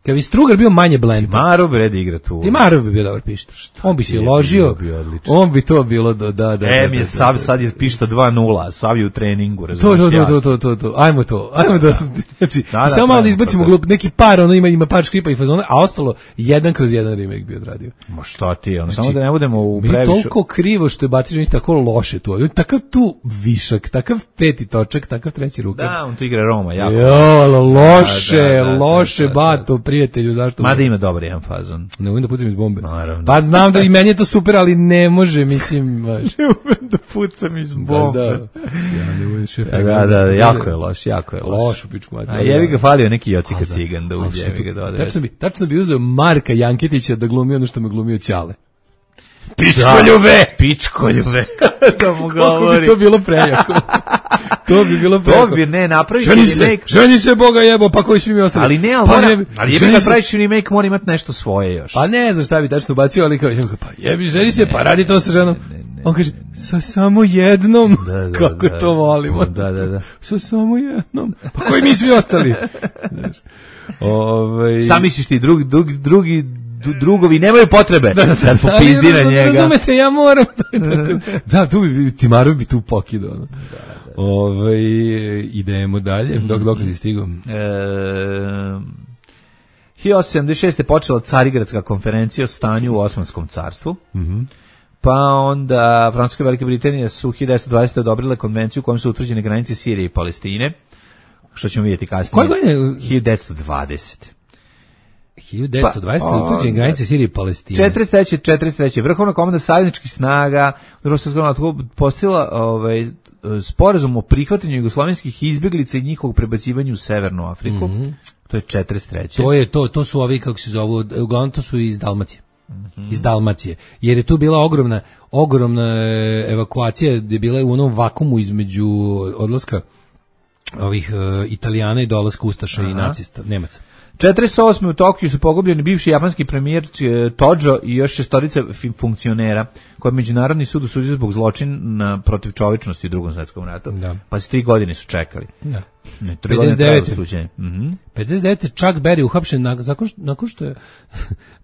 Kad bi Strugar bio manje blentav.
Timarov bre da igra tu.
Timarov bi bio dobar pišta. On bi se
ti je
ložio,
bio, bio odličan.
on bi to bilo do, da, da,
E,
da,
mi je
da,
Sav,
da,
sad je pišta dva nula, Sav je u treningu,
To,
razumiješ?
to, to,
ja.
to, to, to, to, ajmo to, ajmo da, znači,
Da, da,
samo malo da
pravimo
izbacimo
to.
glup, neki par, ono ima, ima par škripa i fazona, a ostalo jedan kroz jedan remake bi odradio.
Ma šta ti, ono,
Znači,
samo da ne budemo u
Mi je
previše...
toliko krivo što je Batić mi tako loše to, takav tu višak, takav peti točak, takav treći rukav.
Da, on tu igra Roma, jako.
Jo, ali loše,
Da, da, da,
loše,
da, da, da.
Bato, prijatelju, zašto?
Mada ima dobar jedan fazon.
Ne umem da pucam iz bombe.
Naravno.
Pa znam da i meni je to super, ali ne može, mislim, baš.
Ne umem da pucam iz
Baš da. Ja ne umem šef.
Da, da, da, jako je loš, jako je loš.
Loš u pičku mater.
A jebi ga falio neki Jocika
da.
Cigan da
Ali
uđe,
što
jebi ga
to-
dodaje.
Tačno bi, tačno bi uzeo Marka Janketića da glumi ono što me glumio Ćale.
Pičkoljube! Pičkoljube! da mu
Kako bi
govori.
to bilo prejako. To bi bilo prejako.
To bi, ne, napravi
Ženi se,
remake.
ženi se, Boga jebo, pa koji svi mi ostali.
Ali ne, ali,
pa
mora,
jebi-
ali jebi
ženi
kad
se-
praviš remake, mora imati nešto svoje još.
Pa ne znam šta bi tačno bacio, ali kao, pa jebi, ženi se, pa radi to sa ženom. On kaže, sa samo jednom.
Da, da,
Kako
da,
to volimo.
da, da, da.
Sa samo jednom. Pa koji mi svi ostali? Znaš, ovaj...
Šta misliš ti, drugi, drugi, drugi du- drugovi nemaju potrebe da, da popizdi
Ali,
na njega.
Razumete, ja moram. Da, tu bi, Timarov bi tu pokidao. No. Ovaj, idemo dalje, dok, dok si stigao.
E, hiljadu osamsto sedamdeset šeste. počela Carigradska konferencija o stanju u Osmanskom carstvu.
Mhm.
Pa onda Francuska i Velika Britanija su hiljadu devetsto dvadesete. odobrile konvenciju u kojom su utvrđene granice Sirije i Palestine, što ćemo vidjeti kasnije.
Koje godine?
hiljadu devetsto dvadesete.
hiljadu devetsto dvadesete.
Pa,
utvrđene granice Sirije i Palestine.
četrdeset treće. četrdeset treće. Vrhovna komanda savezničkih snaga u Drugom svjetskom ratu postavila ovaj sporazum o prihvatanju jugoslovenskih izbeglica i njihovog prebacivanju u Severnu Afriku. Mm-hmm. To je četrdeset treće.
To je to, to su ovi, kako se zovu, uglavnom to su iz Dalmacije. Iz Dalmacije. Jer je tu bila ogromna, ogromna evakuacija, gdje je bila u onom vakumu između odlaska ovih uh, Italijana i dolaska Ustaša i nacista, Nemaca.
četrdeset osme. u Tokiju su pogubljeni bivši japanski premijer Tojo i još šestorica funkcionera koje je Međunarodni sud osudio zbog zločina protiv čovječnosti u Drugom svjetskom ratu.
Da.
Pa se tri godine su čekali.
Da.
Ne, tri godine
pedeset devete.
trajalo suđenje. Mhm.
pedeset devete. Chuck Berry uhapšen nakon nakon što, nakon što je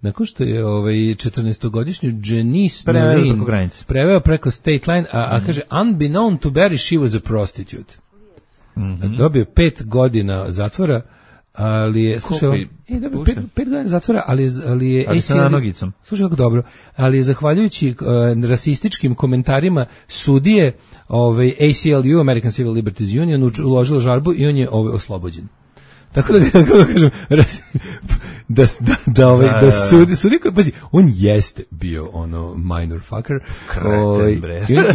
nakon što je ovaj četrnaestogodišnju Janice
Preveo
Noreen
preko granice.
preveo preko state line, a, a kaže unbeknown to Berry she was a prostitute. Mm-hmm. Dobio pet godina zatvora, ali je slušaj,
Koliko je
e, dobio
pušten?
pet, pet godina zatvora, ali je, ali je
Ali sa
A C L
nanogicom.
Slušaj kako dobro, ali je zahvaljujući uh, rasističkim komentarima sudije, ovaj A C L U, American Civil Liberties Union, uč- uložila žalbu i on je ovaj oslobođen. Tako da, kako da kažem, ras, da da da ovaj da, da sudi sudi koji pazi, on jeste bio ono minor fucker. Ovaj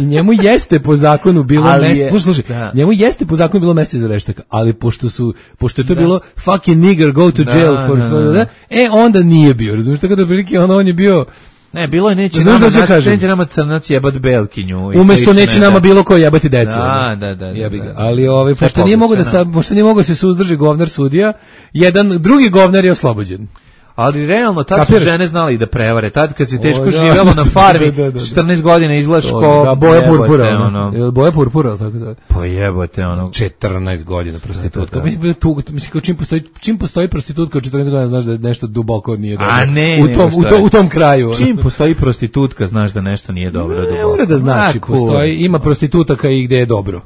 i njemu jeste po zakonu bilo mesto, slušaj, slušaj, da. njemu jeste po zakonu bilo mesto iza reštaka, ali pošto su pošto je to da. bilo fucking nigger go to jail da, for, da, for da. e onda nije bio, razumiješ, tako da prilike ono on je bio.
Ne, bilo je neće nama, naš, neće nama crnac jebat Belkinju.
Umesto neće nama bilo ko jebati decu.
Da, da, da.
da, da. Ali ovaj, pošto nije mogo da, sa, pošto nije mogo da se suzdrži govnar sudija, jedan drugi govnar je oslobođen.
Ali realno, tad su žene znali da prevare. Tad kad se teško o, da. živjelo na farmi, da, da, da. četrnaest godina izgledaš ko...
Da, boje purpura. Ono. Boje purpura, tako da.
Pa jebote, ono...
četrnaest godina prostitutka. Da, da, da. Mislim, tu, mislim, čim postoji, čim postoji prostitutka od četrnaest godina, znaš da nešto duboko nije dobro.
A ne,
u tom, u, to, u tom kraju.
Čim postoji prostitutka, znaš da nešto nije dobro. Ne,
duboko. Ne, da znači, postoji, ima prostitutaka i gde je dobro.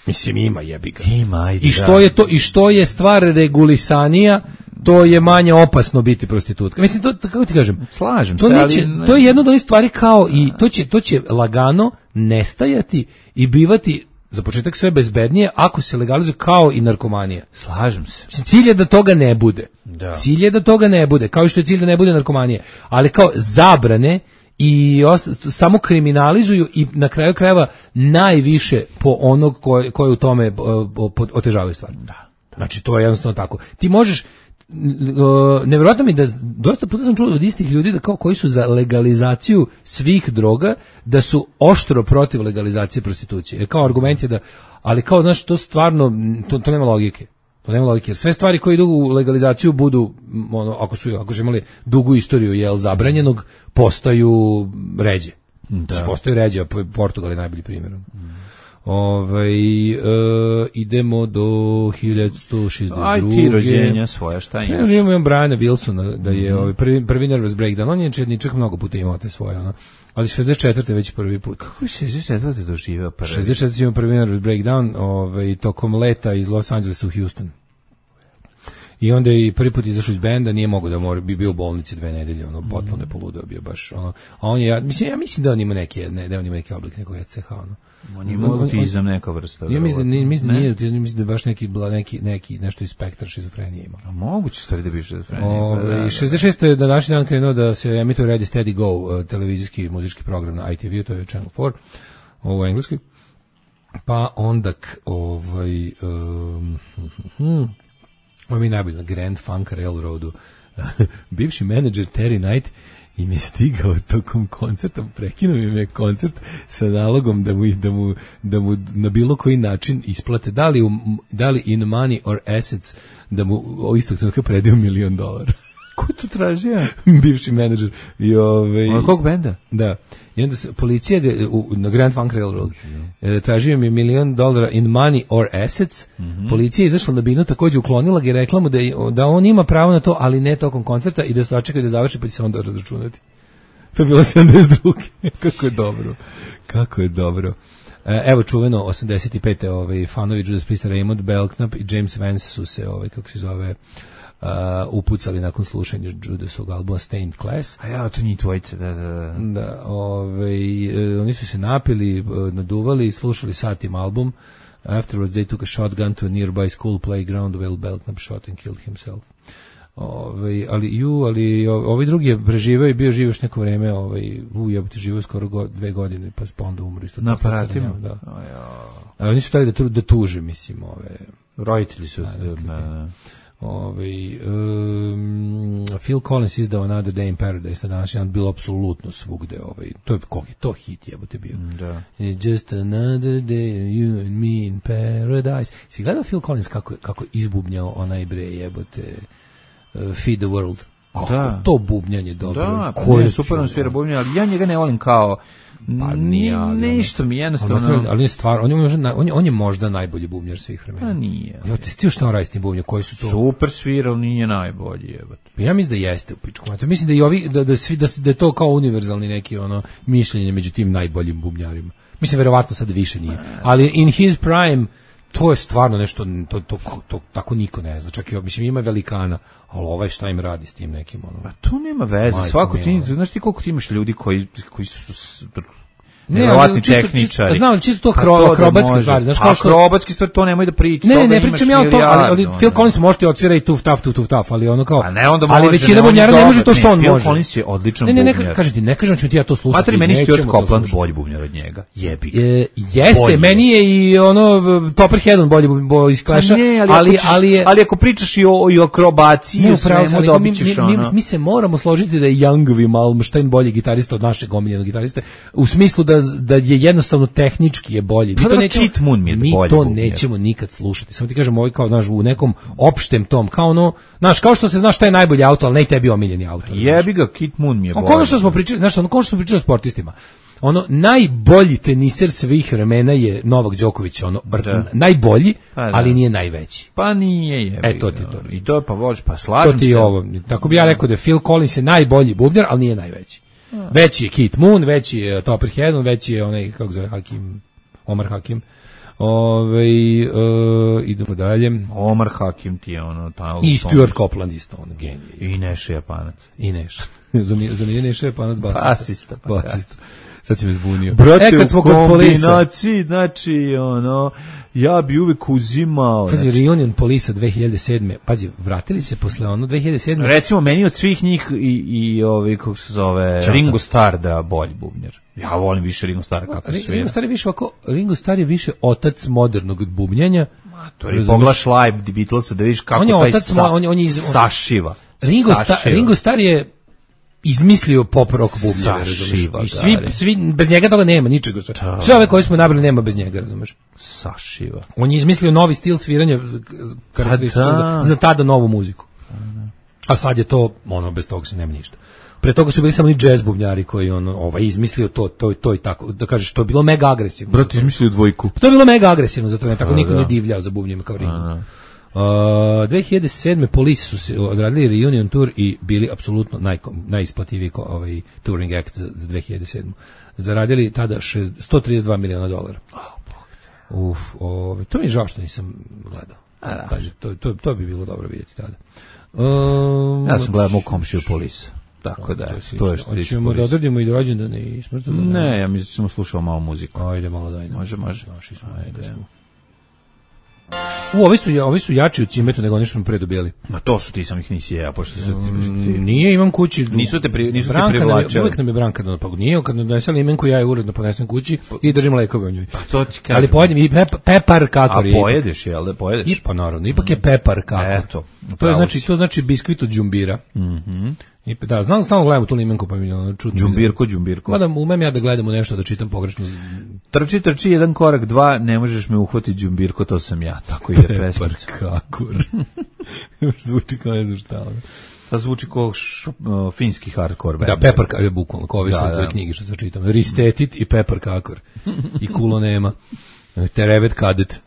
Mislim, ima jebiga.
Ima, ajde.
I što je to, i što je stvar regulisanija, to je manje opasno biti prostitutka. Mislim, to, kako ti kažem,
slažem
to
se,
neće,
ali...
to je jedno od onih stvari kao i to će, to će lagano nestajati i bivati za početak sve bezbednije ako se legalizuje kao i narkomanija.
Slažem se.
Mislim, cilj je da toga ne bude.
Da.
Cilj je da toga ne bude, kao što je cilj da ne bude narkomanije. Ali kao zabrane i osta, samo kriminalizuju i na kraju krajeva najviše po onog ko, ko je u tome otežavaju stvar.
Da.
Znači, to je jednostavno tako. Ti možeš, nevjerojatno mi da dosta puta sam čuo od istih ljudi da kao koji su za legalizaciju svih droga, da su oštro protiv legalizacije prostitucije. Jer kao argument je da, ali kao, znaš, to stvarno, to, to nema logike. To nema logike. Jer sve stvari koje idu u legalizaciju budu, ono, ako su, ako su imali dugu istoriju jel zabranjenog, postaju ređe. Da. Postaju ređe, a Portugal je najbolji primjer. Mm. Ovaj e, idemo do hiljadu sto šezdeset druge.
Aj ti rođenja svoja, šta imaš?
Ja imam Briana Wilsona da je mm-hmm. ovaj prvi prvi nervous breakdown. On je četničak mnogo puta imao te svoje, ono. Ali šezdeset četvrte već prvi put.
Kako je šezdeset četvrte doživeo prvi?
šezdeset četvrte imao prvi nervous breakdown, ovaj tokom leta iz Los Angelesa u Houston. I onda je i prvi put izašao iz benda, nije mogao da mora, bi bio u bolnici dve nedelje, ono, potpuno je poludeo bio baš, ono, a on je, ja, mislim, ja mislim da on ima neki, ne, da on ima neki oblik nekog E C H, ono.
On ima autizam neka vrsta.
Ja mislim da mislim da nije autizam, mislim da je baš neki neki neki nešto iz spektra šizofrenije ima.
A moguće stvari da bi šizofrenija.
Ove, šezdeset šeste je današnji dan krenuo da se emituje Ready Steady Go, uh, televizijski muzički program na I T V, to je Channel four, ovo engleski. Pa onda ovaj um, hm, ovo mi je najbolje na Grand Funk Railroadu. Bivši menadžer Terry Knight im je stigao tokom koncerta, prekinuo im je koncert sa nalogom da mu, da mu, da mu na bilo koji način isplate, da li, u, da li in money or assets, da mu o istog trenutka predaju milion dolara.
Ko to tražio?
Bivši menadžer. I ovaj,
od kog benda?
Da. I onda se, policija ga, u, na Grand Funk Railroad e, tražio mi milion dolara in money or assets. Mm-hmm. Policija je izašla na binu, takođe uklonila ga i rekla mu da, da on ima pravo na to, ali ne tokom koncerta i da se očekaju da završi pa će se onda razračunati. To je bilo sedamdeset druge. Kako je dobro. Kako je dobro. E, evo čuveno osamdeset pete ovaj, fanovi Judas Priesta, Raymond Belknap i James Vance su se, ovaj, kako se zove, Uh, upucali nakon slušanja Judasovog albuma Stained Class.
A ja, to njih dvojice, da, da.
Da, ovaj, uh, oni su se napili, uh, naduvali i slušali satim album. Afterwards they took a shotgun to a nearby school playground where Belknap shot and killed himself. Ovaj, ali ju, ali ovaj drugi je preživeo i bio živ još neko vreme, ovaj, u jebote živeo skoro go, dve godine, pa onda umro isto.
Na aparatima?
Da. Oh, ja. Ali oni su htjeli da, da tuže, mislim, ove...
Roditelji su... Da, da,
da. Ove, um, Phil Collins izdao Another Day in Paradise, na današnji dan bilo apsolutno svugde, ovaj, to je kog je to hit jebote bio.
Da.
It's just another day you and me in paradise. Si gledao Phil Collins kako kako izbubnjao onaj bre jebote uh, Feed the World. Kako da. To bubnjanje dobro.
Da, ko je super on svira bubnjanje, ali ja njega ne volim kao
pa nije,
nešto mi jednostavno.
Ali, ali je stvar, on je možda on je, on je možda najbolji bubnjar svih vremena.
Pa nije.
Ja ti stio šta on radi s tim bubnjom, koji su to?
Super svirao, nije najbolji, jebote.
Pa ja mislim da jeste u pičku. Mislim da i ovi da da svi da, da je to kao univerzalni neki ono mišljenje među tim najboljim bubnjarima. Mislim verovatno sad više nije. Ali in his prime to je stvarno nešto, to, to, to, to tako niko ne zna. Čak i, mislim, ima velikana, ali ovaj šta im radi s tim nekim, ono.
A to nema veze, majko svako ti, znaš ti koliko ti imaš ljudi koji, koji su, nevjerovatni tehničari.
Znam, čisto to hro, akrobatske stvari, znaš kao što
akrobatske stvari to nemoj da pričaš.
Ne, ne, ne pričam ja o to, ali, ali Phil Collins može ti odsvira i tuf taf tu tuf taf, ali ono kao.
A ne, onda
ali
može,
većina
ne,
bubnjara ne može to što on
Phil
može.
Phil Collins je odličan
ne, ne, ne,
bubnjar.
kažete, ne kažem ću ti ja to slušati.
Matri, meni Stuart Copeland bolji bubnjar od njega. Jebi ga.
E, jeste, bolji. Meni je i ono Topperhead bolji bubnjar iz Clash-a, ali ali, ali je
ali ako pričaš i o i o akrobaciji,
ne,
svemu dobićeš ono.
Mi, mi se moramo složiti da je Youngvi Malmsteen bolji gitarista od našeg omiljenog gitariste, u smislu da da je jednostavno tehnički je bolji. Mi
to nećemo,
Kit Moon mi je mi to nećemo nikad slušati. Samo ti kažem, ovaj kao znaš u nekom opštem tom, kao ono, znaš, kao što se znaš šta je najbolji auto, al ne i tebi omiljeni auto.
Jebi ga, Kit Moon mi je bolji.
Ono što smo pričali, znaš, ono kao što smo pričali o sportistima. Ono najbolji teniser svih vremena je Novak Đoković, ono da. najbolji, pa, ali nije najveći.
Pa nije, je.
E to ti to.
I to pa voliš, pa slažem se.
To ti je ovo. Tako bi ja rekao da je Phil Collins je najbolji bubnjar, ali nije najveći. A. Veći je Kit Moon, veći je Topperhead, veći je onaj kako zove Hakim, Omar Hakim. Ove, uh, idemo dalje.
Omar Hakim ti je ono ta,
i Stuart Copeland isto, on genij.
I Neša Japanac.
I Neša. za nije Neša Japanac basista.
Basista.
Pa basista. Sad si me zbunio.
Brate, e, kad smo kod kombinaciji, znači, ono, ja bi uvek uzimao...
Pazi,
znači,
Reunion Polisa dve hiljade sedme. Pazi, vratili se posle ono dve hiljade sedme.
Recimo, meni od svih njih i, i ovi, kako se zove, Čata. Ringo Starr da bolji bubnjar. Ja volim više Ringo Starr kako
Ringo
svira.
Ringo Starr je više ovako, Ringo Starr je više otac modernog bubnjanja.
Ma, to je poglaš live Beatlesa da vidiš kako
on je
taj
otac,
sa,
on, on je iz,
sašiva.
Ringo, Sta, Ringo Starr je izmislio pop rock bubnjeve, razumeš? I svi, svi, bez njega toga nema, ničega. Sve ove koje smo nabrali nema bez njega, razumeš?
Sašiva.
On je izmislio novi stil sviranja karakterističan za, za tada novu muziku. A sad je to, ono, bez toga se nema ništa. Pre toga su bili samo ni jazz bubnjari koji on ovaj izmislio to to to i tako da kažeš to je bilo mega agresivno.
Brat izmislio dvojku.
To je bilo mega agresivno, zato ne tako niko ne divljao za bubnjima kao Ringo. Uh, dve hiljade sedme Police su se odradili reunion tour i bili apsolutno naj, najisplativiji ovaj touring act za, za dve hiljade sedmu. Zaradili tada sto trideset dva miliona dolara. Oh, Uf, ovaj to mi je žao što nisam gledao. A, Tađe, to, to, to bi bilo dobro vidjeti tada. Um,
ja sam gledao mog komšiju Police. Tako da, to, to je što tiče.
Hoćemo da odradimo i rođendane i smrtondane.
Ne, ja mislim da smo slušali malo muziku.
Ajde, malo daj.
Može, može.
Naši smo, ajde. Smo. U, ovi su, ovi su jači u cimetu nego oni što smo predobijeli.
Ma to su ti sam ih nisi ja, pošto su ti...
Mm, nije, imam kući.
Nisu te, pri, nisu
Branka
te privlačali.
Uvijek nam je Branka da pa nije, kad nam donesem limenku, ja je uredno ponesem kući i držim lekove u njoj.
Pa to ti kažem.
Ali pojedem i pep, pepar kakor.
A pojedeš, jel da pojedeš?
I pa naravno, ipak je pepar kakor.
Eto.
To je znači, to znači biskvit od džumbira.
Mhm.
I da, znam, stalno gledam tu limenku, pa mi ono čudno.
Džumbirko, džumbirko.
Mada umem ja da gledam u nešto, da čitam pogrešno.
Trči, trči, jedan korak, dva, ne možeš me uhvatiti džumbirko, to sam ja. Tako ide pesmica.
Kakor. Zvuči kao ne znam šta.
To zvuči kao š, uh, finski hardcore band.
Da, Pepar Kakor je bukvalno, kao ove da, da. knjige što se čitam. Ristetit i Pepar Kakor. I Kulo nema. Terevet Kadet.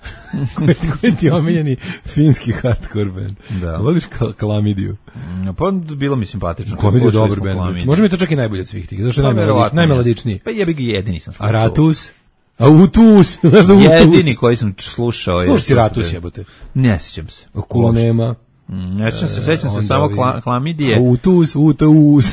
Koji ti je omiljeni finski hardcore band. Da. Voliš Klamidiju?
Pa bilo mi simpatično.
Klamidiju je dobar band. Može mi to čak i najbolje od svih tih. Zašto je najmelodičniji? najmelodičniji?
Pa jebi ga jedini sam slušao.
A Ratus? A Utus? Znaš da Utus?
Jedini koji sam slušao.
Slušao si Ratus jebote?
Ne sjećam se.
Kulo nema.
Ne sjećam se, sjećam se samo Klamidije.
A Utus, Utus.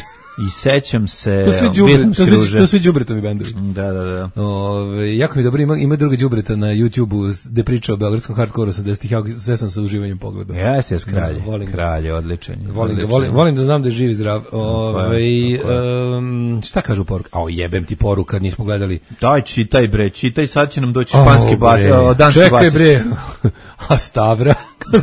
I sećam se
to sve đubre, to sve to sve đubretovi bendovi.
Da, da, da.
Ove, jako mi dobro ima ima druga đubreta na YouTubeu gde priča o beogradskom hardkoreu osamdesetih, ja sve sam sa uživanjem pogledao.
Ja se kralj, da, kralj je odličan.
Volim da volim, volim da znam da je živ i zdrav. Ove, um, šta kažu poruka? Ao jebem ti poruka, nismo gledali.
Daj čitaj bre, čitaj, sad će nam doći španski bas, danski bas.
Čekaj bre. A Stavra,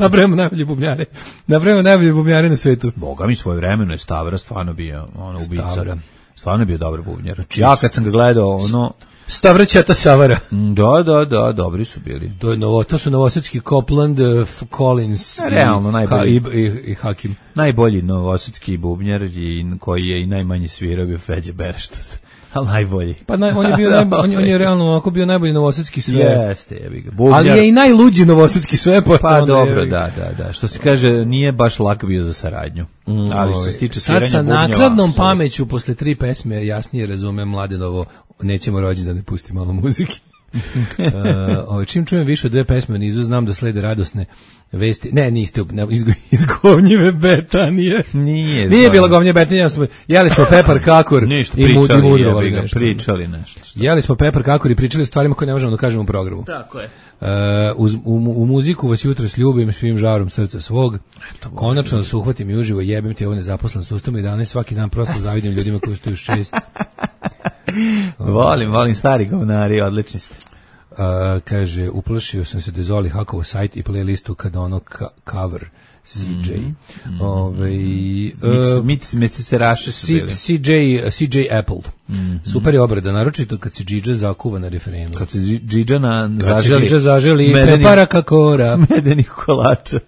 nabrajamo najbolje bubnjare. Nabrajamo najbolje bubnjare na svetu.
Boga mi svojevremeno je Stavra stvarno bio ono ubica. Stvarno je bio dobar bubnjar. Ja kad sam ga gledao, ono
Stavra Ćata Savara.
Da, da, da, dobri su bili.
To je novo, to su novosadski Copeland, uh, Collins,
realno
i,
najbolji
i, i, i Hakim.
Najbolji novosadski bubnjar i koji je i najmanje svirao bio Feđa Berštat. Al najbolji.
Pa naj, on je bio najbolji, on, on je realno ovako bio najbolji novosadski sve.
Jeste, jebi ga. Bubnjar.
Ali je i najluđi novosadski sve pa.
Pa dobro, da, da, da. Što se kaže, nije baš lak bio za saradnju. Mm, ali što se tiče sviranja
sad sa
bubnjeva,
nakladnom pameću posle tri pesme jasnije razumem Mladenovo, nećemo rođendan da ne pusti malo muzike. uh, čim čujem više od dve pesme u nizu, znam da slede radosne vesti. Ne, niste ne, izgo, izgovnjive Betanije.
Nije.
Nije bilo govnje Betanije, smo, jeli smo pepar kakor
ništa,
i
pričali,
mudrovali
jebi ga,
nešto.
pričali nešto.
Jeli smo pepar kakor i pričali o stvarima koje ne možemo da kažemo u programu.
Tako je.
Uh, uz, u, u muziku vas jutros ljubim svim žarom srca svog. Eto, konačno da se uhvatim i uživo, jebem ti ovo nezaposlen sustavom i danas svaki dan prosto zavidim ljudima koji su tu još čest.
Volim, volim stari govnari, odlični ste.
Uh, kaže, uplašio sam se da Zoli hakovo sajt i playlistu kada ono ka cover C J. Mm-hmm. Ove, uh,
mit, mit se raše su bili.
C J, C J Apple. Mm-hmm. Super je obrada, naročito kad se Džidža zakuva na referendum.
Kad se Džidža na
kad
zaželi.
se Džidža zaželi prepara kakora.
Medenih kolača.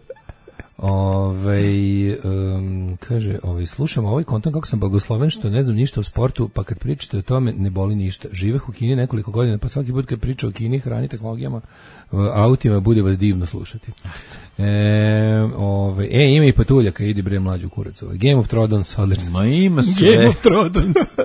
Ove, um, kaže, ovaj, slušam ovaj kontent kako sam blagosloven što ne znam ništa o sportu, pa kad pričate o tome ne boli ništa. Živeh u Kini nekoliko godina, pa svaki put kad priča o Kini, hrani, tehnologijama, autima, bude vas divno slušati. E, ove, e ima i patuljaka, idi bre mlađu kurac. Ovaj. Game of Thrones, odlično.
Ma ima sve.
Game of Thrones.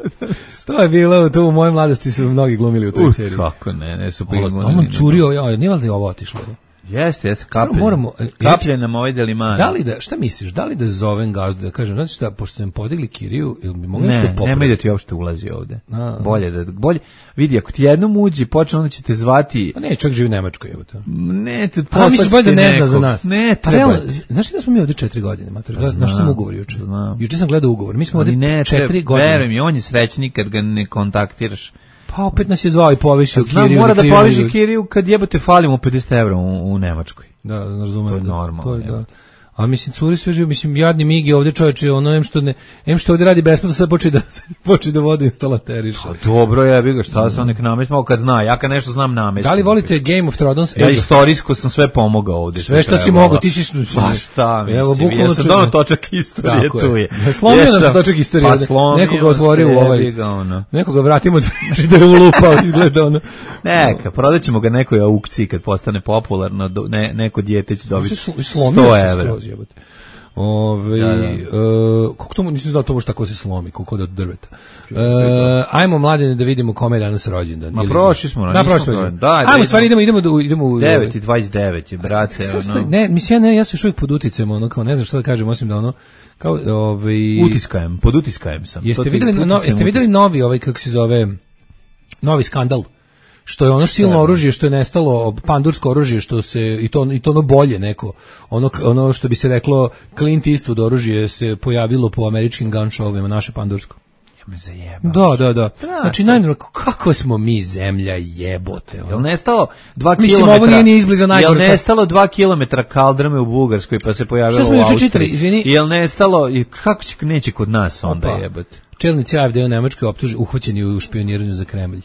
To je bilo, to u mojoj mladosti su mnogi glumili u toj
uh,
seriji.
Kako ne, ne su
glumili. Ono curio, ja, nije valjda ovo otišlo, je?
Jeste, jeste, kaplje.
Moramo,
kaplje nam ovaj delimani.
Da li da, šta misliš, da li da zovem gazdu, da kažem, znači šta, pošto sam podigli kiriju, ili bi mogli
nešto
popraviti?
Ne, nemoj da ti uopšte ulazi ovde.
A,
bolje da, bolje, vidi, ako ti jednom uđi, počne, onda će te zvati...
Pa ne, čak živi u Nemačkoj, evo to.
Ne, te
poslaći ti nekog. Da ne zna za nas.
Ne,
pa
treba
realno, znaš da smo mi ovde četiri godine, mater, pa znaš sam ugovor juče?
Znam.
Juče sam gledao ugovor, mi smo ovde
ne,
četiri godine.
Verujem mi, on je srećnik kad ga ne kontaktiraš.
Pa opet nas je zvao i povišio
Znam,
kiriju.
Znam, mora da poviši kiriju kad jebate falimo pedeset evra u, u Nemačkoj.
Da, razumem.
To je
da,
normalno.
To je, da. A mislim, curi sve živo, mislim, jadni Migi ovde čovječe, ono, em što, ne, em što ovde radi besplatno, sad počne da, počne da vodi instalateriš.
Pa dobro, ja bih ga, šta sam nek namestimo, kad zna, ja kad nešto znam namestimo.
Da li volite Game of Thrones?
Ja istorijsko sam sve pomogao ovde.
Sve što si mogao, ti si...
Pa šta, mislim,
evo,
ja sam dono točak istorije tu je.
je. Slomio nam se točak istorije,
pa slomio
nekoga otvorio u ovaj,
ono.
nekoga vratimo da je ulupao, izgleda ono.
Neka, prodaćemo ga nekoj aukciji kad postane popularno, ne, neko dijete će dobiti sto evra.
Ove, da, da. Uh, kako to nisam znao to može tako se slomi, kako od drveta. Uh, ajmo mladene da vidimo kome je danas rođendan.
Ma prošli smo,
da, prošli smo.
Da,
ajmo stvari idemo idemo do idemo u
devet i dvadeset devet je brate,
ono. Ne, mislim ja ne, ja sam još uvijek pod uticajem, ono kao ne znam šta da kažem osim da ono kao ovaj
utiskajem, pod utiskajem sam.
Jeste videli no, jeste videli novi ovaj kako se zove novi skandal? Što je ono silno oružje što je nestalo, pandursko oružje što se i to i to ono bolje neko ono ono što bi se reklo Clint Eastwood oružje se pojavilo po američkim gun showima, naše pandursko.
Ja me zajebam.
Da, da, da. Znači najnormalno kako smo mi zemlja jebote.
Jel nestalo dva
kilometra? Mislim ovo nije ni izbliza najgore.
Jel nestalo dva kilometra kaldrme u Bugarskoj pa se pojavilo u Austriji?
Čitali, izvini.
Jel nestalo i kako će neće kod nas onda jebote?
Čelnici A F D u Nemačkoj optuženi uhvaćeni u špijuniranju za Kremlj.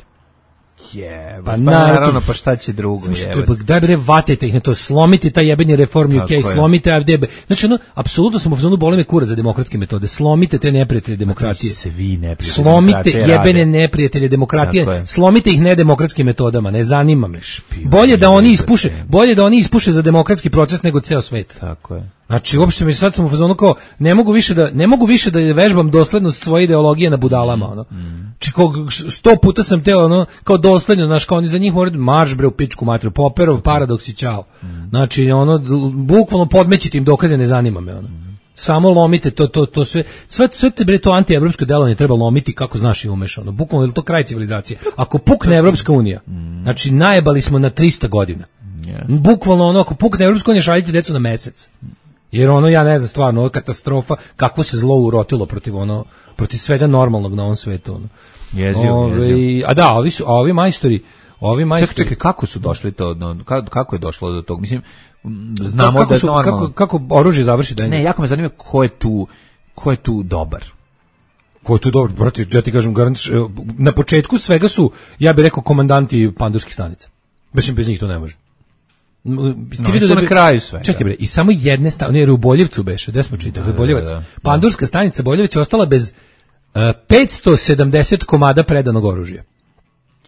Jebe, pa, pa naravno, pa šta će drugo jebe.
Daj bre, vatajte ih na to, slomite taj jebeni reform U K, slomite A F D B. Znači, ono, apsolutno smo u zonu boli me kura za demokratske metode. Slomite te neprijatelje demokratije.
Svi neprijatelji
slomite jebene neprijatelje demokratije. Slomite ih nedemokratskim metodama, ne zanima me. Bolje da oni ispuše, bolje da oni ispuše za demokratski proces nego ceo svet.
Tako je.
Znači, uopšte mi sad sam u fazonu kao, ne mogu više da, ne mogu više da vežbam doslednost svoje ideologije na budalama, ono. Mm. Či kog, sto puta sam teo, ono, kao dosledno, znaš, kao oni za njih moraju marš bre u pičku matru, Popperov paradoks i ćao. Mm. Znači, ono, bukvalno podmećite im dokaze, ne zanima me, ono. Mm. Samo lomite to, to, to sve, sve, sve te bre to antievropsko delovanje treba lomiti kako znaš i umeš, ono. Bukvalno je to kraj civilizacije. Ako pukne Evropska unija, mm. znači, najebali smo na trista godina. Yes. Bukvalno ono, ako pukne Evropska unija, šaljite decu na mesec. Jer ono, ja ne znam, stvarno, ovo je katastrofa, kako se zlo urotilo protiv ono, protiv svega normalnog na ovom svetu, ono.
Jezio,
Ove,
jezio.
A da, ovi su, a ovi majstori, ovi majstori...
Čekaj, čekaj, kako su došli to, no, kako je došlo do tog, mislim, znamo kako
da je
su, normalno...
Kako, kako oružje završi da je...
Ne, jako me zanima ko je tu, ko je tu dobar.
Ko je tu dobar, brate, ja ti kažem, garantiš, na početku svega su, ja bih rekao, komandanti pandurskih stanica. Mislim, bez njih to ne može.
No, su da na kraju sve.
Čekaj bre, i samo jedne stanice, ne, u Boljevcu beše, gde smo čitali, da, Boljevac. Da, da, da. Pandurska stanica Boljevac je ostala bez uh, petsto sedamdeset komada predanog oružja.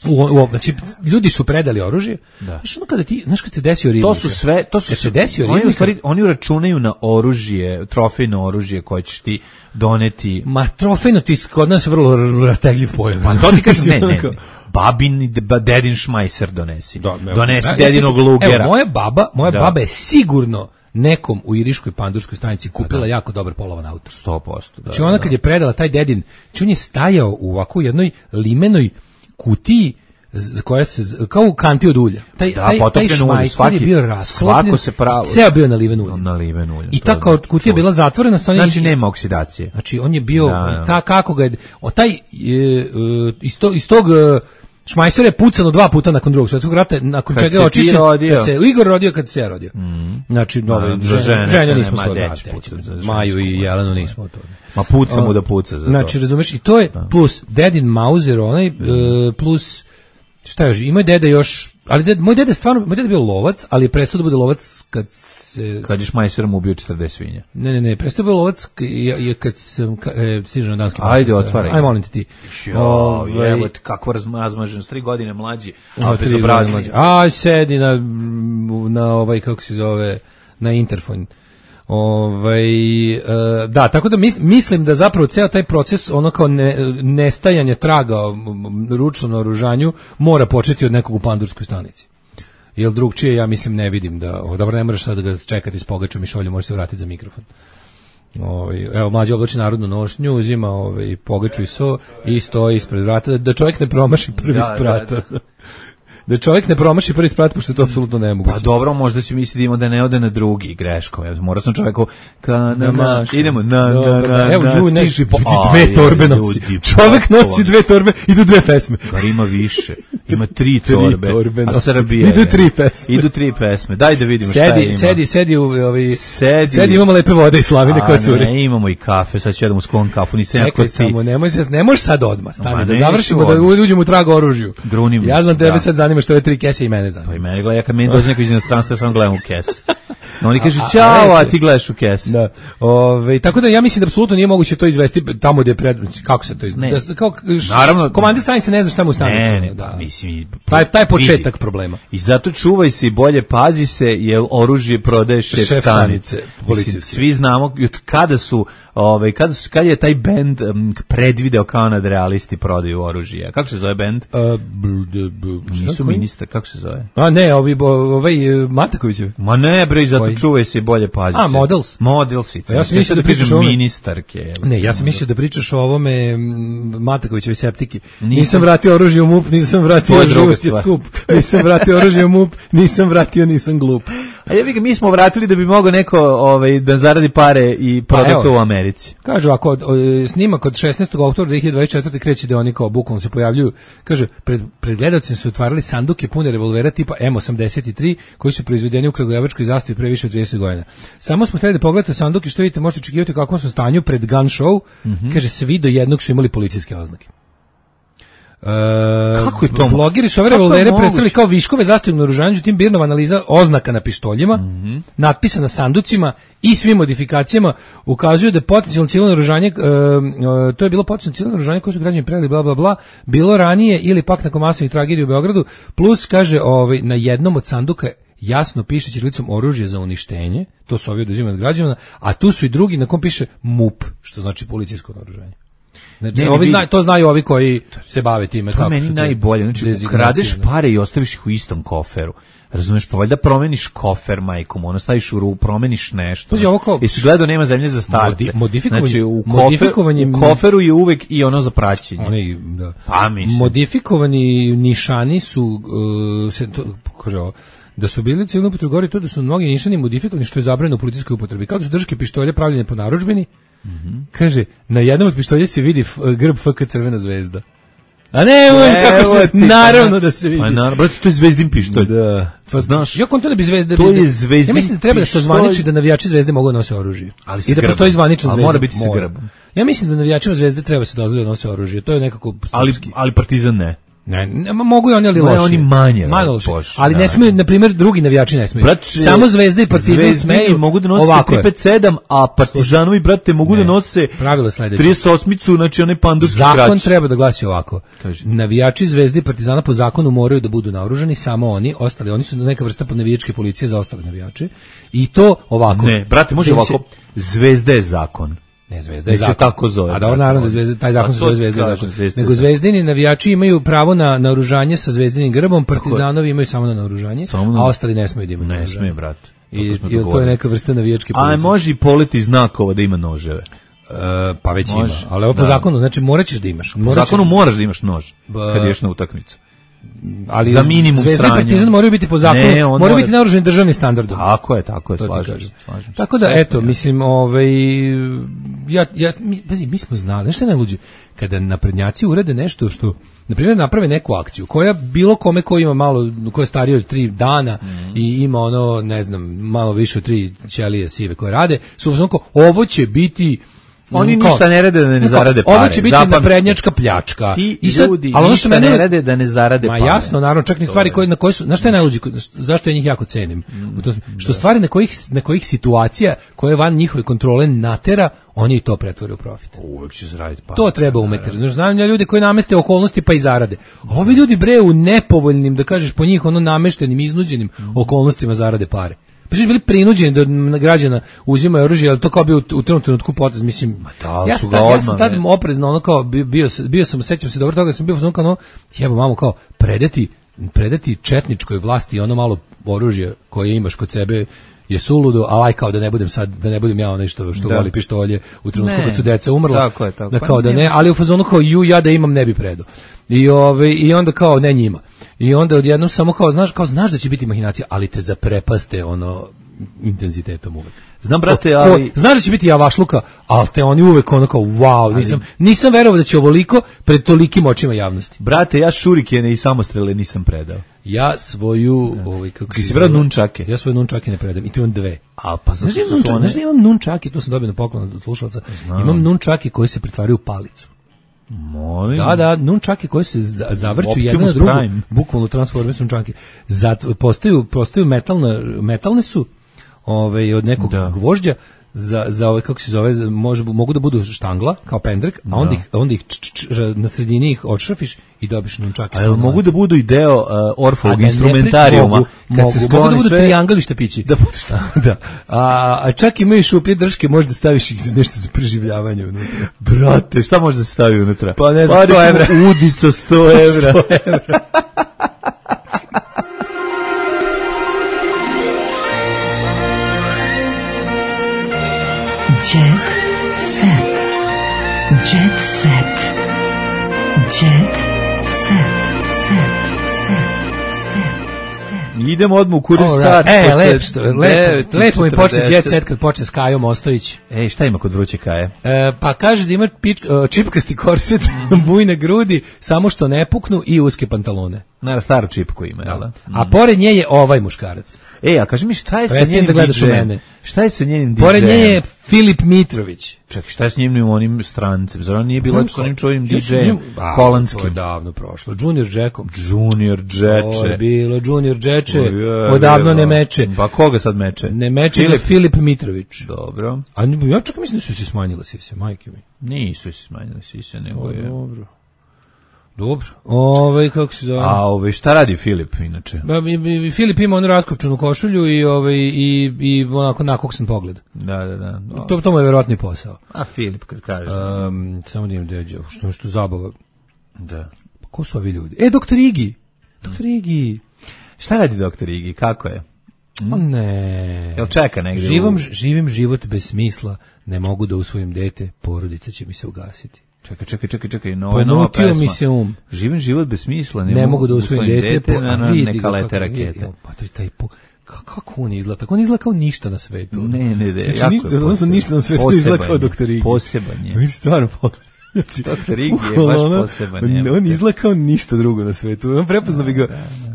U, u, znači, ljudi su predali oružje. Da. Znaš, ono kada ti, znaš kad se desio Ribnika?
To su sve, to su
se desio
oni, stvari, oni uračunaju na oružje, trofejno oružje koje ćeš ti doneti.
Ma trofejno ti kod nas vrlo rastegljiv pojam.
Pa to ti kažem, ne, ne, ne. babin, dedin šmajser donesi.
Da,
donesi
da,
dedinog lugera.
Evo, moja baba, moja
da.
baba je sigurno nekom u iriškoj pandurskoj stanici kupila da. jako dobar polovan auto.
sto posto. Da,
znači ona kad je predala taj dedin, znači on je stajao u ovako jednoj limenoj kutiji za koja se kao u kanti od ulja. Taj
da,
taj, taj šmajcer je bio rasklopljen,
se pravo
ceo bio naliven uljem.
Naliven uljem.
I ta kao kutija je bila zatvorena sa onim,
znači nema oksidacije.
Znači on je bio
da, da.
ta kako ga je o taj e, iz tog iz tog šmajser je pucano dva puta nakon drugog svjetskog rata, nakon kad čega je očišćen, kad se Igor rodio, kad se ja rodio. Mm. Znači, nove,
za žene,
žene nismo skoro
da,
Maju i Jelenu nismo to.
Ma puca mu da puca za to.
Znači, razumeš, i to je da. plus dedin Mauser, onaj, mm. uh, plus, šta još, ima deda još, ali ded, moj deda stvarno, moj deda bio lovac, ali je prestao da bude lovac kad se...
Kad je šmajserom ubio četrdeset svinja.
Ne, ne, ne, prestao da bude lovac je kad sam, ka, e, stiže na danski
pasist. Ajde, otvaraj.
Aj, molim te ti.
Jo, ovaj, evo ti kako razmažen, s tri godine mlađi, a bez obrazni.
Aj, sedi na, na ovaj, kako se zove, na interfon. Ovaj, e, da, tako da mis, mislim da zapravo ceo taj proces ono kao ne, nestajanje traga ručno na oružanju mora početi od nekog u pandurskoj stanici. Jer drugčije ja mislim ne vidim da, o, dobro ne moraš sad da ga čekati s pogačom i šolju, možeš se vratiti za mikrofon. Ovaj, evo mlađi oblači narodnu nošnju, uzima ovaj, pogaču i so i stoji ispred vrata, da, da čovjek ne promaši prvi
da,
sprat.
da, da.
Da čovjek ne promaši prvi sprat, pošto je to apsolutno nemoguće.
Pa dobro, možda si misli da ne ode na drugi greško. Ja morao sam čoveku ka na, na idemo na na na.
Evo Đu ne dve torbe nosi. Čovjek nosi dve torbe, idu dve pesme.
Kar ima više. Ima tri torbe. A Srbija
idu tri pesme.
Idu tri pesme. Daj da vidimo šta ima.
Sedi, sedi, sedi u ovi
sedi.
Sedi, imamo lepe vode i slavine kod cure.
Ne, imamo i kafe. Sad ću jedemo s kon kafu, nisam ja kod ti.
Samo nemoj se, ne možeš sad odmah. Stani da završimo, da uđemo u trag oružju. Ja znam tebe sad zanima što je tri kese i mene zanima.
Pa i mene gleda, kad meni dođe neko iz inostranstva, sam gledam u kes. No, oni kažu, ćao, a ti gledaš u kes.
Da. Ove, tako da ja mislim da apsolutno nije moguće to izvesti tamo gdje je pred... Kako se to izvesti? Da, kao, š,
naravno.
Komandir stanice ne zna šta mu stanice.
Ne, ne,
da.
mislim...
Taj, taj početak problema.
I zato čuvaj se i bolje pazi se, jer oružje prodaje šef, šef stanice. Mislim, svi znamo kada su... Ovaj kada su kad je taj bend um, predvideo kao nadrealisti prodaju oružje. Kako se zove bend?
Uh, b, d, b,
Nisu ministar, kako se zove?
A ne, ovi ovaj Matakovićev.
Ma ne, bre, zato Koji? čuvaj se i bolje pazi.
A, Models.
Models.
Ja sam mislio da pričaš o
ministarke.
Ne, ja sam mislio da pričaš o ovome Matakovićevoj septiki. Nisam, nisam vratio oružje u MUP, nisam vratio život je skup. Nisam vratio oružje u MUP, nisam vratio, nisam glup.
A ja bih mi smo vratili da bi mogao neko ovaj da zaradi pare i proda to u Americi.
Kaže ako snimak od šesnaestog oktobra dve hiljade dvadeset četvrte kreće da oni kao bukvalno se pojavljuju. Kaže pred pred gledaocima su otvarali sanduke pune revolvera tipa M osamdeset tri koji su proizvedeni u kragujevačkoj zastavi pre više od trideset godina. Samo smo hteli da pogledate sanduke, što vidite, možete očekivati u kakvom su stanju pred gun show. Mm-hmm. Kaže svi do jednog su imali policijske oznake. Uh,
Kako je to?
Blogeri su ove revolvere predstavili kao viškove zastavnog naoružanja, tim Birnova analiza oznaka na pištoljima, mm-hmm. natpisa na sanducima i svim modifikacijama ukazuju da je potencijalno civilno naoružanje, uh, uh, to je bilo potencijalno civilno naoružanje koje su građani predali bla bla bla, bilo ranije ili pak nakon masovnih tragedija u Beogradu, plus kaže ovaj, na jednom od sanduka jasno piše ćirilicom oružje za uništenje, to su ovi oduzimani od građana, a tu su i drugi na kom piše MUP, što znači policijsko naoružanje. Znači, ne, ovi zna, to znaju ovi koji se bave time.
To je meni najbolje. Znači, kradeš pare i ostaviš ih u istom koferu. Razumeš, pa valjda promeniš kofer, majkom, ono staviš u ruku, promeniš nešto.
Pazi, ovo kao...
Jesi gledao nema zemlje za starce.
Modifikovanje...
Znači, u, kofer, u koferu je uvek i ono za praćenje.
Oni, da.
Pa, mislim.
Modifikovani nišani su, uh, se, to, kaže ovo, da su bili civilno upotrebi, govori to da su mnogi nišani modifikovani, što je zabranjeno u policijskoj upotrebi. Kao da su držke pištolje pravljene po narudžbini. Mm-hmm. Kaže, na jednom od pištolja se vidi f, grb F K Crvena zvezda. A ne, ne kako se, ti, naravno da se vidi.
Pa naravno, brate, to je zvezdin pištolj.
Da.
Pa znaš,
ja konto da bi zvezda...
To je zvezdin
Ja mislim da treba pištolj. Da se zvaniči da navijači zvezde mogu da nose oružje.
Ali
i da
grbom.
Postoji zvaničan zvezda.
Ali mora biti sa grbom.
Ja mislim da navijačima zvezde treba se dozvoliti da nose oružje. To je nekako...
Ali, ali Partizan ne.
Ne, ne, mogu i oni, ali loši.
Oni manje.
Manje loši. Ali da, ne smiju, na primjer, drugi navijači ne smiju. Brat, samo Zvezda i Partizan smeju.
Mogu da nose tri pet sedam, a Partizanovi, brate, mogu ne, da nose trideset osmicu, znači onaj pandurski krać.
Zakon treba da glasi ovako. Kaži. Navijači Zvezde i Partizana po zakonu moraju da budu naoružani, samo oni, ostali, oni su neka vrsta navijačke policije za ostale navijače. I to ovako.
Ne, brate, može ovako. Se... Zvezda je zakon.
Ne, Zvezda je
se
zakon.
tako zove.
A dobro, naravno da Zvezda, taj zakon se zove Zvezda je zakon.
Zvezda
Nego Zvezdini navijači imaju pravo na naoružanje sa Zvezdinim grbom, Partizanovi imaju samo na naoružanje, a ostali ne smeju da imaju naoružanje.
Ne smije, brate.
I to je neka vrsta navijačke policije.
A može i poleti znakova da ima noževe.
Uh, pa već može. Ima, ali ovo po da. zakonu, znači morat ćeš da imaš.
Po zakonu moraš da imaš nož kad ideš na utakmicu.
Ali
za minimum
Zvezda i Partizan moraju biti po zakonu, ne, moraju mora... biti naoružani državnim standardom.
Tako je, tako je, slažem se.
Tako da, eto, mislim, ovaj, ja, ja, mi, pazi, mi smo znali, nešto je najluđe, kada naprednjaci urede nešto što, na primjer, naprave neku akciju, koja bilo kome ko ima malo, ko je stariji od tri dana mm. i ima ono, ne znam, malo više od tri ćelije sive koje rade, su onako, ovo će biti
oni ništa kao, ne rade da ne zarade pare.
Ovo će biti naprednjačka pljačka.
Ti I sad, ljudi ali ništa ne rade da ne zarade
ma
pare.
Ma jasno, naravno, čak ni stvari koje, na koje su, znaš šta je najluđe, zašto ja njih jako cenim? Mm, to, što da. Stvari na kojih, na kojih situacija koje van njihove kontrole natera, oni to pretvore u profit.
Uvek će zaraditi pare.
To treba umeti. Znaš, znam ja ljudi koji nameste okolnosti pa i zarade. A ovi ljudi bre u nepovoljnim, da kažeš po njih, ono nameštenim, iznuđenim mm. okolnostima zarade pare. Pa su bili prinuđeni da građana uzimaju oružje, ali to kao bio u tom trenutku potez, mislim,
da,
ja, sta, ja sam tad oprezno, ono kao, bio, bio, bio sam, sećam se dobro toga, sam bio ono kao, jebo mamo, kao, predati, predati četničkoj vlasti ono malo oružje koje imaš kod sebe je suludo, a aj kao da ne budem sad, da ne budem ja onaj što, što voli pištolje u trenutku kad su deca umrla,
tako je, tako.
Da kao da ne, ali u fazonu kao ju, ja da imam ne bi predao. I ove i onda kao ne njima. I onda odjednom samo kao znaš, kao znaš da će biti mahinacija, ali te zaprepaste ono intenzitetom uvek.
Znam brate, ali
ko, znaš da će biti javašluka, ali te oni uvek ono kao wow, ali nisam nisam verovao da će ovoliko pred tolikim očima javnosti.
Brate, ja šurikene i samostrele nisam predao.
Ja svoju, ovaj kako
si vrao nunčake.
Ja svoje nunčake ne predam, i to imam dve.
A pa
znaš, su su one... znaš da imam nunčake, to sam dobio na poklon od slušalca. Znam. Imam nunčake koji se pretvaraju u palicu.
Molim.
Da, da, nunčake koje se zavrću jedna na drugu, bukvalno transformišu nunčake. Zato postaju, postaju metalne, metalne su, ovaj od nekog da. gvožđa za za ovaj kako se zove, može mogu da budu štangla kao pendrek, a onda ih onda ih č, č, č, na sredini ih odšrafiš i dobiš nunčake.
A mogu da budu i deo uh, Orfovog instrumentarijuma,
mogu, kad mogu, se mogu da budu sve... triangli štapići. Da, da. A, a čak imaju šuplje drške, možeš da staviš ih nešto za preživljavanje unutra.
Brate, šta može da se stavi unutra?
Pa ne znam, pa, sto evra.
Udica sto evra.
sto evra.
Jet set. Jet set. Jet set. Set. Set. Set.
Idemo odmah u kurir
right.
start.
E, lep, što, lepo, lepo mi počne Jet set kad počne s Kajom Ostojić.
Ej, šta ima kod vruće Kaje?
E, pa kaže da ima pič, uh, čipkasti korset, bujne grudi, samo što ne puknu i uske pantalone.
Naravno, staru čipku ima, jel da?
Mm. A pored nje je ovaj muškarac.
Ej, a kaži mi šta je
Prestajem
sa njenim
da gledaš
D J-em?
u mene.
Šta je sa njenim D J-em?
Pored nje je Filip Mitrović.
Čekaj, šta je s njim onim strancem? Zar on nije bilo s onim čovim D J-em?
Ja
Holandskim.
To je davno prošlo. Junior Jackom.
Junior Džeče.
To je bilo Junior Džeče. Odavno ne meče.
Pa koga sad meče?
Ne meče Filip, Filip Mitrović.
Dobro.
A ja čak mislim da su se smanjile sise, majke mi.
Nisu se smanjile sise, nego je...
Dobro. Dobro. Ove, kako se zove?
A ove, šta radi Filip inače?
Ba, i, i, Filip ima onu raskopčanu košulju i ove i i onako nakoksan pogled.
Da, da, da.
To to mu je verovatni posao.
A Filip kad kaže.
Um, samo da im dođe, što što zabava.
Da.
Pa ko su ovi ljudi? E, doktor Igi. Doktor Igi.
Šta radi doktor Igi? Kako je?
Mm? O ne.
Jel čeka negdje?
Živom,
u...
živim život bez smisla, ne mogu da usvojim dete, porodica će mi se ugasiti.
Čekaj, čekaj, čekaj, čekaj, nova, nova pesma.
Mi se um.
Živim život bez smisla, ne,
ne mogu da usvojim dete, dete
po, na, na, neka lete rakete.
Pa to je taj po... Kako on izgleda? Tako on izgleda kao ništa na svetu.
Ne, ne, ne.
Znači, jako je poseban. Ništa na svetu izgleda kao doktor Igi.
Poseban je.
Mi stvarno pogledaj.
Znači, doktor Igi je baš poseban.
On, on izgleda kao ništa drugo na svetu. On prepozna bi ga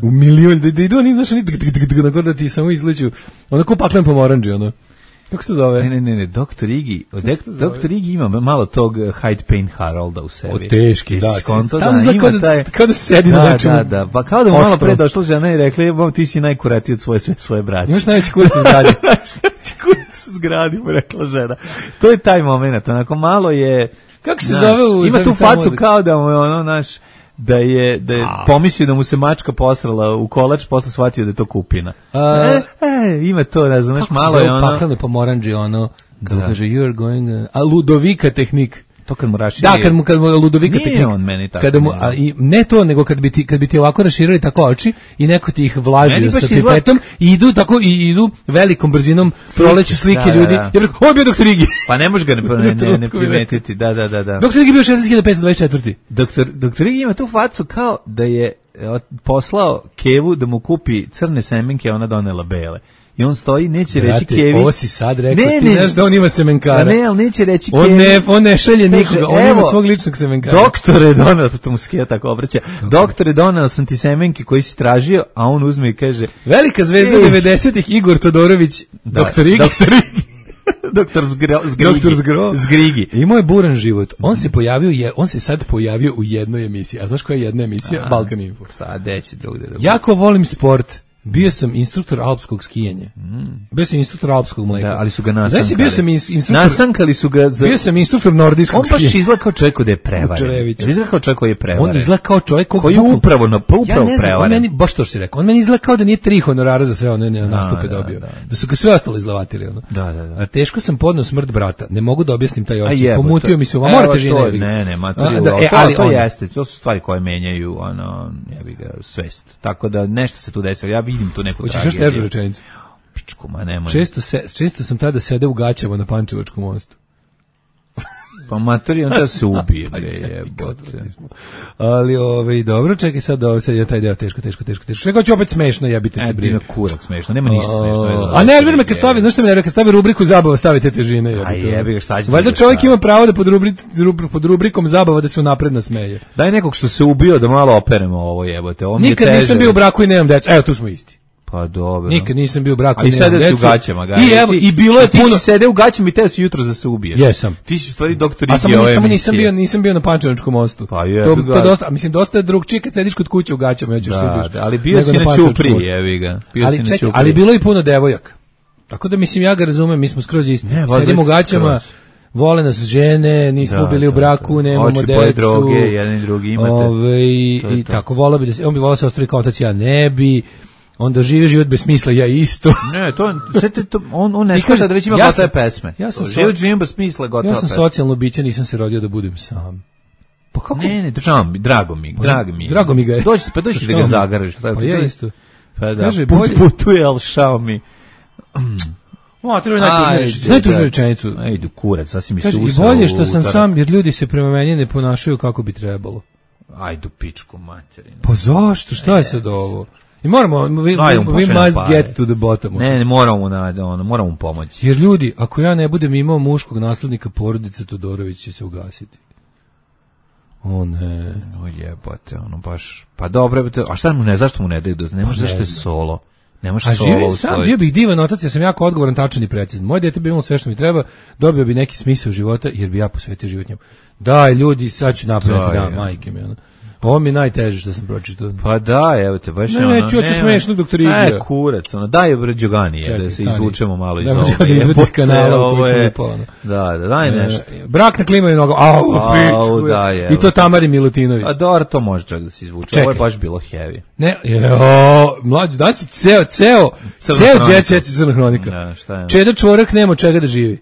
u milion, da, da idu oni, znaš, oni da ti samo izleću. Ono ko paklen pomoranđe, ono. Kako se zove?
Ne, ne, ne, ne, doktor Igi, doktor Igi ima malo tog Hyde Payne Harolda u sebi.
O, teški, da.
Skonto,
da, da,
ima
da,
taj,
kao da sedi
da,
na nečemu.
Da, da, pa kao da mu malo pre došla žena i rekli, bom, ti si najkuratiji od svoje, sve svoje braće.
Imaš najveći kurac u zgradi.
Najveći kurac u zgradi, mu rekla žena. To je taj moment, onako malo je...
Kako se zove u...
Ima tu facu kao da mu je ono, naš... da je da je pomislio da mu se mačka posrala u kolač, posle shvatio da je to kupina.
A,
e, e, ima to, razumeš, malo je ono.
Paklene pomorandže, ono. Kako kaže, you're going... Uh, a Ludovika tehnik.
To kad mu raširi...
Da, kad mu, kad mu Ludovika
nije
tehnik.
On meni tako.
Kada mu, a, i, ne to, nego kad bi, ti, kad bi ti ovako raširili tako oči i neko ti ih vlažio sa pipetom izgled... i idu tako, i idu velikom brzinom, proleću slike da, ljudi. Da, da. Ja bih rekao, ovo je bio doktor Igi.
Pa ne može ga ne, ne, ne, ne primetiti, da, da, da. da.
doktor Igi je bio šesnaest hiljada petsto dvadeset četiri.
Doktor, doktor Igi ima tu facu kao da je poslao Kevu da mu kupi crne semenke, ona donela bele. I on stoji, neće
Brate,
reći Kevi.
Ovo si sad rekao,
ne,
ti
ne,
znaš da on ima semenkara.
Ne, ali neće reći
on
Kevi.
Ne, on ne šalje nikoga, on
evo,
ima svog ličnog semenkara.
Doktore, donao, to mu skija tako obraća, doktore, donao sam ti semenke koji si tražio, a on uzme i kaže...
Velika zvezda devedesetih Igor Todorović,
da,
doktor Igi.
Doktor Igi. Doktor Zgro, Zgrigi.
Doktor Zgro.
Zgrigi.
Imao je buran život. On se pojavio, je, on se sad pojavio u jednoj emisiji. A znaš koja je jedna emisija? A, Balkan Info.
Šta, deći drugde. Da
jako volim sport. Bio sam instruktor alpskog skijanja. Mm. Bio sam instruktor alpskog mleka.
Da, ali su ga nasankali.
Znači, bio sam instruktor...
Nasankali su ga... Za...
Bio sam instruktor nordijskog skijanja.
On baš izgleda kao čovjek da je prevaren. Izgleda kao čovjek koji je prevaren.
On izgleda kao čovjek
koji je upravo, na, pa upravo
ja
prevaren.
On meni, baš to što si rekao, on meni izgleda kao da nije tri honorara za sve one nastupe da, dobio. Da, da. da su ga sve ostalo izlavatili. Ono.
Da, da, da.
A teško sam podneo smrt brata. Ne mogu da objasnim taj osjećaj. Pomutio mi se u... Morate žene.
Ne, ne, materiju. Da, e, ali to jeste. To su stvari koje menjaju ono, jebi ga, svest. Tako da nešto se tu desilo. Ja vidim tu neku tragediju. Rečenicu. Pičku, ma nemoj.
Često, se, često sam tada sede u gaćama na Pančevačkom mostu.
Pa materi, onda se ubije, bre, jebote.
Ali, ovaj, dobro, čekaj sad, ovo, sad je taj deo teško, teško, teško, teško. Čekaj, ću opet smešno, jebite se, brine.
Kurac smešno, nema ništa smešno.
A nervira me kad stavi, znaš što me nervira, kad stavi rubriku zabava, stavite težine.
A jebi ga, šta će.
Valjda čovjek ima pravo da pod, rubri, pod rubrikom zabava da se unapred nasmeje.
Daj nekog što se ubio da malo operemo ovo, jebote.
Nikad nisam bio u braku i nemam deca. Evo, tu smo isti.
Pa dobro.
Nikad nisam bio u braku.
Ali sada si u gaćama, ga.
I evo, i bilo je
ti
puno.
Si sede u gaćama i te su jutro da se ubiješ.
Jesam.
Ti si u stvari doktor Igi.
A samo nisam, nisam bio, nisam bio na Pančevačkom mostu.
Pa je.
To, to dosta, mislim dosta je drugčije kad sediš kod kuće u gaćama, hoćeš se ubiš.
Da, ali bio si na ćupri, jevi ga. Bio
ali
si
čekaj,
na ćupri.
ali bilo je i puno devojaka. Tako da mislim ja ga razumem, mi smo skroz isti. Sedimo u gaćama. Vole nas žene, nismo da, bili u braku, da, da. Nemamo
Oči
decu.
Oči droge, jedan i drugi imate.
Ove, i to. Tako, volao bi da se, on bi volao se ostavi kao otac, ja ne bi. Onda živi život bez smisla, ja isto.
Ne, to, to on, on ne skaže da već ima ja gotove pesme. Ja sam život živim bez smisla, gotova
pesme. Ja sam socijalno biće, nisam se rodio da budem sam.
Pa kako? Ne, ne, državam, drago mi, drago mi.
Drago mi ga je.
Dođi, pa dođi da ga zagaraš.
Pa ja isto.
Pa da, Kaže, put putuje, al šao mi.
O, treba najtužniju rečenicu. Najtužniju rečenicu.
Ajde, kurac, sasvim mi se
usao. I bolje što sam sam, jer ljudi se prema meni ne ponašaju kako bi trebalo.
Ajde, pičku materinu.
Pa zašto? Šta je sad ovo? I moramo, we, we, we must get to the bottom.
Ne, ne, moramo, na, ono, moramo pomoći.
Jer ljudi, ako ja ne budem imao muškog naslednika porodice, Todorović će se ugasiti. O ne.
O jebote, ono baš, pa dobro, a šta mu ne, zašto mu ne daju, ne može, zašto je solo? Ne može solo. A živim
sam, bio bih divan otac, ja sam jako odgovoran, tačan i precizan. Moje dete bi imalo sve što mi treba, dobio bi neki smisao života, jer bi ja posvetio život njemu. Daj, ljudi, sad ću napraviti, da, majke mi, ono. Ovo mi je najteže što sam pročitao.
Pa da, evo te, baš
ne, ono... Ne, čuo se smešno, doktor Igija.
E, kurac, ono, daj bre Đogani, da se izvučemo malo iz
ovoga.
Da,
da izvodi iz kanala u koji sam upao.
Da, da, daj nešto.
E, brak na klimaju nogu, au, pičku.
Da, je,
I to Tamari Milutinović.
A dobro, to može čak da se izvuče. Čekaj. Ovo je baš bilo heavy.
Ne, jo, mlađu, dan si ceo, ceo, ceo jet set Crna hronika.
Ja, šta je?
Čeda čvorak nema čega da živi.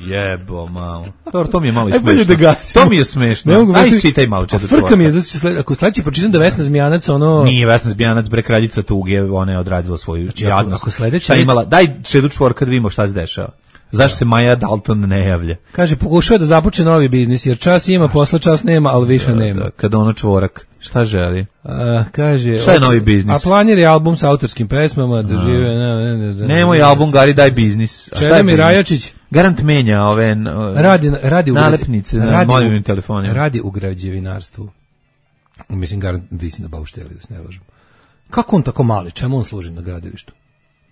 Jebo, malo. Dobro, to mi je malo i smešno. Da to mi je smešno. Aj, isčitaj malo četiri čvorka.
Frka mi je, znači, ako sledeći pročitam da Vesna Zmijanac, ono...
Nije Vesna Zmijanac, bre, kraljica tuge, ona je odradila svoju
znači,
jadnost.
Ako sledeći...
Šta imala, daj čedu čvorka da vidimo šta se dešava. Zašto se Maja Dalton ne javlja?
Kaže, pokušava da započne novi biznis, jer čas ima, posla čas nema, ali više
da,
nema.
Da, kada ono čvorak, šta želi?
A, kaže...
Šta je novi biznis?
A planir je album sa autorskim pesmama, da žive... Ne, ne, ne,
Nemoj album, Gari, daj biznis.
Čeda mi Rajačić...
Garant menja ove
radi, radi
nalepnice na mobilnim telefonima.
Radi u građevinarstvu. Mislim, garant visi na baušteli, da se ne lažem. Kako on tako mali? Čemu on služi na gradilištu?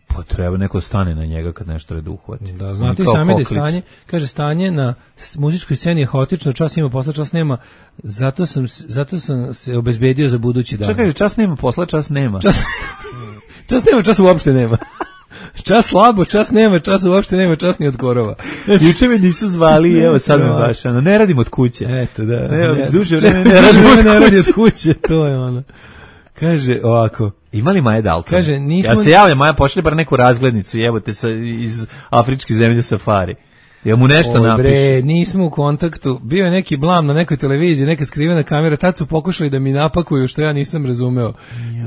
Pa treba neko stane na njega kad nešto red uhvati.
Da, znate sami da je stanje, kaže, stanje na muzičkoj sceni je haotično, čas ima posla, čas nema, zato sam, zato sam se obezbedio za budući dan.
Šta kaže, čas nema posla, čas nema?
Čas, čas nema, čas uopšte nema. Čas slabo, čas nema, čas uopšte nema, čas ni od korova.
Juče me nisu zvali, evo sad me baš, ono, ne radim od kuće.
Eto, da.
Ne,
ne,
duže
vreme
ne radim od
ne radi od kuće, to je ono. Kaže ovako.
Imali Maja Dalton?
Kaže, nismo...
Ja se javljam, Maja, pošli bar neku razglednicu, jebote, sa, iz afričke zemlje Safari. Ja mu nešto
Oj,
napiše.
Bre, nismo u kontaktu. Bio je neki blam na nekoj televiziji, neka skrivena kamera, tad su pokušali da mi napakuju, što ja nisam razumeo.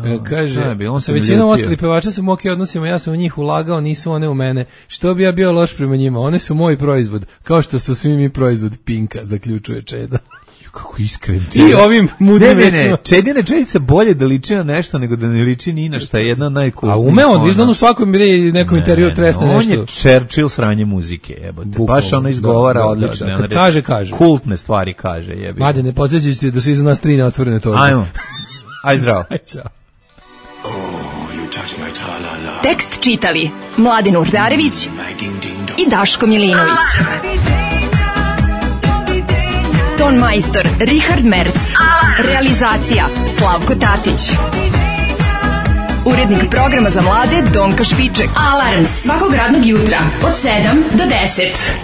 Jo, kaže, sa većinom ostali pevača sam u ok odnosima, ja sam u njih ulagao, nisu one u mene. Što bi ja bio loš prema njima? One su moj proizvod, kao što su svi mi proizvod Pinka, zaključuje Čeda.
Kako iskren.
I ovim mudrim
ne, ne, ne. Čedine Čedice bolje da liči na nešto nego da ne liči ni na šta, je jedna od najkultnijih.
A ume on, viš da on u svakom nekom ne, intervju tresne
on
nešto.
On je Churchill sranje muzike, jebote. Baš ono izgovara
da, da,
odlično.
Da, da, kad kaže, kaže.
Kultne stvari kaže, jebi.
Mlade, ne podsjećaj se da su iza nas tri neotvorene torbe.
Ajmo. Aj zdravo.
Aj, čao.
Tekst čitali Mladin Urdarević i Daško Milinović. Ton majstor Richard Merc. Realizacija Slavko Tatić. Urednik programa za mlade Donka Špiček. Alarms svakog radnog jutra od sedam do deset.